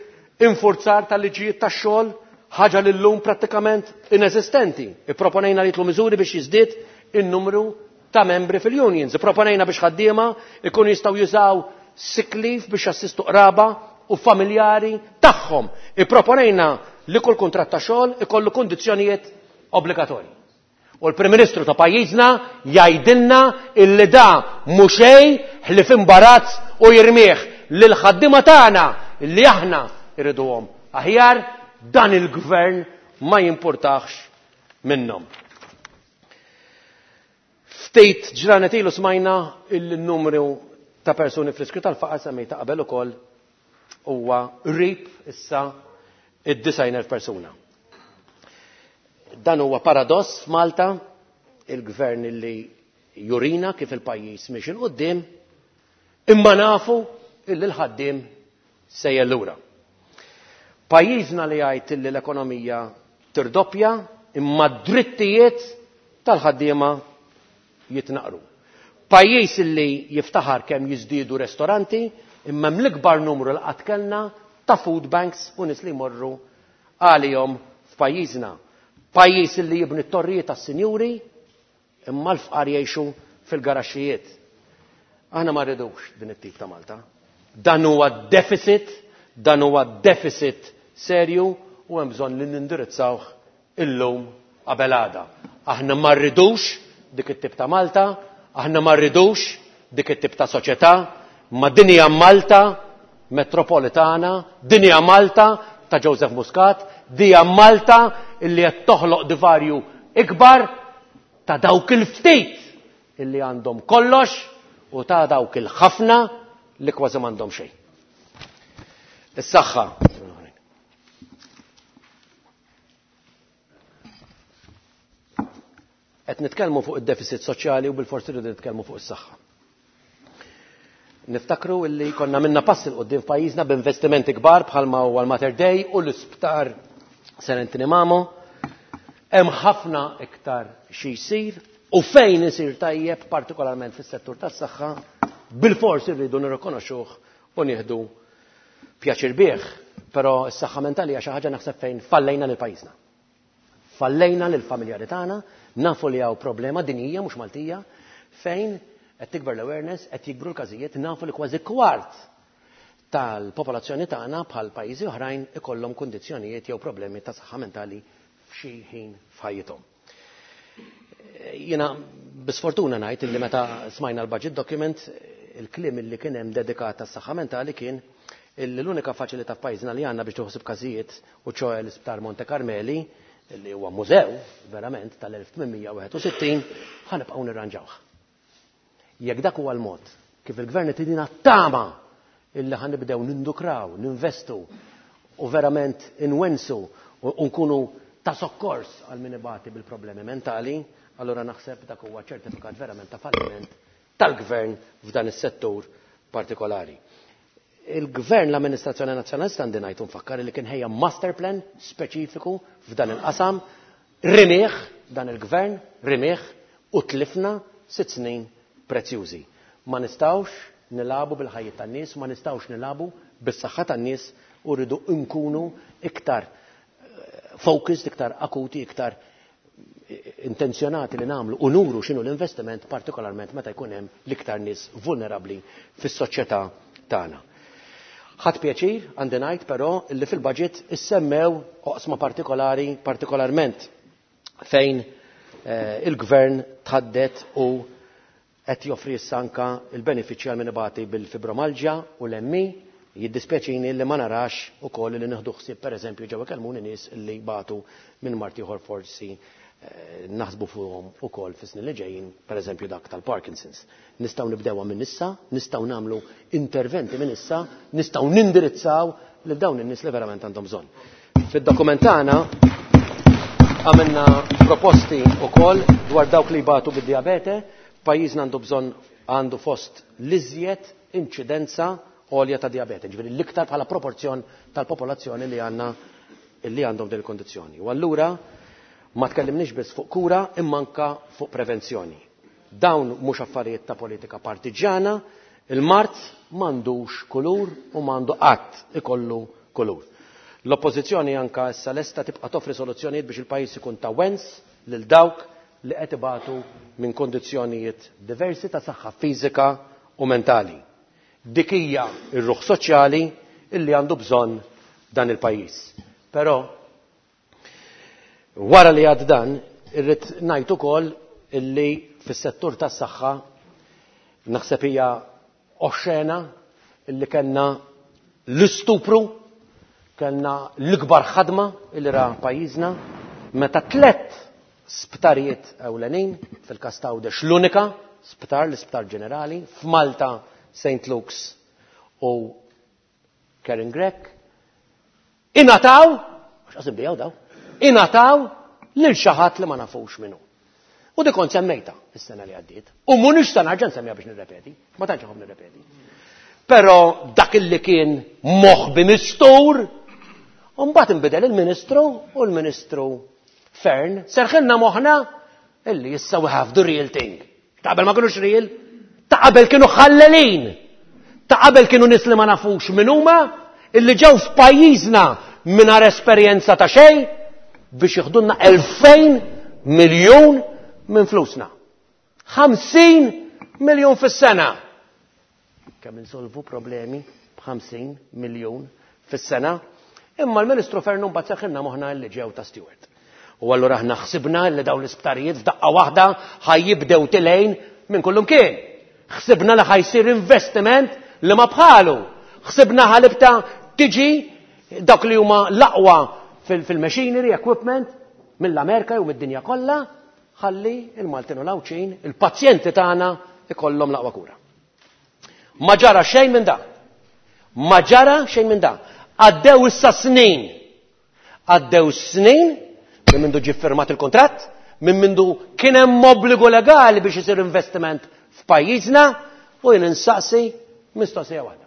infurzar tal-liġijiet tax-xogħol, ħaġa li llum prattikament ineżistenti. Ipproponejna li jitlu miżuri biex jiżdied in-numru ta' membri fil-unions. Ipproponejna biex ħaddiema ikunu jistgħu jużaw sick leave biex jassistu qraba u familjari tagħhom. Ipproponejna li kull kuntratt ta' xogħol ikollu kundizzjonijiet obbligatorji. U l-Prim Ministru ta' pajjiżna jgħidilna illi da mhux xejn ħlief imbarazz u jirmih lil ħaddiema tagħna illi aħna irriduhom aħjar, dan il-gvern ma jimpurtax minnhom. Ftit ġranet ilu smajna il-numru ta' persuni fl-iskru tal-faqar semmejta qabel ukoll huwa qrib issa id-disgħin elf persuna. Dan huwa paradoss f'Malta, il-gvern li jurina kif il-pajjiż miex il quddiem, imma nafu illi l-ħaddiem sejjer lura. Pajjiżna li jgħid illi l-ekonomija tirdoppja, imma d-drittijiet tal-ħaddiema jitnaqru. Pajjiż illi jiftaħar kemm jiżdiedu restoranti, imma hemm l-ikbar numru li qatt kellna ta' food banks u nies li jmorru għalihom f'pajjiżna. Pajjiż illi jibni t-torrijiet tas-sinjuri, imma l-fqar jgħixu fil-garaxxijiet. Aħna ma rridux din it-tip ta' Malta. Dan huwa deficit, dan huwa deficit serju u hemm bżonn li nindirizzawh illum qabel għada. Aħna ma rridux dik it-tip ta' Malta, aħna ma rridux dik it-tip ta' soċjetà, ma din hija Malta metropolitana, din hija Malta ta' Joseph Muscat, din hija Malta illi qed toħloq divarju ikbar ta' dawk il-ftit illi għandhom kollox u ta' dawk il-ħafna li kważi m'għandhom xejn. Is-saħħa. Qed nitkellmu fuq id-deficit soċjali u bil-forsi rridu nitkellmu fuq is-saħħa. Niftakru illi konna minna pass il quddiem f'pajjiżna b'investimenti kbar bħalma huwa l-Mater Dei u l-isptar Sir Anthony Mamo. Hemm ħafna iktar xi jsir u fejn isir tajjeb partikolarment fis-settur tas-saħħa bil-forsi rridu nirrikonoxxuh u nieħdu pjaċir bih, però s-saħħa mentali hija xi ħaġa naħseb fejn fallejna lil pajjiżna. Fallejna lil familjari tagħna, nafu li hawn problema dinjija mhux Maltija fejn qed tikber l-awareness, qed jikbru l-każijiet, nafu li kważi kwart tal-popolazzjoni tagħna bħal pajjiżi oħrajn ikollhom kundizzjonijiet jew problemi ta' saħħa mentali f'xi ħin f'ħajjithom. Jiena bisfortuna ngħid illi meta smajna l-budget document, il-kliem illi kien hemm dedikat għas-saħħa mentali kien illi l-unika faċilità f'pajjiżna li għandna biex tieħu każijiet u ċoe l-Isptar Monte Carmeli, li huwa mużew verament tal-elf tmien mija wieħed u sittin, ħanibqgħu nirranġawh. Jekk dak huwa l-mod kif il-gvern qed idina tama illi ħanibdew nindukraw, ninvestu u verament inwensu u nkunu ta' sokkors għal min ibati bil-problemi mentali, allura naħseb dak huwa ċertifikat verament ta' falliment tal-gvern f'dan is-settur partikolari. Il-gvern, l-amministrazzjoni nazzjonalista għandi ngħid nfakkar li kien ħejja master plan speċifiku f'dan il-qasam, rimieħ dan il-gvern, rimieħ u tlifna sitt snin prezzjużi. Ma nistgħux nilabu bil-ħajja tan-nies, ma nistgħux nilabu bis-saħħa tan-nies u rridu nkunu iktar focused, iktar akuti, iktar intenzjonati li nagħmlu u nuru x'inhu l-investiment, partikolarment meta jkun hemm l-iktar nies vulnerabbli fis-soċjetà tagħna. Ħadd pjaċir għandi ngħid però li fil-budget issemmew oqsma partikolari, partikolarment fejn eh, il-gvern tħaddet u qed joffri issa anka il-benefiċċji għal min ibati bil-fibromalġja u l-M I. Jiddispjaċini li ma narax ukoll li nieħdu ħsieb pereżempju ġew ikellmuni nies li batu minn mard ieħor forsi, eh, naħsbu fuqhom ukoll fis-snin li ġejjin, pereżempju dak tal-Parkinson's. Nistgħu nibdewha minn issa, nistgħu nagħmlu interventi minn issa, nistgħu nindirizzaw lil dawn in-nies li verament għandhom bżonn. Fid-dokument tagħna għamilna proposti wkoll dwar dawk li jbatu bid-diabete. Pajjiżna għandu bżonn, għandu fost l-iżjed inċidenza għolja ta' diabete, ġifieri l-iktar bħala proporzjon tal-popolazzjoni li għandna li għandhom din il-kondizzjoni. U allura ma tkellimniex biss fuq kura imma anka fuq prevenzjoni. Dawn mhux affarijiet ta' politika partiġjana, il-mard m'għandux kulur u m'għandu qatt ikollu kulur. L-oppożizzjoni anka issa lesta tibqa' toffri soluzzjonijiet biex il-pajjiż ikun ta' wens lil dawk li qed ibatu minn kondizzjonijiet diversi ta' saħħa fiżika u mentali. Dik hija r-ruħ soċjali illi għandu bżonn dan il-pajjiż. Però wara li għad dan, irrid ngħid ukoll illi fis-settur tas-saħħa naħseb hija oxxena illi kellna l-istupru, kellna l-ikbar ħadma illi ra pajjiżna meta tliet sptarijiet ewlenin, fil-każ ta' Għawdex l-unika sptar, l-isptar ġenerali, f'Malta Saint Luke's u Karen Grech, ingħataw, għax qas inbiegħu daw, ingħataw lil xi ħadd li ma nafux minnu. U dik kont semmejta is-sena li għaddiet. U mhux se nerġa' nsemmiha biex nirrepeti, ma tantx inħobb nirrepeti. Però dak illi kien moħbi mistur, u mbagħad inbidel il-Ministru u l-Ministru Fearne serħilna moħħna illi issa we have the real thing. Ta' qabel ma kienux real, ta' qabel kienu ħallelin. Ta' qabel kienu nies li ma nafux min huma, illi ġew f'pajjiżna mingħajr esperjenza ta' xejn biex jiħdulna elfejn miljun minn flusna. ħamsin miljun fis-sena. Kemm insolvu problemi b'ħamsin miljun fis-sena? Imma l-Ministru Fearne mbagħad serħilna moħħna li ġew ta' Steward. U allura aħna ħsibna li dawn l-isptarijiet f'daqqa waħda ħa jibdew telgħin minn kullum kien. Ħsibna li ħa jsir investiment li ma bħalu. Ħsibna ħa tibda tiġi dak li huma l-aqwa fil-machinery, equipment, mill-Amerika u mid-dinja kollha, ħalli il-Maltin u l-Għawdxin, il-pazjenti tagħna ikollhom l-aqwa kura. Ma ġara xejn minn da. Ma ġara xejn minn da. Għaddew issa snin. Għaddew snin minn mindu ġie firmat il-kontratt, minn mindu kien hemm obbligu legali biex isir investiment f'pajjiżna u jien insaqsi mistoqsija waħda.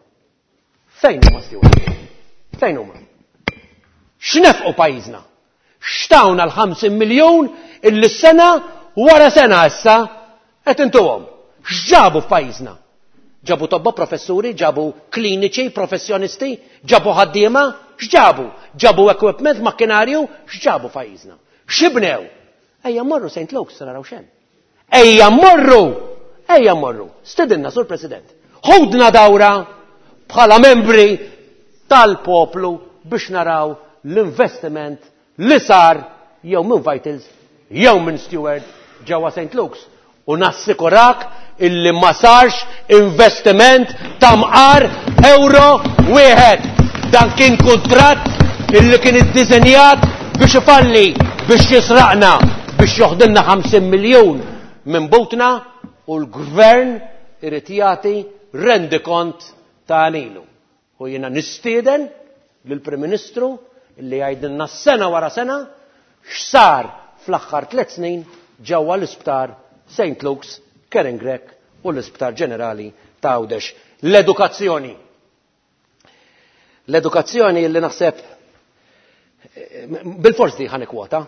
Fejn huma Steward? Fejn huma? X'nefqu pajjiżna? X'tawna l-ħamsin miljun illi sena wara sena issa qed intuhom? X'ġabu f'pajjiżna? Ġabu tobba professuri, ġabu kliniċi, professjonisti, ġabu ħaddiema, x'ġabu? Ġabu equipment, makkinarju, x'ġabu f'pajjiżna? X'ibnew? Ejja morru Saint Luke's naraw x'hemm. Ejja morru! Ejja morru! Stedinna, Sur President. Ħudna dawra bħala membri tal-poplu biex naraw l-investiment li sar jew minn Vitals jew minn Steward ġewwa Saint Luke's. U nassikurak illi ma sarx investiment ta' mqar euro wieħed. Dan kien kuntratt illi kien iddiżenjat biex ifalli, biex jisraqna, biex joħdilna ħamsin miljun minn butna u l-gvern irid jagħti rendikont ta' għemilu. U jiena nistieden lill-Prim Ministru illi jgħidilna sena wara sena x'sar fl-aħħar tliet snin ġewwa l-isptar Saint Luke's, Karen Grech u l-Isptar Ġenerali ta' Għawdex. L-edukazzjoni. L-edukazzjoni li naħseb bil-fors di ħa nikkwota.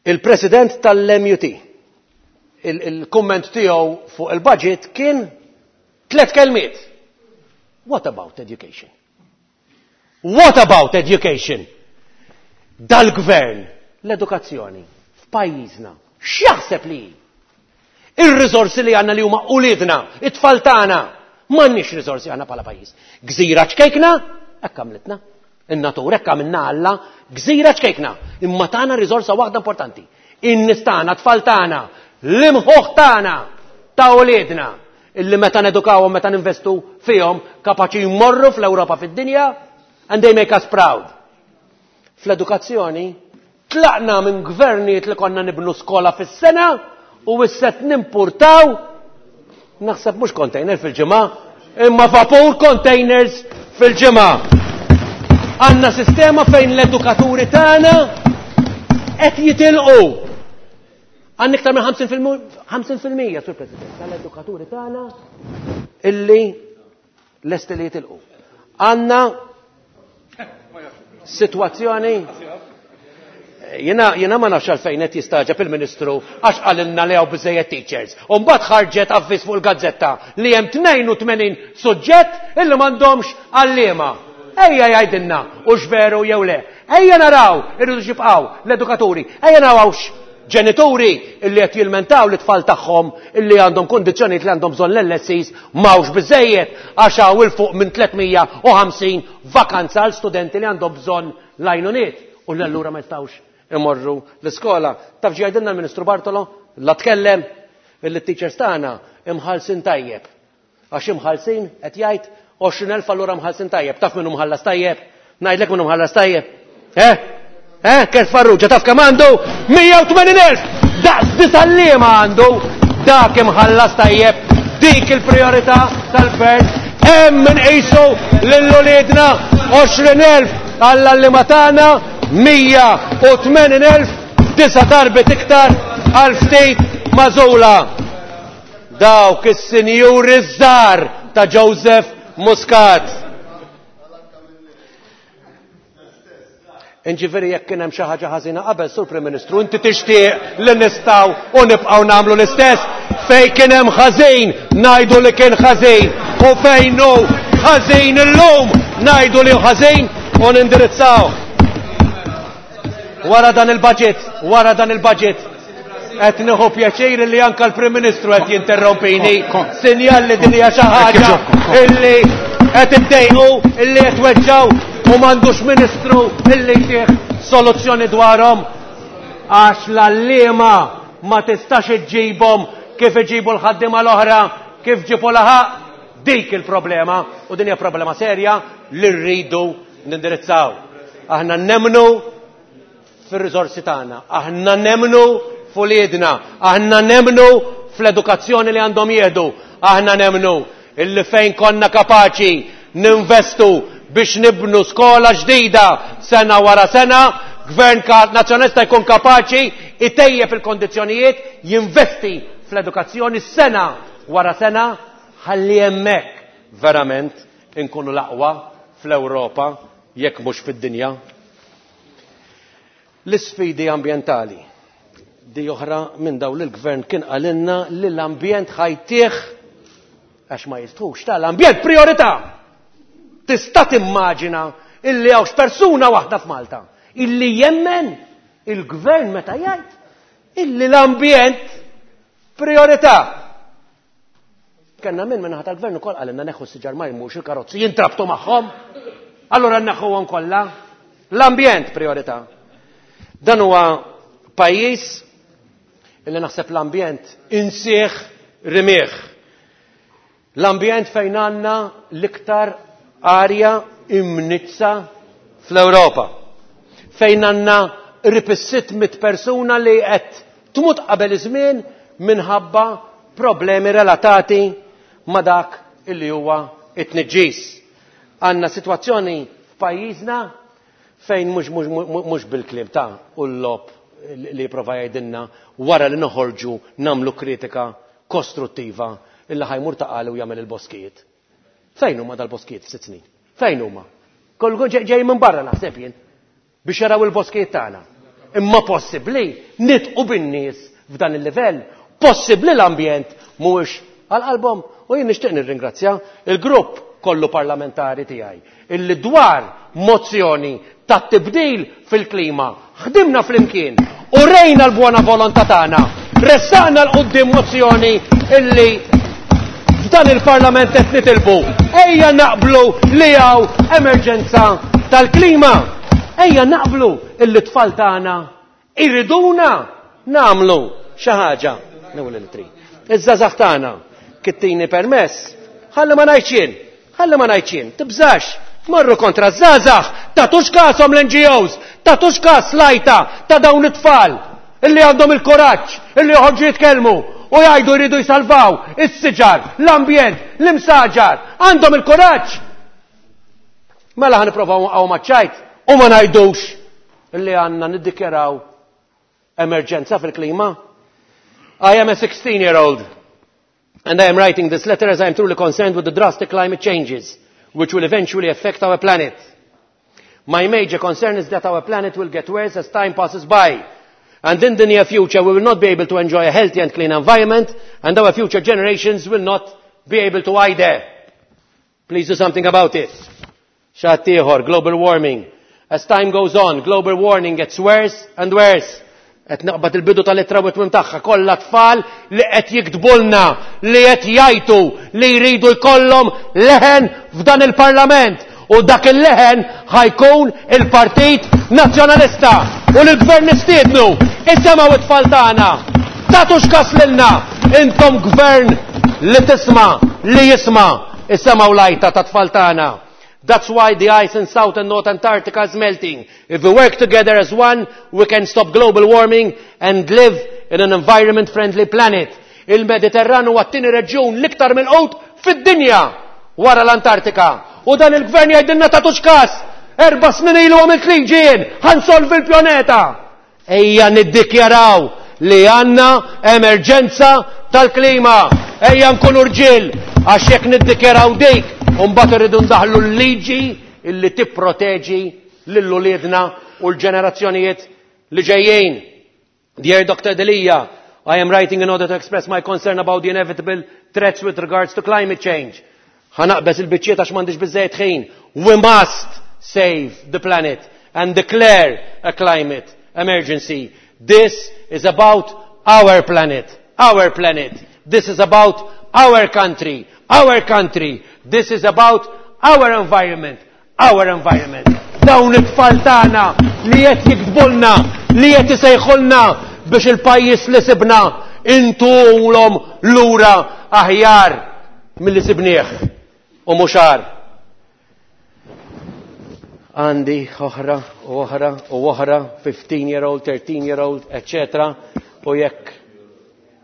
Il-President tal-M U T, il-komment tiegħu fuq il-budget kien tliet kelmiet. What about education? What about education? Dal-gvern, l-edukazzjoni, f'pajjiżna, x'jaħseb li? Ir-riżorsi li għandna li huma uliedna, it-tfal tagħna, m'għandniex riżorsi għandna bħala pajjiż. Gżira ċkejkna, hekk għamlitna. In-natura hekk għamilna Alla, gżira ċkejkna. Imma tagħna riżorsa waħda importanti. In-nies tagħna, tfal tagħna, l-imħuħ tagħna ta' uliedna illi meta nedukawhom, meta ninvestu fihom, kapaċi jmorru fl-Ewropa, fid-dinja, and they make us proud. Fl-edukazzjoni tlaqna minn gvernijiet li konna nibnu skola fis-sena u issa nimpurtaw naħseb mhux container fil-ġimgħa, imma vapur containers fil-ġimgħa. Għandna sistema fejn l-edukaturi tagħna qed jitilqu. Għandna iktar minn ħamsin fil-mija, Sur President, tal-edukaturi tagħna illi lesti li jitilqu. Għandna situazzjoni. Jena, jena ma nafx għalfejn qed jistagħġeb il-Ministru għax qalilna li hawn biżejjed teachers. U mbagħad ħarġet avviż fuq il-gazzetta li hemm tnejn u tmenin suġġett illi m'għandhomx għalliema. Ejja jgħidilna hux veru jew le. Ejja naraw irridu jibqgħu l-edukaturi. Ejja narawx ġenituri illi qed jilmentaw li tfal tagħhom illi għandhom kondizzjonijiet li għandhom bżonn l-L S Es m'hawnx biżejjed għax hawn 'il fuq minn tliet mija u ħamsin vakanza għal studenti li għandhom bżonn l-għajnuniet u l-allura ma jistgħux imorru l-iskola. Taf x'jgħidilna l-Ministru Bartolo? La tkellem illi t-teachers tagħna imħallsin tajjeb. Għax imħallsin qed jgħid għoxrin elf, allura mħallsin tajjeb. Taf minnu mħallas tajjeb? Ngħidlek minnu mħallas tajjeb. Eh? Eh? Kurt Farrugia, taf kemm għandu? mija u tmenin elf! Daqs disa' għalliema għandu! Dak imħallas tajjeb. Dik il-priorità tal-gvern. Hemm inqisu lil uliedna għoxrin elf għall-għalliema tagħna, mija u tmenin elf, disa' darbiet iktar għal ftit magħżula. Dawk is-sinjuri żgħar ta' Joseph Muscat. Inġifieri jekk kien hemm xi ħaġa ħażina qabel, Sur Prim Ministru, inti tixtieq li nistgħu u nibqgħu nagħmlu l-istess. Fejn kien hemm ħażin ngħidu li kien ħażin, u fejn hu ħażin illum ngħidu li hu ħażin u nindirizzaw. Wara dan il-budget, wara dan il-budget, qed nieħu pjaċir li anke l-Prim Ministru qed jinterrompini. Sinjal li din hija xi ħaġa illi qed iddejqu, illi qed weġġaw u m'għandux ministru illi jtih soluzzjoni dwarhom, għax l-għalliema ma tistax iġġibhom kif iġibu l-ħaddiema l-oħra, kif ġibu laħaq. Dik il-problema, u din hija problema serja li rridu nindirizzaw. Aħna nemmnu fir-riżorsi tagħna, aħna nemmnu f'uliedna, aħna nemmnu fl-edukazzjoni li għandhom jieħdu, aħna nemmnu illi fejn konna kapaċi ninvestu biex nibnu skola ġdida sena wara sena, gvern nazzjonalista jkun kapaċi itejjeb il-kondizzjonijiet, jinvesti fl-edukazzjoni sena wara sena, ħalli hemmhekk verament inkunu l-aqwa fl-Ewropa jekk mhux fid-dinja. L-isfidi ambjentali di oħra minn dawn li l-gvern kien qalilna li l-ambjent ħajtih, għax ma jistħux tal-ambjent priorità. Tista' timmaġina illi hawnx persuna waħda f'Malta illi jemmen il-gvern meta jgħid illi l-ambjent priorità. Kenna minn minnaħa tal-gvern ukoll qalilna neħħu s-siġar ma jmux il-karozzi jintrabtu magħhom. Allura neħħuhom kollha. L-ambjent priorità. Dan huwa pajjiż illi naħseb l-ambjent insieħ rimieħ. L-ambjent fejn għandna l-iktar arja imnizza fl-Ewropa. Fejn għandna qrib is-sitt mitt persuna li qed tmut qabel iż-żmien minħabba problemi relatati ma' dak illi huwa it-tniġġis. Għandna sitwazzjoni f'pajjiżna fejn mhux, mhux, mhux, mhux bil-kliem ta' u l-lob li jipprova jgħidilna wara li noħorġu nagħmlu kritika kostruttiva illi ħajmur ta' qali u jagħmel il-boskijiet. Fejn huma dal-boskijiet f'sitt snin? Fejn huma? Kollu ġej, ġej minn barra naħseb jien biex jaraw il-boskijiet tagħna. Imma possibbli nitqu bin-nies f'dan il-livell, possibbli l-ambjent mhuwiex għal qalbhom. U jien nixtieq nirringrazzja il-grupp kollu parlamentari tiegħi illi dwar mozzjoni ta' tibdil fil-klima ħdimna flimkien u rejna l-buona volontà tagħna, ressaqna l quddiem mozzjoni illi f'dan il-Parlament qed nitilbu. Ejja naqblu li hawn emerġenza tal-klima. Ejja naqblu illi t-tfal tagħna iriduna nagħmlu xi ħaġa. Newwel il-tri. Iż-żgħażagħ tagħna kittini permess, ħalli ma ngħidx jien, ħalli ma ngħidx jien, tibżax. Marru kontra żgħażagħ, tagħtux kashom l-N G Os, tagħtux kas lajta ta' dawn it-tfal illi għandhom il-kuraġġ illi joħorġu jitkellmu u jgħidu jridu jsalvaw is-siġar, l-ambjent, l-imsaġar, għandhom il-kuraġġ. Mela ħa nipprovaw nqgħu maċ-ċajt u ma ngħidux illi għandna niddikjaraw emerġenza fil-klima. I am a sixteen-year-old and I am writing this letter as I am truly concerned with the drastic climate changes which will eventually affect our planet. My major concern is that our planet will get worse as time passes by. And in the near future, we will not be able to enjoy a healthy and clean environment, and our future generations will not be able to either. Please do something about it. Xattieħor, global warming. As time goes on, global warming gets worse and worse. Qed naqbad il-bidu tal-ittra u t-tmiem tagħha, kollha tfal li qed jiktbulna, li qed jgħidu li jridu jkollhom leħen f'dan il-Parlament. U dak il-leħen ħajkun il-Partit Nazzjonalista. U l-Gvern nistiednu, isemgħu it-tfal tagħna. Tagħtux kas lilna, intom gvern li tisma', li jisma', isemgħu lajta ta' tfal tagħna. That's why the ice in South and North Antarctica is melting. If we work together as one, we can stop global warming and live in an environment-friendly planet. Il-Mediterran huwa t-tieni reġjun l-iktar milqut fid-dinja wara l-Antartika. U dan il-gvern jgħidilna tagħtux każ. Erba' snin ilu għamilt liġi jien, ħa nsolvi l-pjaneta. Ejja niddikjaraw li għandna emerġenza tal-klima. Ejja nkunu rġiel, għax jekk niddikjaraw dik, u mbagħad irridu ndaħlu l-liġi illi tipproteġi lil uliedna u l-ġenerazzjonijiet li ġejjin. Dear Doctor Delia, I am writing in order to express my concern about the inevitable threats with regards to climate change. Ħa naqbeż il-biċċiet għax m'għandix biżejjed ħin. We must save the planet and declare a climate emergency. This is about our planet, our planet. This is about our country, our country. This is about our environment, our environment. Dawn it-tfal tagħna li qed jiktbulna, li qed isejħulna biex il-pajjiż li sibna intuhulhom lura aħjar milli sibnieh u mhux agħar. Għandi oħra u oħra u oħra, fifteen year old, thirteen year old, eccetera. U jekk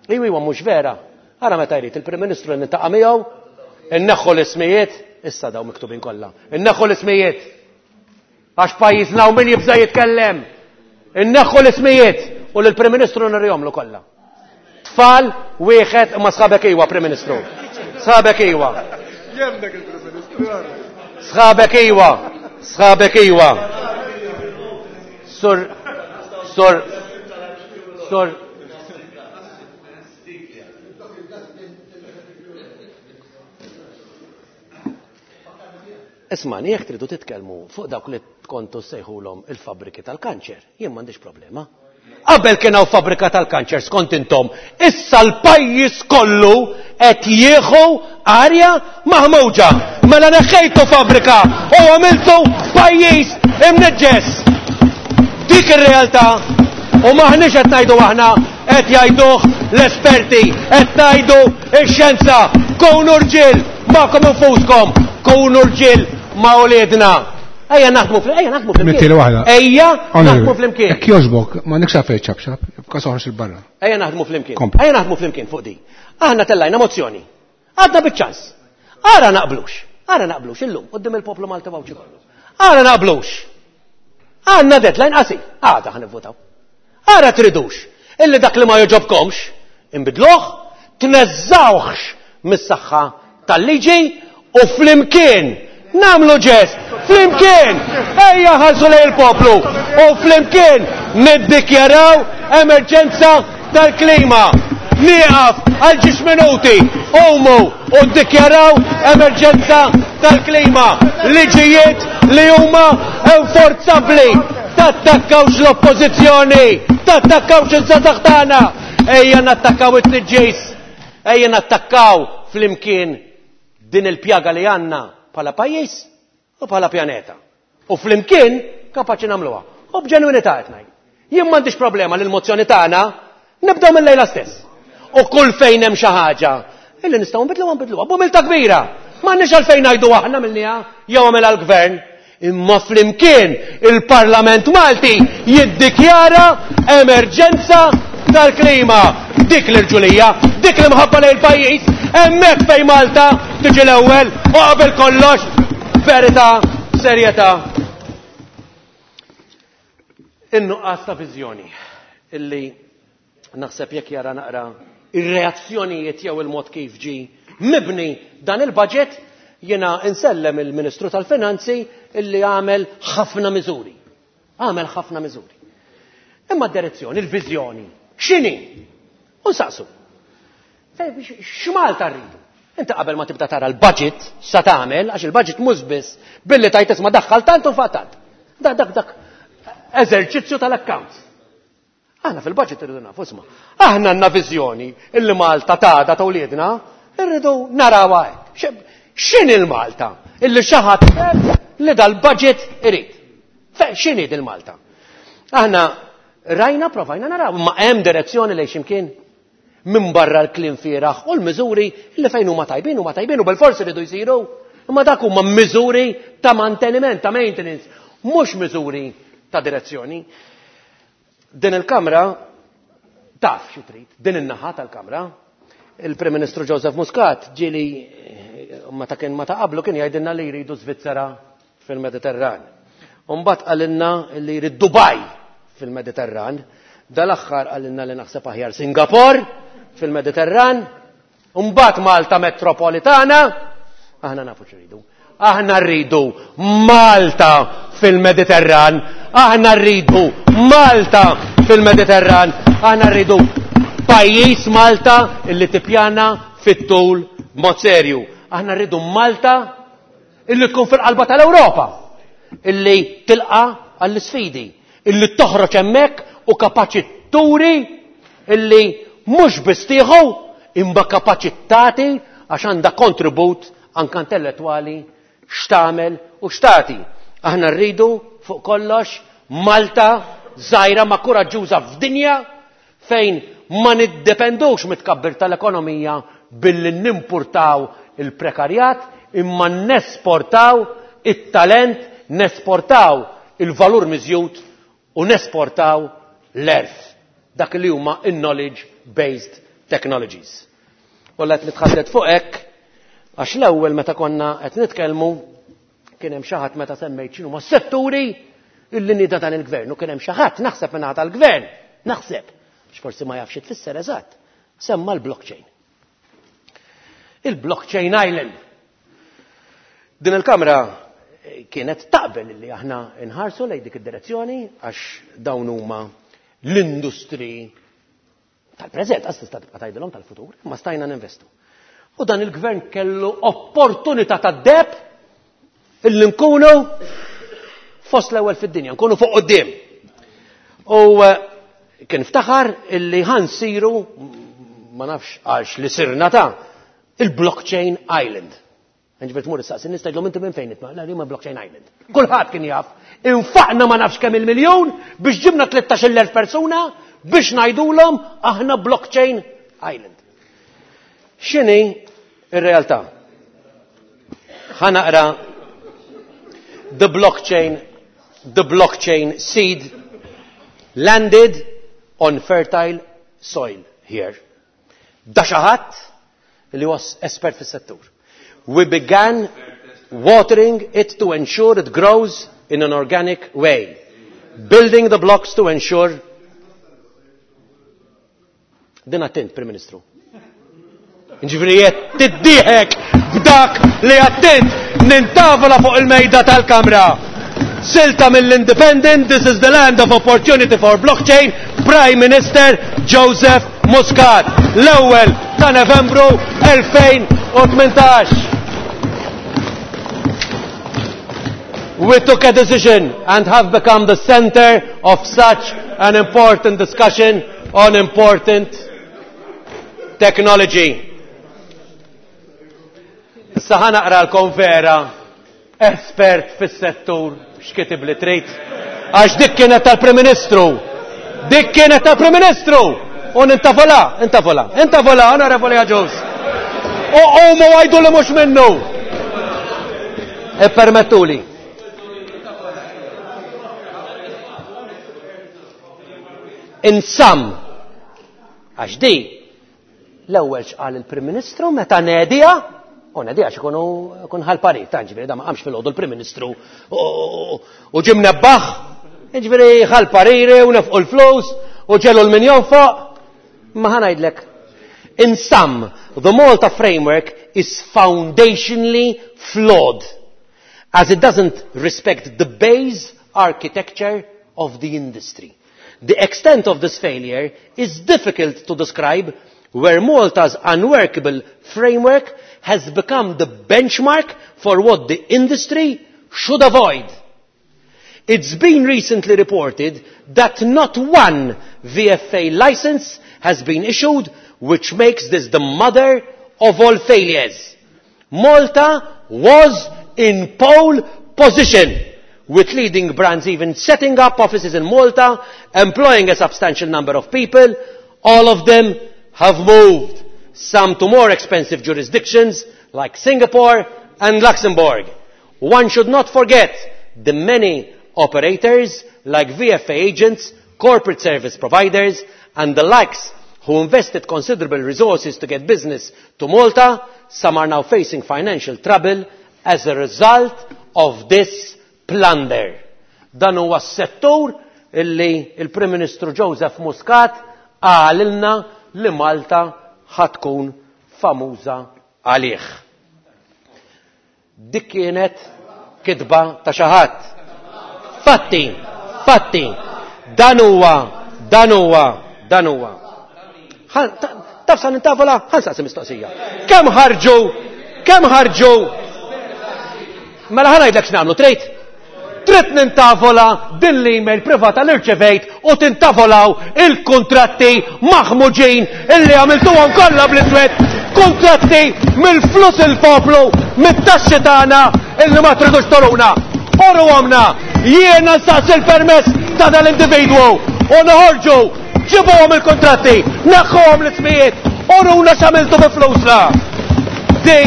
iwi huwa mhux vera. Ara meta jrid il-Prim Ministru nintaqa' miegħu, inneħħu l-ismijiet, issa daw miktubin kollha. Inneħħu l-ismijiet. Għax pajjiżna u min jibża' jitkellem. Inneħħu l-ismijiet u lill-Prim Ministru nirjomlu kollha. Tfal wieħed imma sħabek iwa, Prim Ministru. Sħabek iwa. Jemmek il-Prim Ministru. Sħabek iwa. Sħabek iwa. Sur, sur, sur. Isma', jekk tridu titkellmu fuq dawk li kontu sejħulhom il-fabriki tal-kanċer, jien m'għandix problema. Qabel kien hawn fabbrika tal-kanċer skont intom, issa l-pajjiż kollu qed jieħu arja maħmuġa. Mela neħħejtu fabbrika u għamiltu pajjiż imniġġes. Dik ir-realtà, u maħniex qed ngħidu aħna, qed jgħiduh l-esperti, qed ngħidu x-xjenza. Kunu rġiel magħkom infuskom, kunu rġiel ma' uliedna. Ejja naħdmu fl-, ejja naħdmu flimkien. Mettieli waħda. Ejja Onorevoli, naħdmu flimkien. Jekk jogħġbok, ma nix għalfejn ċabċab, b'każ oħroġ il-barra. Ejja naħdmu flimkien. Kompli. Ejja naħdmu flimkien fuq di. Aħna tellajna mozzjoni. Għadna biċ-ċans. Ara naqblux. Ara naqblux illum quddiem il-poplu Malti Għawdxi kollu. Ara naqblux. Għandna deadline qasir. Għada ħa nivvotaw. Ara tridux. Illi dak li ma jogħġobkomx, inbidluh, tneżżawhx mis-saħħa tal-liġi u flimkien namlu ġest, flimkien, ejja ħarsu lejn il-poplu u flimkien niddikjaraw emerġenza tal-klima. Nieqaf għal ġiex minuti, umu u ddikjaraw emerġenza tal-klima. Liġijiet li huma enforzabbli. Tattakkawx l-oppożizzjoni, tattakkawx iż-żgħażagħ tagħna. Ejja nattakkaw it-tniġġis, ejja nattakkaw flimkien din il-pjaga li għandna bħala pajjiż u bħala pjaneta. U flimkien kapaċi nagħmluha. U b'ġenwinità qed ngħid. Jien m'għandix problema li l-mozzjoni tagħna nibdew mill-lejla stess. U kull fejn hemm xi ħaġa illi nistgħu nbidluha nbidluha b'umiltà kbira. M'għandniex għalfejn ngħidu aħna minnija jew għamilha l-gvern. Imma flimkien il-Parlament Malti jiddikjara emerġenza tal-klima. Dik l-irġulija, dik l-imħabba lejn il-pajjiż, hemmhekk fejn Malta tiġi l-ewwel u qabel kollox verità, serjetà. In-nuqqas ta' viżjoni illi naħseb jekk jara naqra ir-reazzjonijiet jew il-mod kif ġi mibni dan il-budget, jiena insellem il-Ministru tal-Finanzi illi għamel ħafna miżuri. Għamel ħafna miżuri. Imma d-direzzjoni, il-viżjoni, x'inhi? U nsaqsu. X'Malta rridu? Inti qabel ma tibda tara l-budget sa tagħmel, għax il-budget mhux biss billi tajt isma' daħħal tant u fa' tant. Dak, dak, dak eżerċizzju tal-accounts. Aħna fil-budget irridu nafu, isma'. Aħna għandna viżjoni illi Malta tagħda ta' wliedna, irridu narawha hekk. X'inhi l-Malta illi xi ħadd li dal-budget irid? X'inhi dil-Malta? Aħna rajna, provajna naraw, ma hemm direzzjoni lejn x'imkien minn barra l-kliem fieraħ u l-miżuri li fejn huma tajbin huma tajbin u bil-forsi rridu jsiru. Imma dak huma miżuri ta' manteniment, ta' maintenance, mhux miżuri ta' direzzjoni. Din il-kamra taf xi trid, din in-naħa tal-kamra. Il-Prim Ministru Joseph Muscat ġieli meta kien ma ta' qablu kien jgħidilna li jridu Svizzera fil-Mediterran. U mbagħad qalilna li jrid Dubai fil-Mediterran. Dal-aħħar qalilna li naħseb aħjar Singapore fil-Mediterran. U mbagħad Malta Metropolitana. Aħna nafu x'iridu. Aħna rridu Malta fil-Mediterran. Aħna rridu Malta fil-Mediterran. Aħna rridu pajjiż Malta illi tippjana fit-tul b'mod serju. Aħna rridu Malta illi tkun fil-qalba tal-Ewropa, illi tilqa għall-isfidi, illi toħroġ hemmhekk u kapaċi turi illi mhux biss tieħu imma kapaċi tagħti għax għandha kontribut anke intellettwali x'tagħmel u x'tagħti. Aħna rridu fuq kollox Malta żgħira ma kuraġġuża f'dinja fejn ma niddependux mit-tkabbir tal-ekonomija billi nimpurtaw il-prekarjat imma nesportaw it-talent, nesportaw il-valur miżjud u nesportaw l-għerf, dak li huma in-knowledge based technologies. U qed nitħaddet fuq hekk għax l-ewwel meta konna qed nitkellmu kien hemm xi ħadd meta semmejt x'inhuma s-setturi illi nieda dan il-gvern u kien hemm xi ħadd naħseb minn tal-gvern, naħseb, għax forsi ma jafx tfisser eżatt, semma l-blockchain. Il-blockchain island. Din il-kamra kienet taqbel li aħna nħarsu lejn dik id-direzzjoni għax dawn huma l-industri tal-preżent, għas tista' tibqa' tgħidilhom tal-futur, imma stajna ninvestu. U dan il-gvern kellu opportunità tad-deheb illi nkunu fost l-ewwel fid-dinja, nkunu fuq quddiem. U kien ftaħar illi ħa nsiru, ma nafx għax li sirna ta' il-blockchain island. Ġifieri tmur issaqsi nies tgħidlhom inti minn fejn itma' la ma blockchain island. Kulħadd kien jaf. Infaqna ma nafx kemm il-miljun biex ġibna tlettax-il elf persuna biex ngħidulhom aħna blockchain island. X'inhi ir-realtà? Ħa naqra the blockchain the blockchain seed landed on fertile soil here. Da xi ħadd li huwa espert fis-settur. We began watering it to ensure it grows in an organic way. Building the blocks to ensure. Din attent, Prim Ministru. Ġifieri qed tiddieħek b'dak li attent nintavola fuq il-mejda tal-Kamra. Silta mill-Independent, this is the land of opportunity for blockchain, Prime Minister Joseph Muscat. L-ewwel ta' Novembru elfejn u tmintax. We took a decision and have become the center of such an important discussion on important technology. Issa ħa naqralkom vera espert fis-settur x'kitib li trid. Għax dik kienet tal-Prim Ministru. Dik kienet tal-Prim Ministru. U nintavola, intavola, intavola, Onorevoli Agius. U qumu għidu li mhux minnu. Ippermettuli. In sum, għax di, l-ewwel x'qal il-Prim Ministru meta nedija, u nedija x'ikunu kun ħal-parit, ta' ġifieri da ma qamx fil-għodu l-Prim Ministru u ġie mnebbaħ, ġifieri ħal-pariri u nefqu l-flus u ġelu l-min jonfoq, ma ħa ngħidlek. In sum, the Malta framework is foundationally flawed, as it doesn't respect the base architecture of the industry. The extent of this failure is difficult to describe, where Malta's unworkable framework has become the benchmark for what the industry should avoid. It's been recently reported that not one V F A license has been issued, which makes this the mother of all failures. Malta was in pole position, with leading brands even setting up offices in Malta, employing a substantial number of people. All of them have moved, some to more expensive jurisdictions like Singapore and Luxembourg. One should not forget the many operators like V F A agents, corporate service providers, and the likes who invested considerable resources to get business to Malta, some are now facing financial trouble as a result of this plunder. Dan huwa s-settur illi il-Prim Ministru Joseph Muscat qalilna li Malta ħatkun famuża għalih. Dik kienet kitba ta' xi ħadd. Fatti, fatti, dan huwa, dan huwa, dan huwa. Taf sa nintavola, ħa nsaqsi mistoqsija. Kemm ħarġu, kemm ħarġu? Mela ħa ngħidlek x'nagħmlu, trid? Trid nintavola din l-email privata li rċevejt u tintavolaw il-kontratti maħmuġin illi għamiltuhom kollha bl-iswed, kontratti mill-flus il-poplu, mit-taxxi tagħna illi ma tridux toruna. Oru għamna, jiena nsaqsi il-permess ta' dal-individwu u noħorġu, ġibuhom il-kontratti, neħħuhom l-ismijiet, oruna x'għamiltu bi flusna. Di,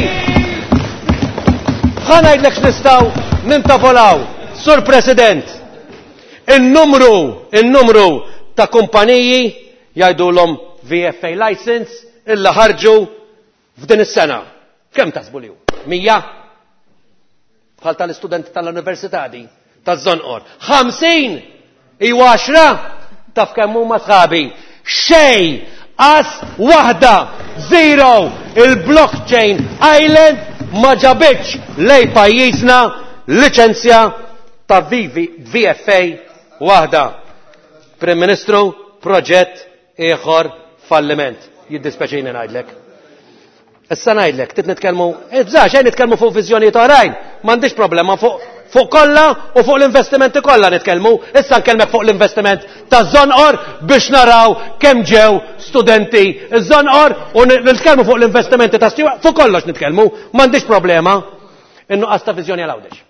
ħa ngħidlek x'nistgħu nintavolaw. Sur President, il-numru, il-numru ta' kumpaniji jgħidulhom V F A license illa ħarġu f'din is-sena. Kemm taħsbu li hu? Mija? Bħal tal-istudenti tal-università di, taż-Żonqor. Ħamsin! Iwa għaxra? Taf kemm huma sħabi. Xejn! Qas waħda! Zero! Il-blockchain island ma ġabitx lej pajjiżna liċenzja ta' V F A waħda. Prim Ministru, proġett ieħor falliment. Jiddispeċini ngħidlek. Issa ngħidlek, trid nitkellmu, ibżax, xejn nitkellmu fuq viżjonijiet oħrajn. M'għandix problema fuq, fuq kollha u fuq l-investimenti kollha nitkellmu. Issa nkellmek fuq l-investiment ta' Żonqor biex naraw kemm ġew studenti iż-Żonqor u nitkellmu fuq l-investimenti ta' Stewart, fuq kollox nitkellmu, m'għandix problema. In-nuqqas ta' viżjoni għal Għawdex.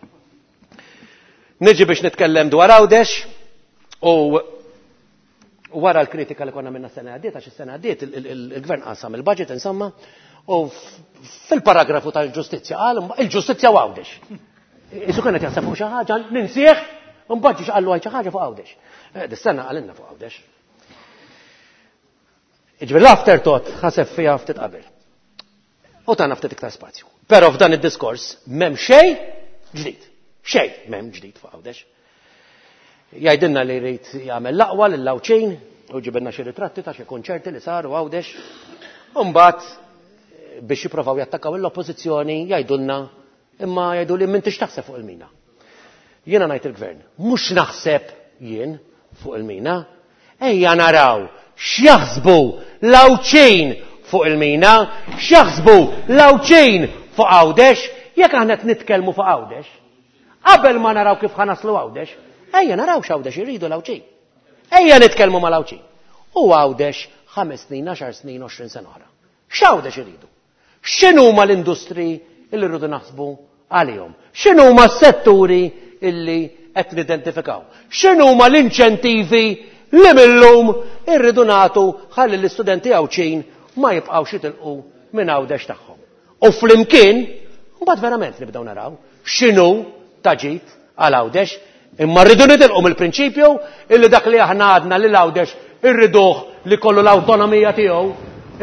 Niġi biex nitkellem dwar Għawdex u wara l-kritika li konna minna sena għaddiet, għax is-sena għaddiet il-gvern qasam il-budget insomma, u fil-paragrafu tal-ġustizzja qal il-ġustizzja u Għawdex. Isu kienet jaħseb fuq xi ħaġa, ninsieħ, mbagħad ġiex qallu xi ħaġa fuq Għawdex. Dis-sena qalilna fuq Għawdex. Jiġifieri l-afterthought ħaseb fiha ftit qabel. U tagħna ftit iktar spazju. Però f'dan id-diskors m'hemm xejn ġdid. Xejn m'hemm ġdid fuq Għawdex. Jgħidilna li jrid jagħmel l-aqwa lill-Għawdxin u ġibilna xi ritratti ta' xi konċerti li saru Għawdex. U mbagħad biex jippruvaw jattakkaw l-oppożizzjoni jgħidulna imma jgħidu li m'intix taħseb fuq il-mina. Jiena ngħid il-gvern, mhux naħseb jien fuq il-mina, ejja naraw x'jaħsbu l-Għawdxin fuq il-mina, x'jaħsbu l-Għawdxin fuq Għawdex, jekk aħna qed nitkellmu fuq Għawdex. Qabel ma naraw kif ħanaslu Għawdex, ejja naraw x'Għawdex iridu l-Għawdxin. Ejja nitkellmu mal-Għawdxin. U Għawdex ħames snin, għaxar snin, għoxrin sena oħra. X'Għawdex iridu? X'inhuma l-industri illi rridu naħsbu għalihom? X'inhuma s-setturi illi qed nidentifikaw? X'inhuma l-inċentivi li millum irridu nagħtu ħalli l-istudenti Għawdxin ma jibqgħux jitilqu minn Għawdex tagħhom. U flimkien, mbagħad verament nibdew naraw x'inhu ta' ġid għal Għawdex, imma rridu nitilqu mill-prinċipju illi dak li aħna għadna lil Għawdex irriduh li kollu l-awtonomija tiegħu,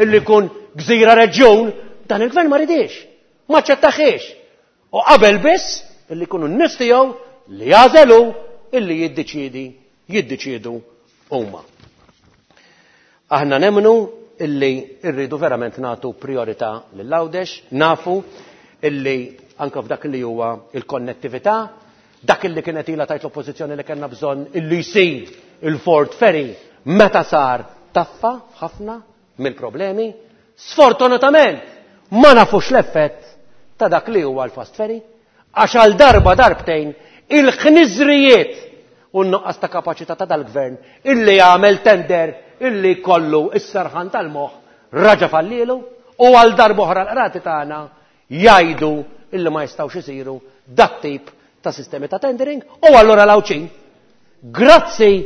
illi jkun gżira reġjun, dan il-gvern ma ridix, ma ċettaħiex. U qabel biss illi jkunu n-nies tiegħu li jażelu illi jiddeċiedi, jiddeċiedu huma. Aħna nemmnu illi rridu verament nagħtu priorità lil Għawdex, nafu illi anke f'dak li huwa il-konnettività, dak illi kienet ilha tajt l-oppożizzjoni li kellna bżonn illi jsir il-Fort Ferry meta sar taffa ħafna mill-problemi. Sfortunatament ma nafux l-effett ta' dak li huwa l-Fast Ferry, għax għal darba darbtejn il-ħniżrijiet u n-nuqqas ta' kapaċità ta' dal-gvern illi jagħmel tender illi kollu is-serħan tal-moħħ raġa fallilu, u għal darba oħra l-qrati tagħna jgħidu illi ma jistgħux isiru dat tip ta' sistemi ta' tendering, u allura l-Għawdxin, grazzi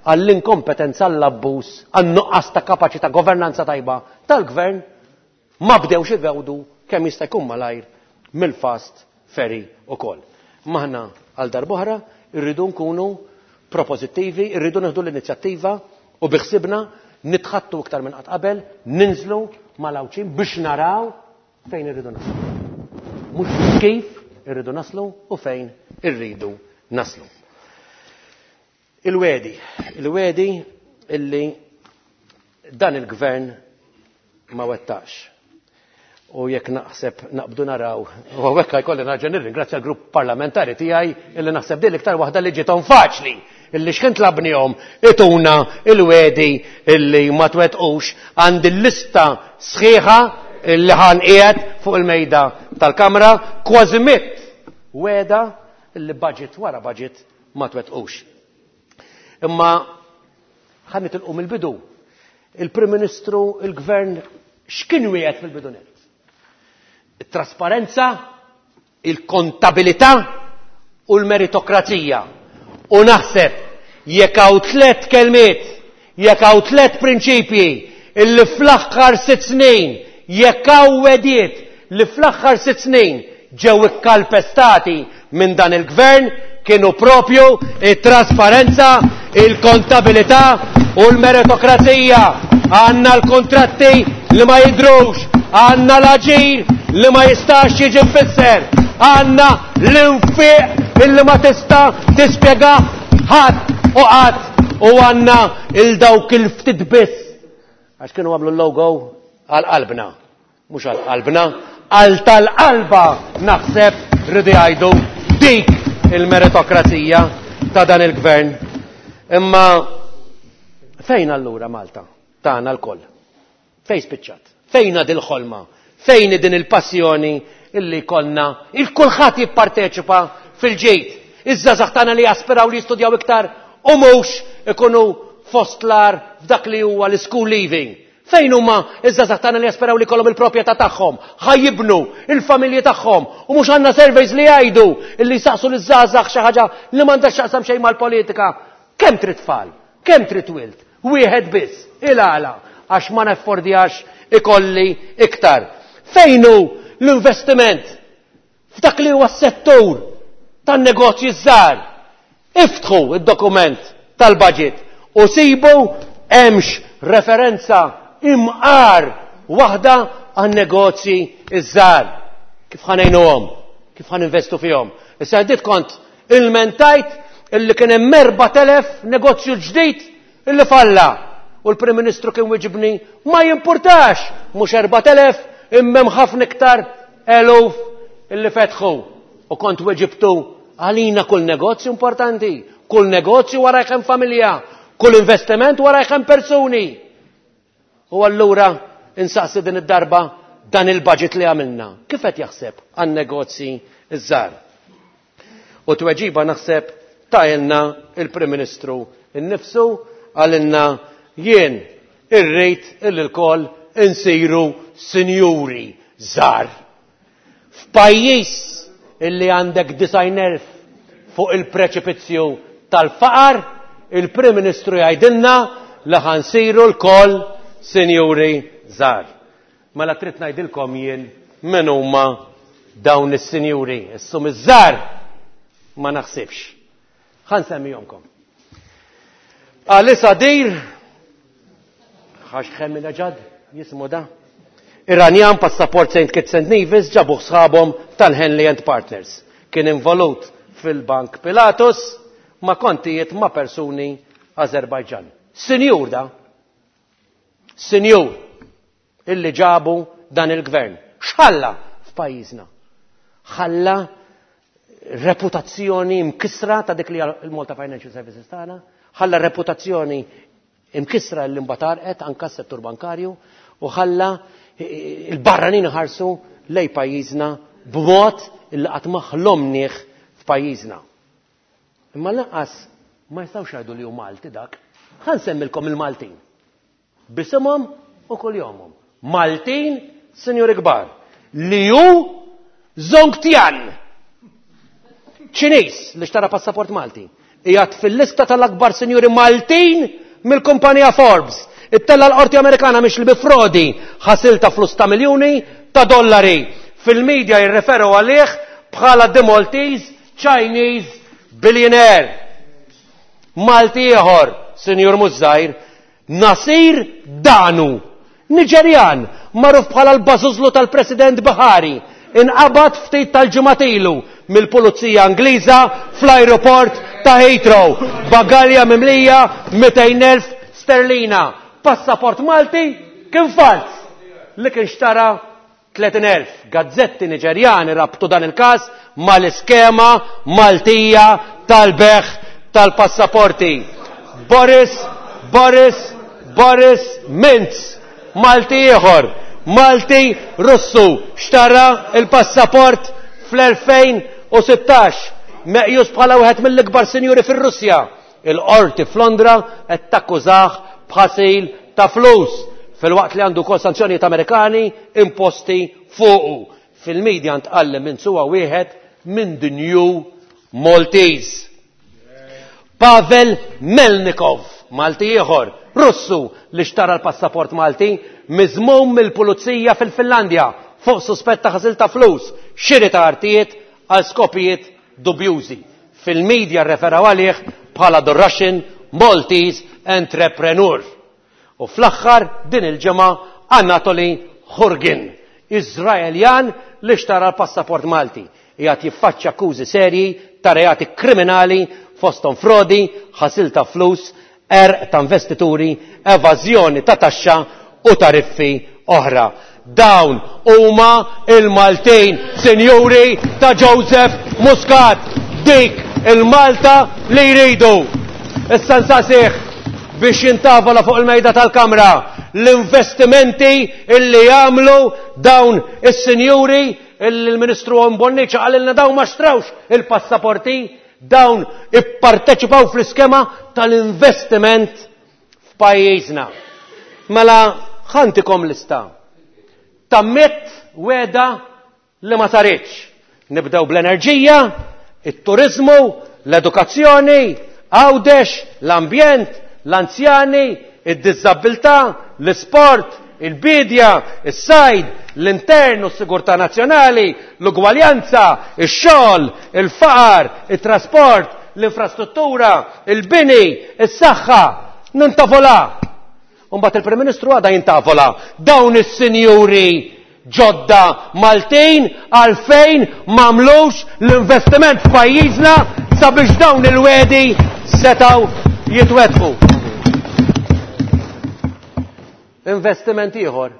għall-inkompetenza, għall-abbuż, għan-nuqqas ta' kapaċità governanza tajba tal-gvern, ma bdewx igawdu kemm jista' jkun malajr mill-Fast Ferry ukoll. Maħna għal darb'oħra irridu nkunu proposittivi, irridu nieħdu l-inizjattiva u biħsibna Nitħattu iktar minn qatt qabel, ninżlu mal-Għawdxin biex naraw fejn irridu naslu. Mhux kif irridu naslu u fejn irridu naslu. Il-wedi, il-wedi illi dan il-gvern ma wettax. U jekk naħseb naqbdu naraw, u hawnhekk jkolli nerġa' nirringrazzja l-grupp parlamentari tiegħi illi naħseb din l-iktar waħda li ġiethom faċli, illi x'kien tlabnihom ituna il-wedi illi ma twettqux. Għandi l-lista sħiħa illi ħan qiegħed fuq il-mejda tal-Kamra, kważi mitt weda illi budget wara budget ma twettqux. Imma ħa nitilqu mill-bidu. Il-Prim Ministru, il-Gvern, x'kien wieħed fil-bidunet? Il-trasparenza, il-kontabilità u l-meritokrazija. U naħseb jekk hawn tliet kelmiet, jekk hawn tliet prinċipji illi fl-aħħar sitt snin, jekk hawn wediet li fl-aħħar sitt snin ġew ikkalpestati minn dan il-gvern, kienu propju it-trasparenza, il-kontabilità u l-meritokrazija. Għandna l-kontratti li ma jidrux, għandna l-aġir li ma jistax jiġi mfisser, għandna l-infiq illi ma tista' tispjega ħadd u qatt, u għandna il-dawk il-ftit biss għax kienu għamlu l-logo għal qalbna, mhux għal qalbna, għal tal-qalba naħseb rridu jgħidu dik il-meritokrazija ta' dan il-gvern. Imma fejn allura Malta tagħna lkoll? Fejn spiċċat? Fejn dil-ħolma? Fejn din il-passjoni illi konna il-kulħadd jipparteċipa fil-ġejt? Iż-żgħażagħ tagħna li jaspiraw li jistudjaw iktar u mhux ikunu fost l-ar f'dak li huwa l-school leaving. Fejn huma iż-żgħażagħ tagħna li jaspiraw li jkollhom il-proprjetà tagħhom, ħajibnu il-familji tagħhom, u mhux għandna surveys li jgħidu illi jsaqsu liż-żgħażagħ xi ħaġa li m'għandha x'taqsam xejn mal-politika. Kemm trid tfal? Kemm trid wild? Wieħed biss, il-għala, għax ma neffordjax ikolli iktar. Fejn hu l-investiment f'dak li huwa s-settur tan-negozji żgħar? Iftħu id-dokument tal-budget u sibu hemmx referenza imqar waħda għan-negozji iż-żgħar. Kif ħa ngħinuhom? Kif ħa ninvestu fihom? Issa għaddit kont ilmentajt illi kien hemm erbat elef negozju ġdid illi falla. U l-Prim Ministru kien wiġibni ma jimpurtax, mhux erbat elef imma hemm ħafna iktar eluf illi fetħu. U kont weġibtu għalina kull negozju importanti, kull negozju wara hemm familja, kull investiment wara hemm persuni. U allura insaqsi din id-darba dan il-budget li għamilna. Kif qed jaħseb għan-negozji iż-żgħar? U tweġiba naħseb tajlna il-Prim Ministru innifsu, għalilna jien irrid illi lkoll insiru sinjuri żgħar. F'pajjiż illi għandek disgħin elf fuq il-preċipizzju tal-faqar, il-Prim Ministru jgħidilna li ħansiru lkoll sinjuri żgħar. Mela trid ngħidilkom jien min huma dawn is-sinjuri. Issum iż-żgħar ma naħsibx. Ħa nsemmihomkom. Alisa Dir, ħax ħemmina ġad, jismu da. Iranjan, passaport Saint Kitts and Nevis, ġabuh sħabhom tal-Henley and Partners. Kien involut fil-Bank Pilatus ma' kontijiet ma' persuni Azerbajġan. Sinjur da, sinjur illi ġabu dan il-gvern. X'ħalla f'pajjiżna? Ħalla reputazzjoni mkisra ta' dik li il-Malta Financial Services tagħna, ħalla reputazzjoni imkisra l imbatarqet anka s-settur bankarju, u ħalla il-barranin ħarsu lej pajjiżna b'mod illi qatt ma ħlomnieh f'pajjiżna. Imma lanqas ma jistgħux jgħidu li hu Malti dak. Ħa nsemmilkom il-Maltin. Bisimhom u kuljomhom. Maltin, sinjuri kbar, li hu Zongtian. Ċiniż li xtara passaport Malti. Qiegħed fil-lista tal-akbar sinjuri Maltin mill-kumpanija Forbes. Ittella l-qorti Amerikana mhix li bi frodi ħasil ta' flus ta' miljuni ta' dollari. Fil-medja jirreferu għalih bħala The Maltese Chinese Billionaire. Malti ieħor, Sinjur Mużajr, Nasir Danu, Niġerjan, magħruf bħala l-bażużlu tal-President Buhari, inqabad ftit tal-ġimgħat ilu mill-Pulizija Ingliża fl-ajruport ta' Heathrow. Bagalja mimlija mitejn elf sterlina. Passaport Malti kien fals li kien xtara tletin elf. Gazzetti Niġerjani rabtu dan il-każ mal-iskema Maltija tal-beħ tal-passaporti. Boris, Boris, Boris Mintz, Malti ieħor, Malti Russu, xtara il-passaport fl-elfejn u sittax, meqjus bħala wieħed mill-ikbar sinjuri fir-Russja. Il-qorti f'Londra qed takkużah b'ħasil ta' flus, filwaqt li għandu wkoll sanzjonijiet Amerikani imposti fuqu. Fil-medja ntqal li Mintz huwa wieħed minn The New Maltese. Pavel Melnikov, Malti ieħor, Russu li xtara l-passaport Malti, miżmum mill-pulizija fil-Finlandja fuq suspett ta' ħasil ta' flus, xiri ta' artijiet għal skopijiet dubjużi. Fil-medja rreferaw għalih bħala The Russian Maltese Entrepreneur. U fl-aħħar din il-ġimgħa Anatoli Hurgin, Iżraeljan li xtara l-passaport Malti. Qiegħed jiffaċċja akkużi serji ta' reati kriminali fosthom frodi, ħasil ta' flus, erq ta' investituri, evażjoni ta' taxxa u tariffi oħra. Dawn huma il-Maltin, sinjuri ta' Joseph Muscat, dik il-Malta li jridu. Issa nsaqsih biex jintavola fuq il-mejda tal-Kamra l-investimenti illi jagħmlu dawn is-sinjuri illi l-Ministru Owen Bonnici qalilna dawn ma xtrawx il-passaporti, dawn ipparteċipaw fl-iskema tal-investiment f'pajjiżna. Mela ħantikom lista ta' mitt weda li ma saritx. Nibdew bl-enerġija, it-turizmu, l-edukazzjoni, Għawdex, l-ambjent, l-anzjani, id-diżabilità, l-isport, il-bidja, is-sajd, l-intern u s-sigurtà nazzjonali, l-ugwaljanza, ix-xogħol, il-faqar, it-trasport, l-infrastruttura, il-bini, is-saħħa. Nintavola. Imbagħad il-Prim Ministru għada jintavola. Dawn is-sinjuri ġodda Maltin għalfejn m'għamlux l-investiment f'pajjiżna sabiex dawn il-wedi setgħu jitwettqu. Investiment ieħor.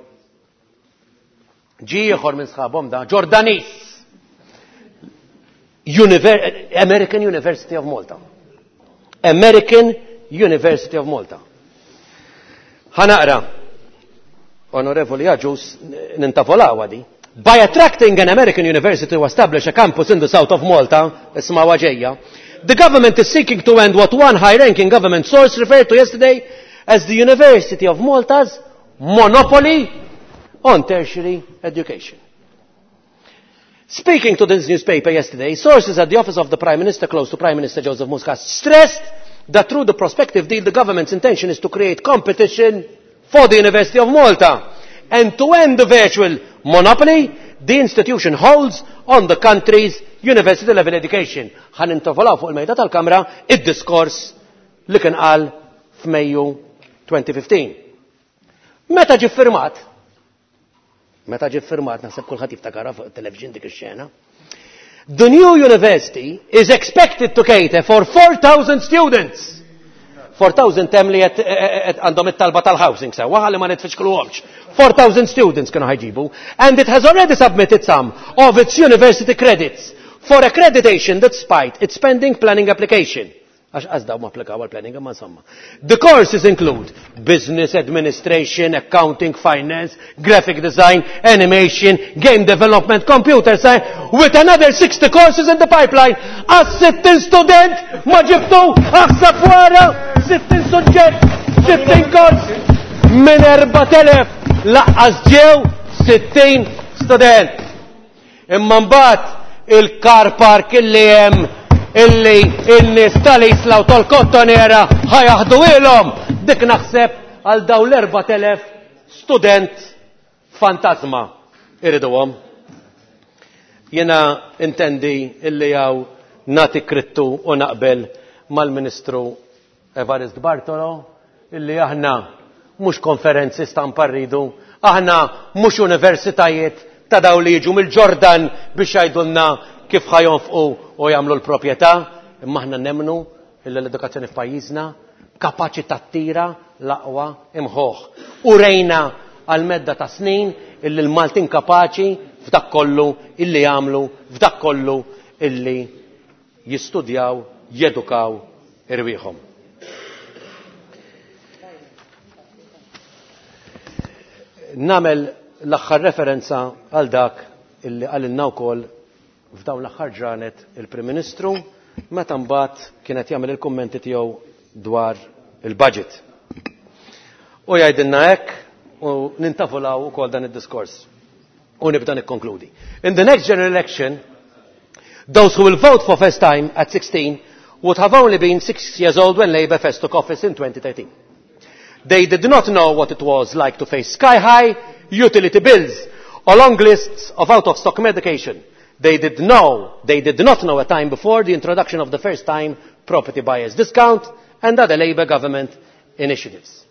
Ġi ieħor minn sħabhom da, Ġordanis. Univer-, American University of Malta. American University of Malta. Ħanaqra. Onorevoli Agius, nintavolaw għadi. By attracting an American university to establish a campus in the south of Malta, isma' ġejja, the government is seeking to end what one high-ranking government source referred to yesterday as the University of Malta's monopoly on tertiary education. Speaking to this newspaper yesterday, sources at the office of the Prime Minister close to Prime Minister Joseph Muscat stressed that through the prospective deal, the government's intention is to create competition for the University of Malta and to end the virtual monopoly the institution holds on the country's university level education. Ħa nintavolaw fuq il-mejda tal-Kamra id-diskors li kien qal f'Mejju twenty fifteen. Meta ġie firmat? Meta ġie firmat, naħseb kulħadd jiftakarha fuq it-television dik ix-xena. The new university is expected to cater for four thousand students. four thousand tem li qed għandhom it-talba tal-housing sewwa, ħalli ma nitfixkluhomx. four thousand students kienu ħajġibu, and it has already submitted some of its university credits for accreditation despite its pending planning application. Għax għazdaw ma applikaw għal-planning, imma insomma. The courses include business administration, accounting, finance, graphic design, animation, game development, computer science, with another sixty courses in the pipeline. Għas sittin student ma ġibtu, aħseb wara, sittin suġġett, sittin kors, minn erbat elef laqqas ġew sittin student. Imma mbagħad il-car park illi hemm illi n-nies tal-Isla u tal-Kottonera ħajaħdu ilhom, dik naħseb għal daw l-erbat elef student fantasma iriduhom. Jiena intendi illi hawn nagħti krittu u naqbel mal-Ministru Evarist Bartolo illi aħna mhux konferenzi stampa rridu, aħna mhux universitajiet ta' daw li jiġu mill-Ġordan biex jgħidulna kif ħa jonfqu u jagħmlu l-proprjetà, imma aħna nemmnu illi l-edukazzjoni f'pajjiżna kapaċi tattira l-aqwa imħuħ. U rejna għal medda ta' snin illi l-Maltin kapaċi f'dak kollu illi jagħmlu, f'dak kollu illi jistudjaw, jedukaw irwieħhom. Namel l-aħħar referenza għal dak illi qalilna wkoll f'dawn l-aħħar ġranet il-Prim Ministru meta mbagħad kienet jagħmel il-kummenti tiegħu dwar il-budget. U jgħidilna hekk u nintavolaw ukoll dan id-diskors. U nibda nikkonkludi. In the next general election, those who will vote for first time at sixteen would have only been six years old when Labour first took office in twenty thirteen. They did not know what it was like to face sky-high utility bills or long lists of out-of-stock medication. They did know, they did not know a time before the introduction of the first-time property buyers discount and other Labour government initiatives.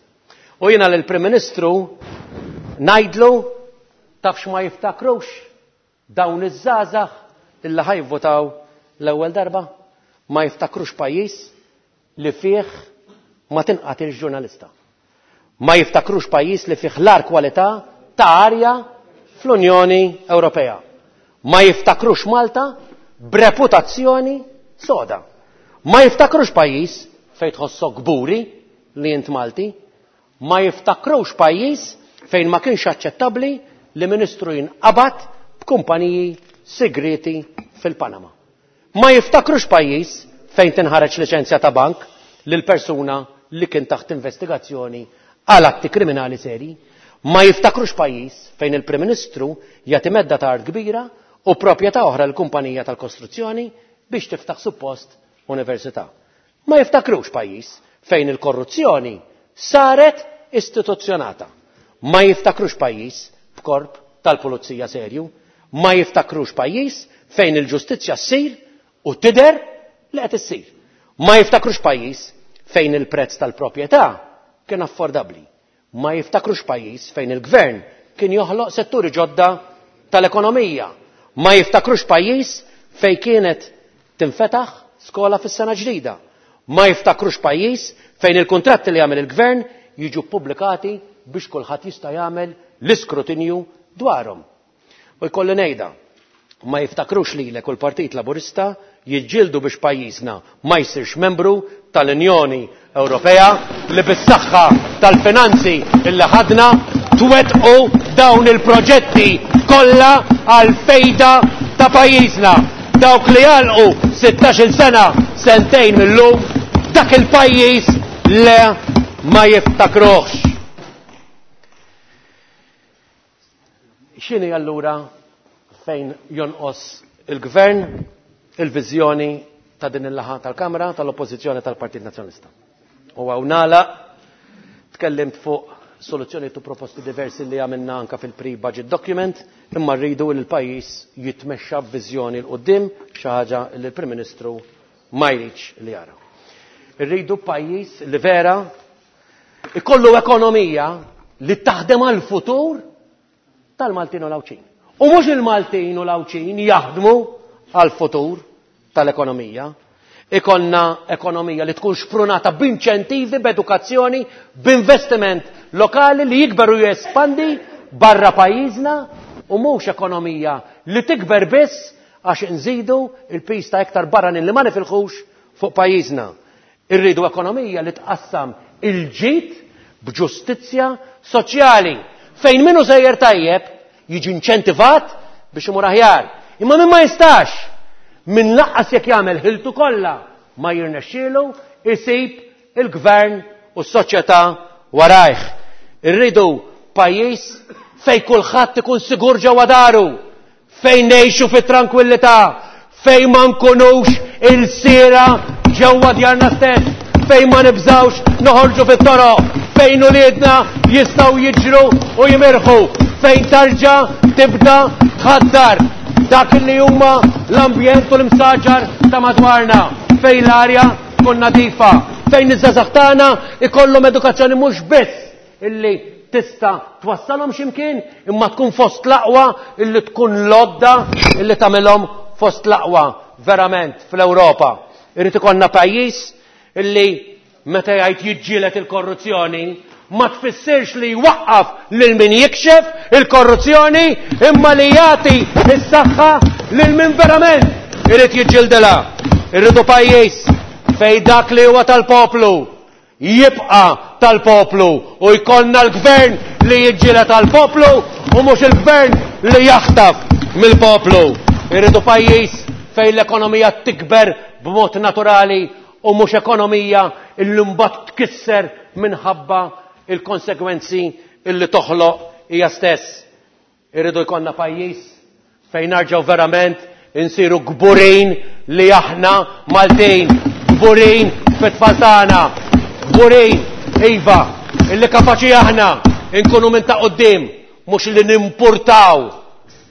U jiena lill-Prim Ministru ngħidlu tafx ma jiftakrux dawn iż-żgħażagħ illi ħa jivvotaw l-ewwel darba, ma jiftakrux pajjiż li fih ma tinqatilx ġurnalista. Ma jiftakrux pajjiż li fih l-agħar kwalità ta' arja fl-Unjoni Ewropea. Ma jiftakrux Malta b'reputazzjoni soda. Ma jiftakrux pajjiż fejn tħossok kburi li int Malti. Ma jiftakrux pajjiż fejn ma kienx aċċettabbli li ministru jinqabad b'kumpaniji segreti fil-Panama. Ma jiftakrux pajjiż fejn tinħareġ liċenzja ta' bank lil persuna li kien taħt investigazzjoni għal atti kriminali seri. Ma jiftakrux pajjiż fejn il-Prim Ministru jagħti medda ta' art kbira u proprjetà oħra l-kumpanija tal-kostruzzjoni biex tiftaħ suppost università. Ma jiftakrux pajjiż fejn il-korruzzjoni saret istituzzjonata. Ma jiftakrux pajjiż b'korp tal-pulizija serju. Ma jiftakrux pajjiż fejn il-ġustizzja ssir u tidher li qed issir. Ma jiftakrux pajjiż fejn il-prezz tal-proprjetà kien affordabbli. Ma jiftakrux pajjiż fejn il-gvern kien joħloq setturi ġodda tal-ekonomija. Ma jiftakrux pajjiż fejn kienet tinfetaħ skola fis-sena ġdida. Ma jiftakrux pajjiż fejn il-kuntratti li jagħmel il-gvern jiġu ppubblikati biex kulħadd jista' jagħmel l-iskrutinju dwarhom. U jkolli ngħidha, ma jiftakrux lilek u l-Partit Laburista jiġġieldu biex pajjiżna ma jsirx membru tal-Unjoni Ewropea li bis-saħħa tal-finanzi illi ħadna twettqu dawn il-proġetti kollha għal fejda ta' pajjiżna. Dawk li għalqu sittax-il sena sentejn mill-lum, dak il-pajjiż le ma jiftakruhx. X'inhi allura fejn jonqos il-gvern il-viżjoni ta' din il-laħa tal-Kamra tal-Oppożizzjoni tal-Partit Nazzjonalista? U hawn nagħlaq, tkellimt fuq soluzzjoni tu proposti diversi li għamilna anka fil-pre-budget document, imma rridu li l-pajjiż jitmexxa b'viżjoni 'l quddiem, xi ħaġa li l-Prim Ministru ma jridx li jara. Irridu pajjiż li vera ikollu ekonomija li taħdem għall-futur tal-Maltin u l-Għawdxin. U mhux il-Maltin u l-Għawdxin jaħdmu għall-futur tal-ekonomija. Ikonna ekonomija li tkun xprunata b'inċentivi, b'edukazzjoni, b'investiment lokali li jikber u jespandi barra pajjiżna, u mhux ekonomija li tikber biss għax inżidu il-pis ta' iktar barranin li ma nifilħux fuq pajjiżna. Irridu ekonomija li tqassam il-ġid b'ġustizzja soċjali fejn minnu sejjer tajjeb jiġi inċentivat biex imur aħjar. Imma min ma jistax, min laqqas jekk jagħmel ħiltu kollha ma jirnexxielu isib il-gvern u s-soċjetà warajh. Irridu pajjiż fejn kulħadd ikun sigur ġewwa daru, fejn ngħixu fit-trankwillità, fejn ma nkunux il-sira ġewwa djarna stess, fejn ma nibżawx noħorġu fit-toroq, fejn uliedna jistgħu jiġru u jimirħu, fejn tarġa' tibda tħaddar dak li huma l-ambjent u l-imsaġar ta' madwarna, fejn l-arja tkun nadifa, fejn iż-żgħażagħ tagħna ikollhom edukazzjoni mhux biss illi tista' twassalhom x'imkien, imma tkun fost l-aqwa illi tkun lodda illi tagħmilhom fost l-aqwa verament fl-Ewropa. Irid ikollna pajjiż illi meta jgħid jiġġieled il-korruzzjoni ma tfissirx li jwaqqaf lil min jikxef il-korruzzjoni, imma li jagħti s-saħħa lil min verament irid jiġġildilha. Irridu pajjiż fejn dak li huwa tal-poplu jibqa' tal-poplu u jkollna l-gvern li jiġġieled tal-poplu u mhux il-gvern li jaħtaf mill-poplu. Irridu pajjiż fejn l-ekonomija tikber b'mod naturali u mhux ekonomija illi mbagħad tkisser minħabba il-konsekwenzi illi toħloq hija stess. Irridu jkollna pajjiż fejn narġgħu verament insiru kburin li aħna Maltin, kburin fit-tfal tagħna, kburin iva illi kapaċi aħna nkunu minn ta' quddiem, mhux li nimpurtaw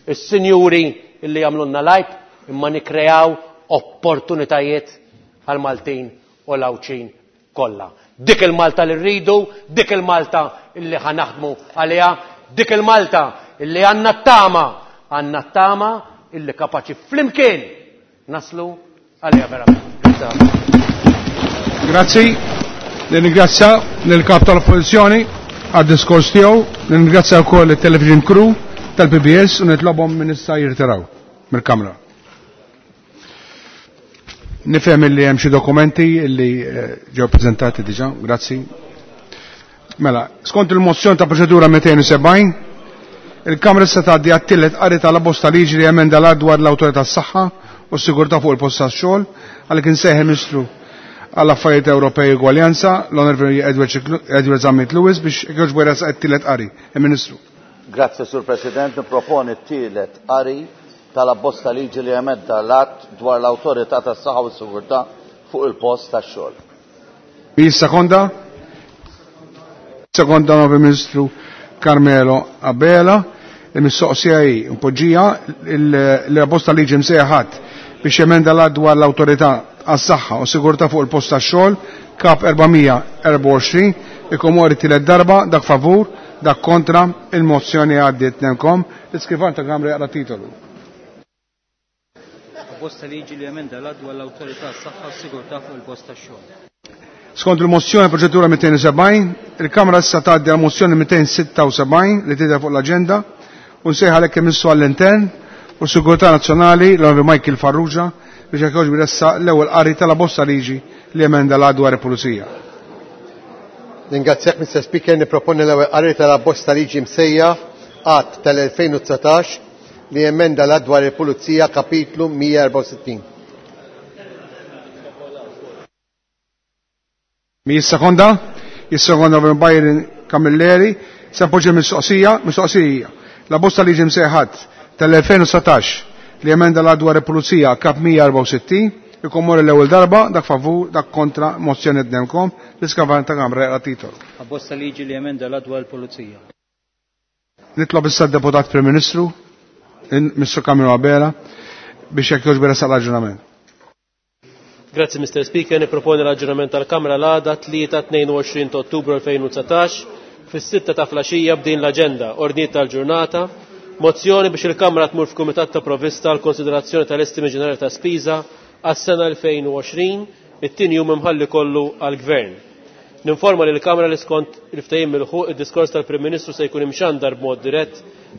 is-sinjuri illi jagħmlulna lajb, imma nikkreaw opportunitajiet għal Maltin u l-Għawdxin kollha. Dik il-Malta li rridu, dik il-Malta illi ħa naħdmu għaliha, dik il-Malta illi għandna t-tama, għandna t-tama illi kapaċi flimkien naslu għaliha verament. Grazzi. Nirringrazzja lill-Kap tal-Oppożizzjoni għad-diskors tiegħu, nirringrazzja wkoll it-television crew tal-P B S u nitlobhom minn issa jirtiraw mill-Kamra. Nifhem illi hemm xi dokumenti illi ġew preżentati diġà, grazzi. Mela, skont il-mozzjoni ta' proċedura mitejn u sebgħin, il-Kamra se tgħaddi għat-tielet qari tal-abbozz ta' liġi li emenda l-att dwar l-Awtorità tas-Saħħa u s-Sigurtà fuq il-post tax-xogħol, għalhekk insejħ il-Ministru għall-Affarijiet Ewropej u Ugwaljanza, l-Onorevoli Edward Zammit Lewis, biex jogħġbu jressaq it-tielet qari. Il-Ministru. Grazzi, Sur President. Niproponi t-tielet qari tal-abbozz ta' liġi li emenda l-att dwar l-Awtorità tas-Saħħa u s-Sigurtà fuq il-post tax-xogħol. Min sekonda? Sekonda Onorevoli Ministru Carmelo Abela. Il-mistoqsija hi mpoġġija l-abbozz ta' liġi msejjaħ biex emenda l-att dwar l-Awtorità għas-Saħħa u Sigurtà fuq il-post tax-xogħol, kap erba' erba' għoxrin, ikomori tielet darba, dak favur, dak kontra, il-mozzjoni għaddiet nemkom. L-iskrivan ta' Kamra jaqra titolu. Abbozz ta' liġi li emenda l-att dwar l-Awtorità għas-Saħħa u s-Sigurtà fuq il-post tax-xogħol. Skont il-mozzjoni proċedura mitejn u sebgħin, il-Kamra issa tgħaddi għal mozzjoni mitejn sitta u sebgħin li tidher fuq l-aġenda u nsejħ għalhekk imissu għall-intern u Sigurtà Nazzjonali l-Onorevoli Michael Farrugia biex jekk jogħġbu jressaq l-ewwel qari tal-abbozz ta' liġi li emenda l-att dwar il-Pulizija. Ningrazzjak, Mister Speaker, nipproponi l-ewwel qari tal-abbozz ta' liġi msejjaħ Att tal-elfejn u dsatax li emenda l-att dwar il-Pulizija kapitlu mija erba' u sittin. Mi jissekonda? Jissekonda minn Byron Camilleri. Se npoġġi mistoqsija, mistoqsija. La bosta liġi msejħat tal-elfejn u dsatax li emenda l-att dwar il-Pulizija kap mija erba' u sittin, ikomor l-ewwel darba, dak favur, dak kontra, mozzjoni dnemkom, l-iskavan ta' Kamra jaqra titolu. Abbozza liġi li emenda l-att dwar il-Pulizija. Nitlob issa d-Deputat Prim Ministru, Mister Carmelo Abela, biex jekk jogħġbu jressaq l-aġġornament. Grazzi, Mister Speaker. Niproponi l-aġġornament tal-Kamra l-għada tlieta tnejn u għoxrin ta' Ottubru elfejn u dsatax fis-sitta ta' flaxija b'din l-aġenda, ordnijiet tal-ġurnata, mozzjoni biex il-Kamra tmur f'Kumitat ta' Provvista għal konsiderazzjoni tal-estimi ġenerali ta' spiża għas-sena elfejn u għoxrin, it-tieni jum imħalli kollu għall-Gvern. Ninforma lil Kamra li skont il-ftehim mill-ħuq id-diskors tal-Prim Ministru se jkun imxandar b'mod dirett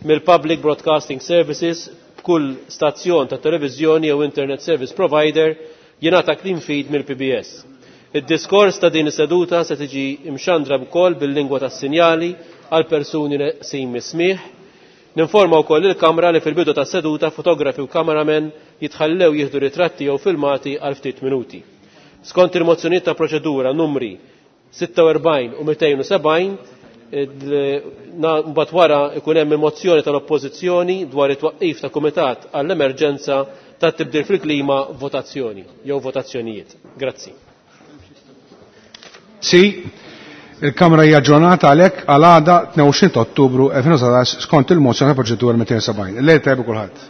mill-Public Broadcasting Services b'kull stazzjon ta' televiżjoni jew Internet Service Provider jingħata clean feed mill-P B S. Id-diskors ta' din is-seduta se tiġi imxandra wkoll bil-lingwa tas-sinjali għal persuni neqsin mis-smigħ. Ninforma wkoll il-Kamra li fil-bidu tas-seduta fotografi u kameramen jitħallew jieħdu ritratti jew filmati għal ftit minuti. Skont il-mozzjonijiet ta' proċedura numri sitta u erbgħin u mitejn u sebgħin, mbagħad wara ikun hemm il-mozzjoni tal-Oppożizzjoni dwar it-twaqqif ta' Kumitat għall-Emerġenza tat-tibdil fil-klima votazzjoni jew votazzjonijiet. Grazzi. Sì, il-Kamra hija aġġornata għalhekk għal għada tnejn u għoxrin ta' Ottubru elfejn u dsatax skont il-mozzjoni ta' proċedura mitejn u sebgħin. Lejl tajjeb kulħadd.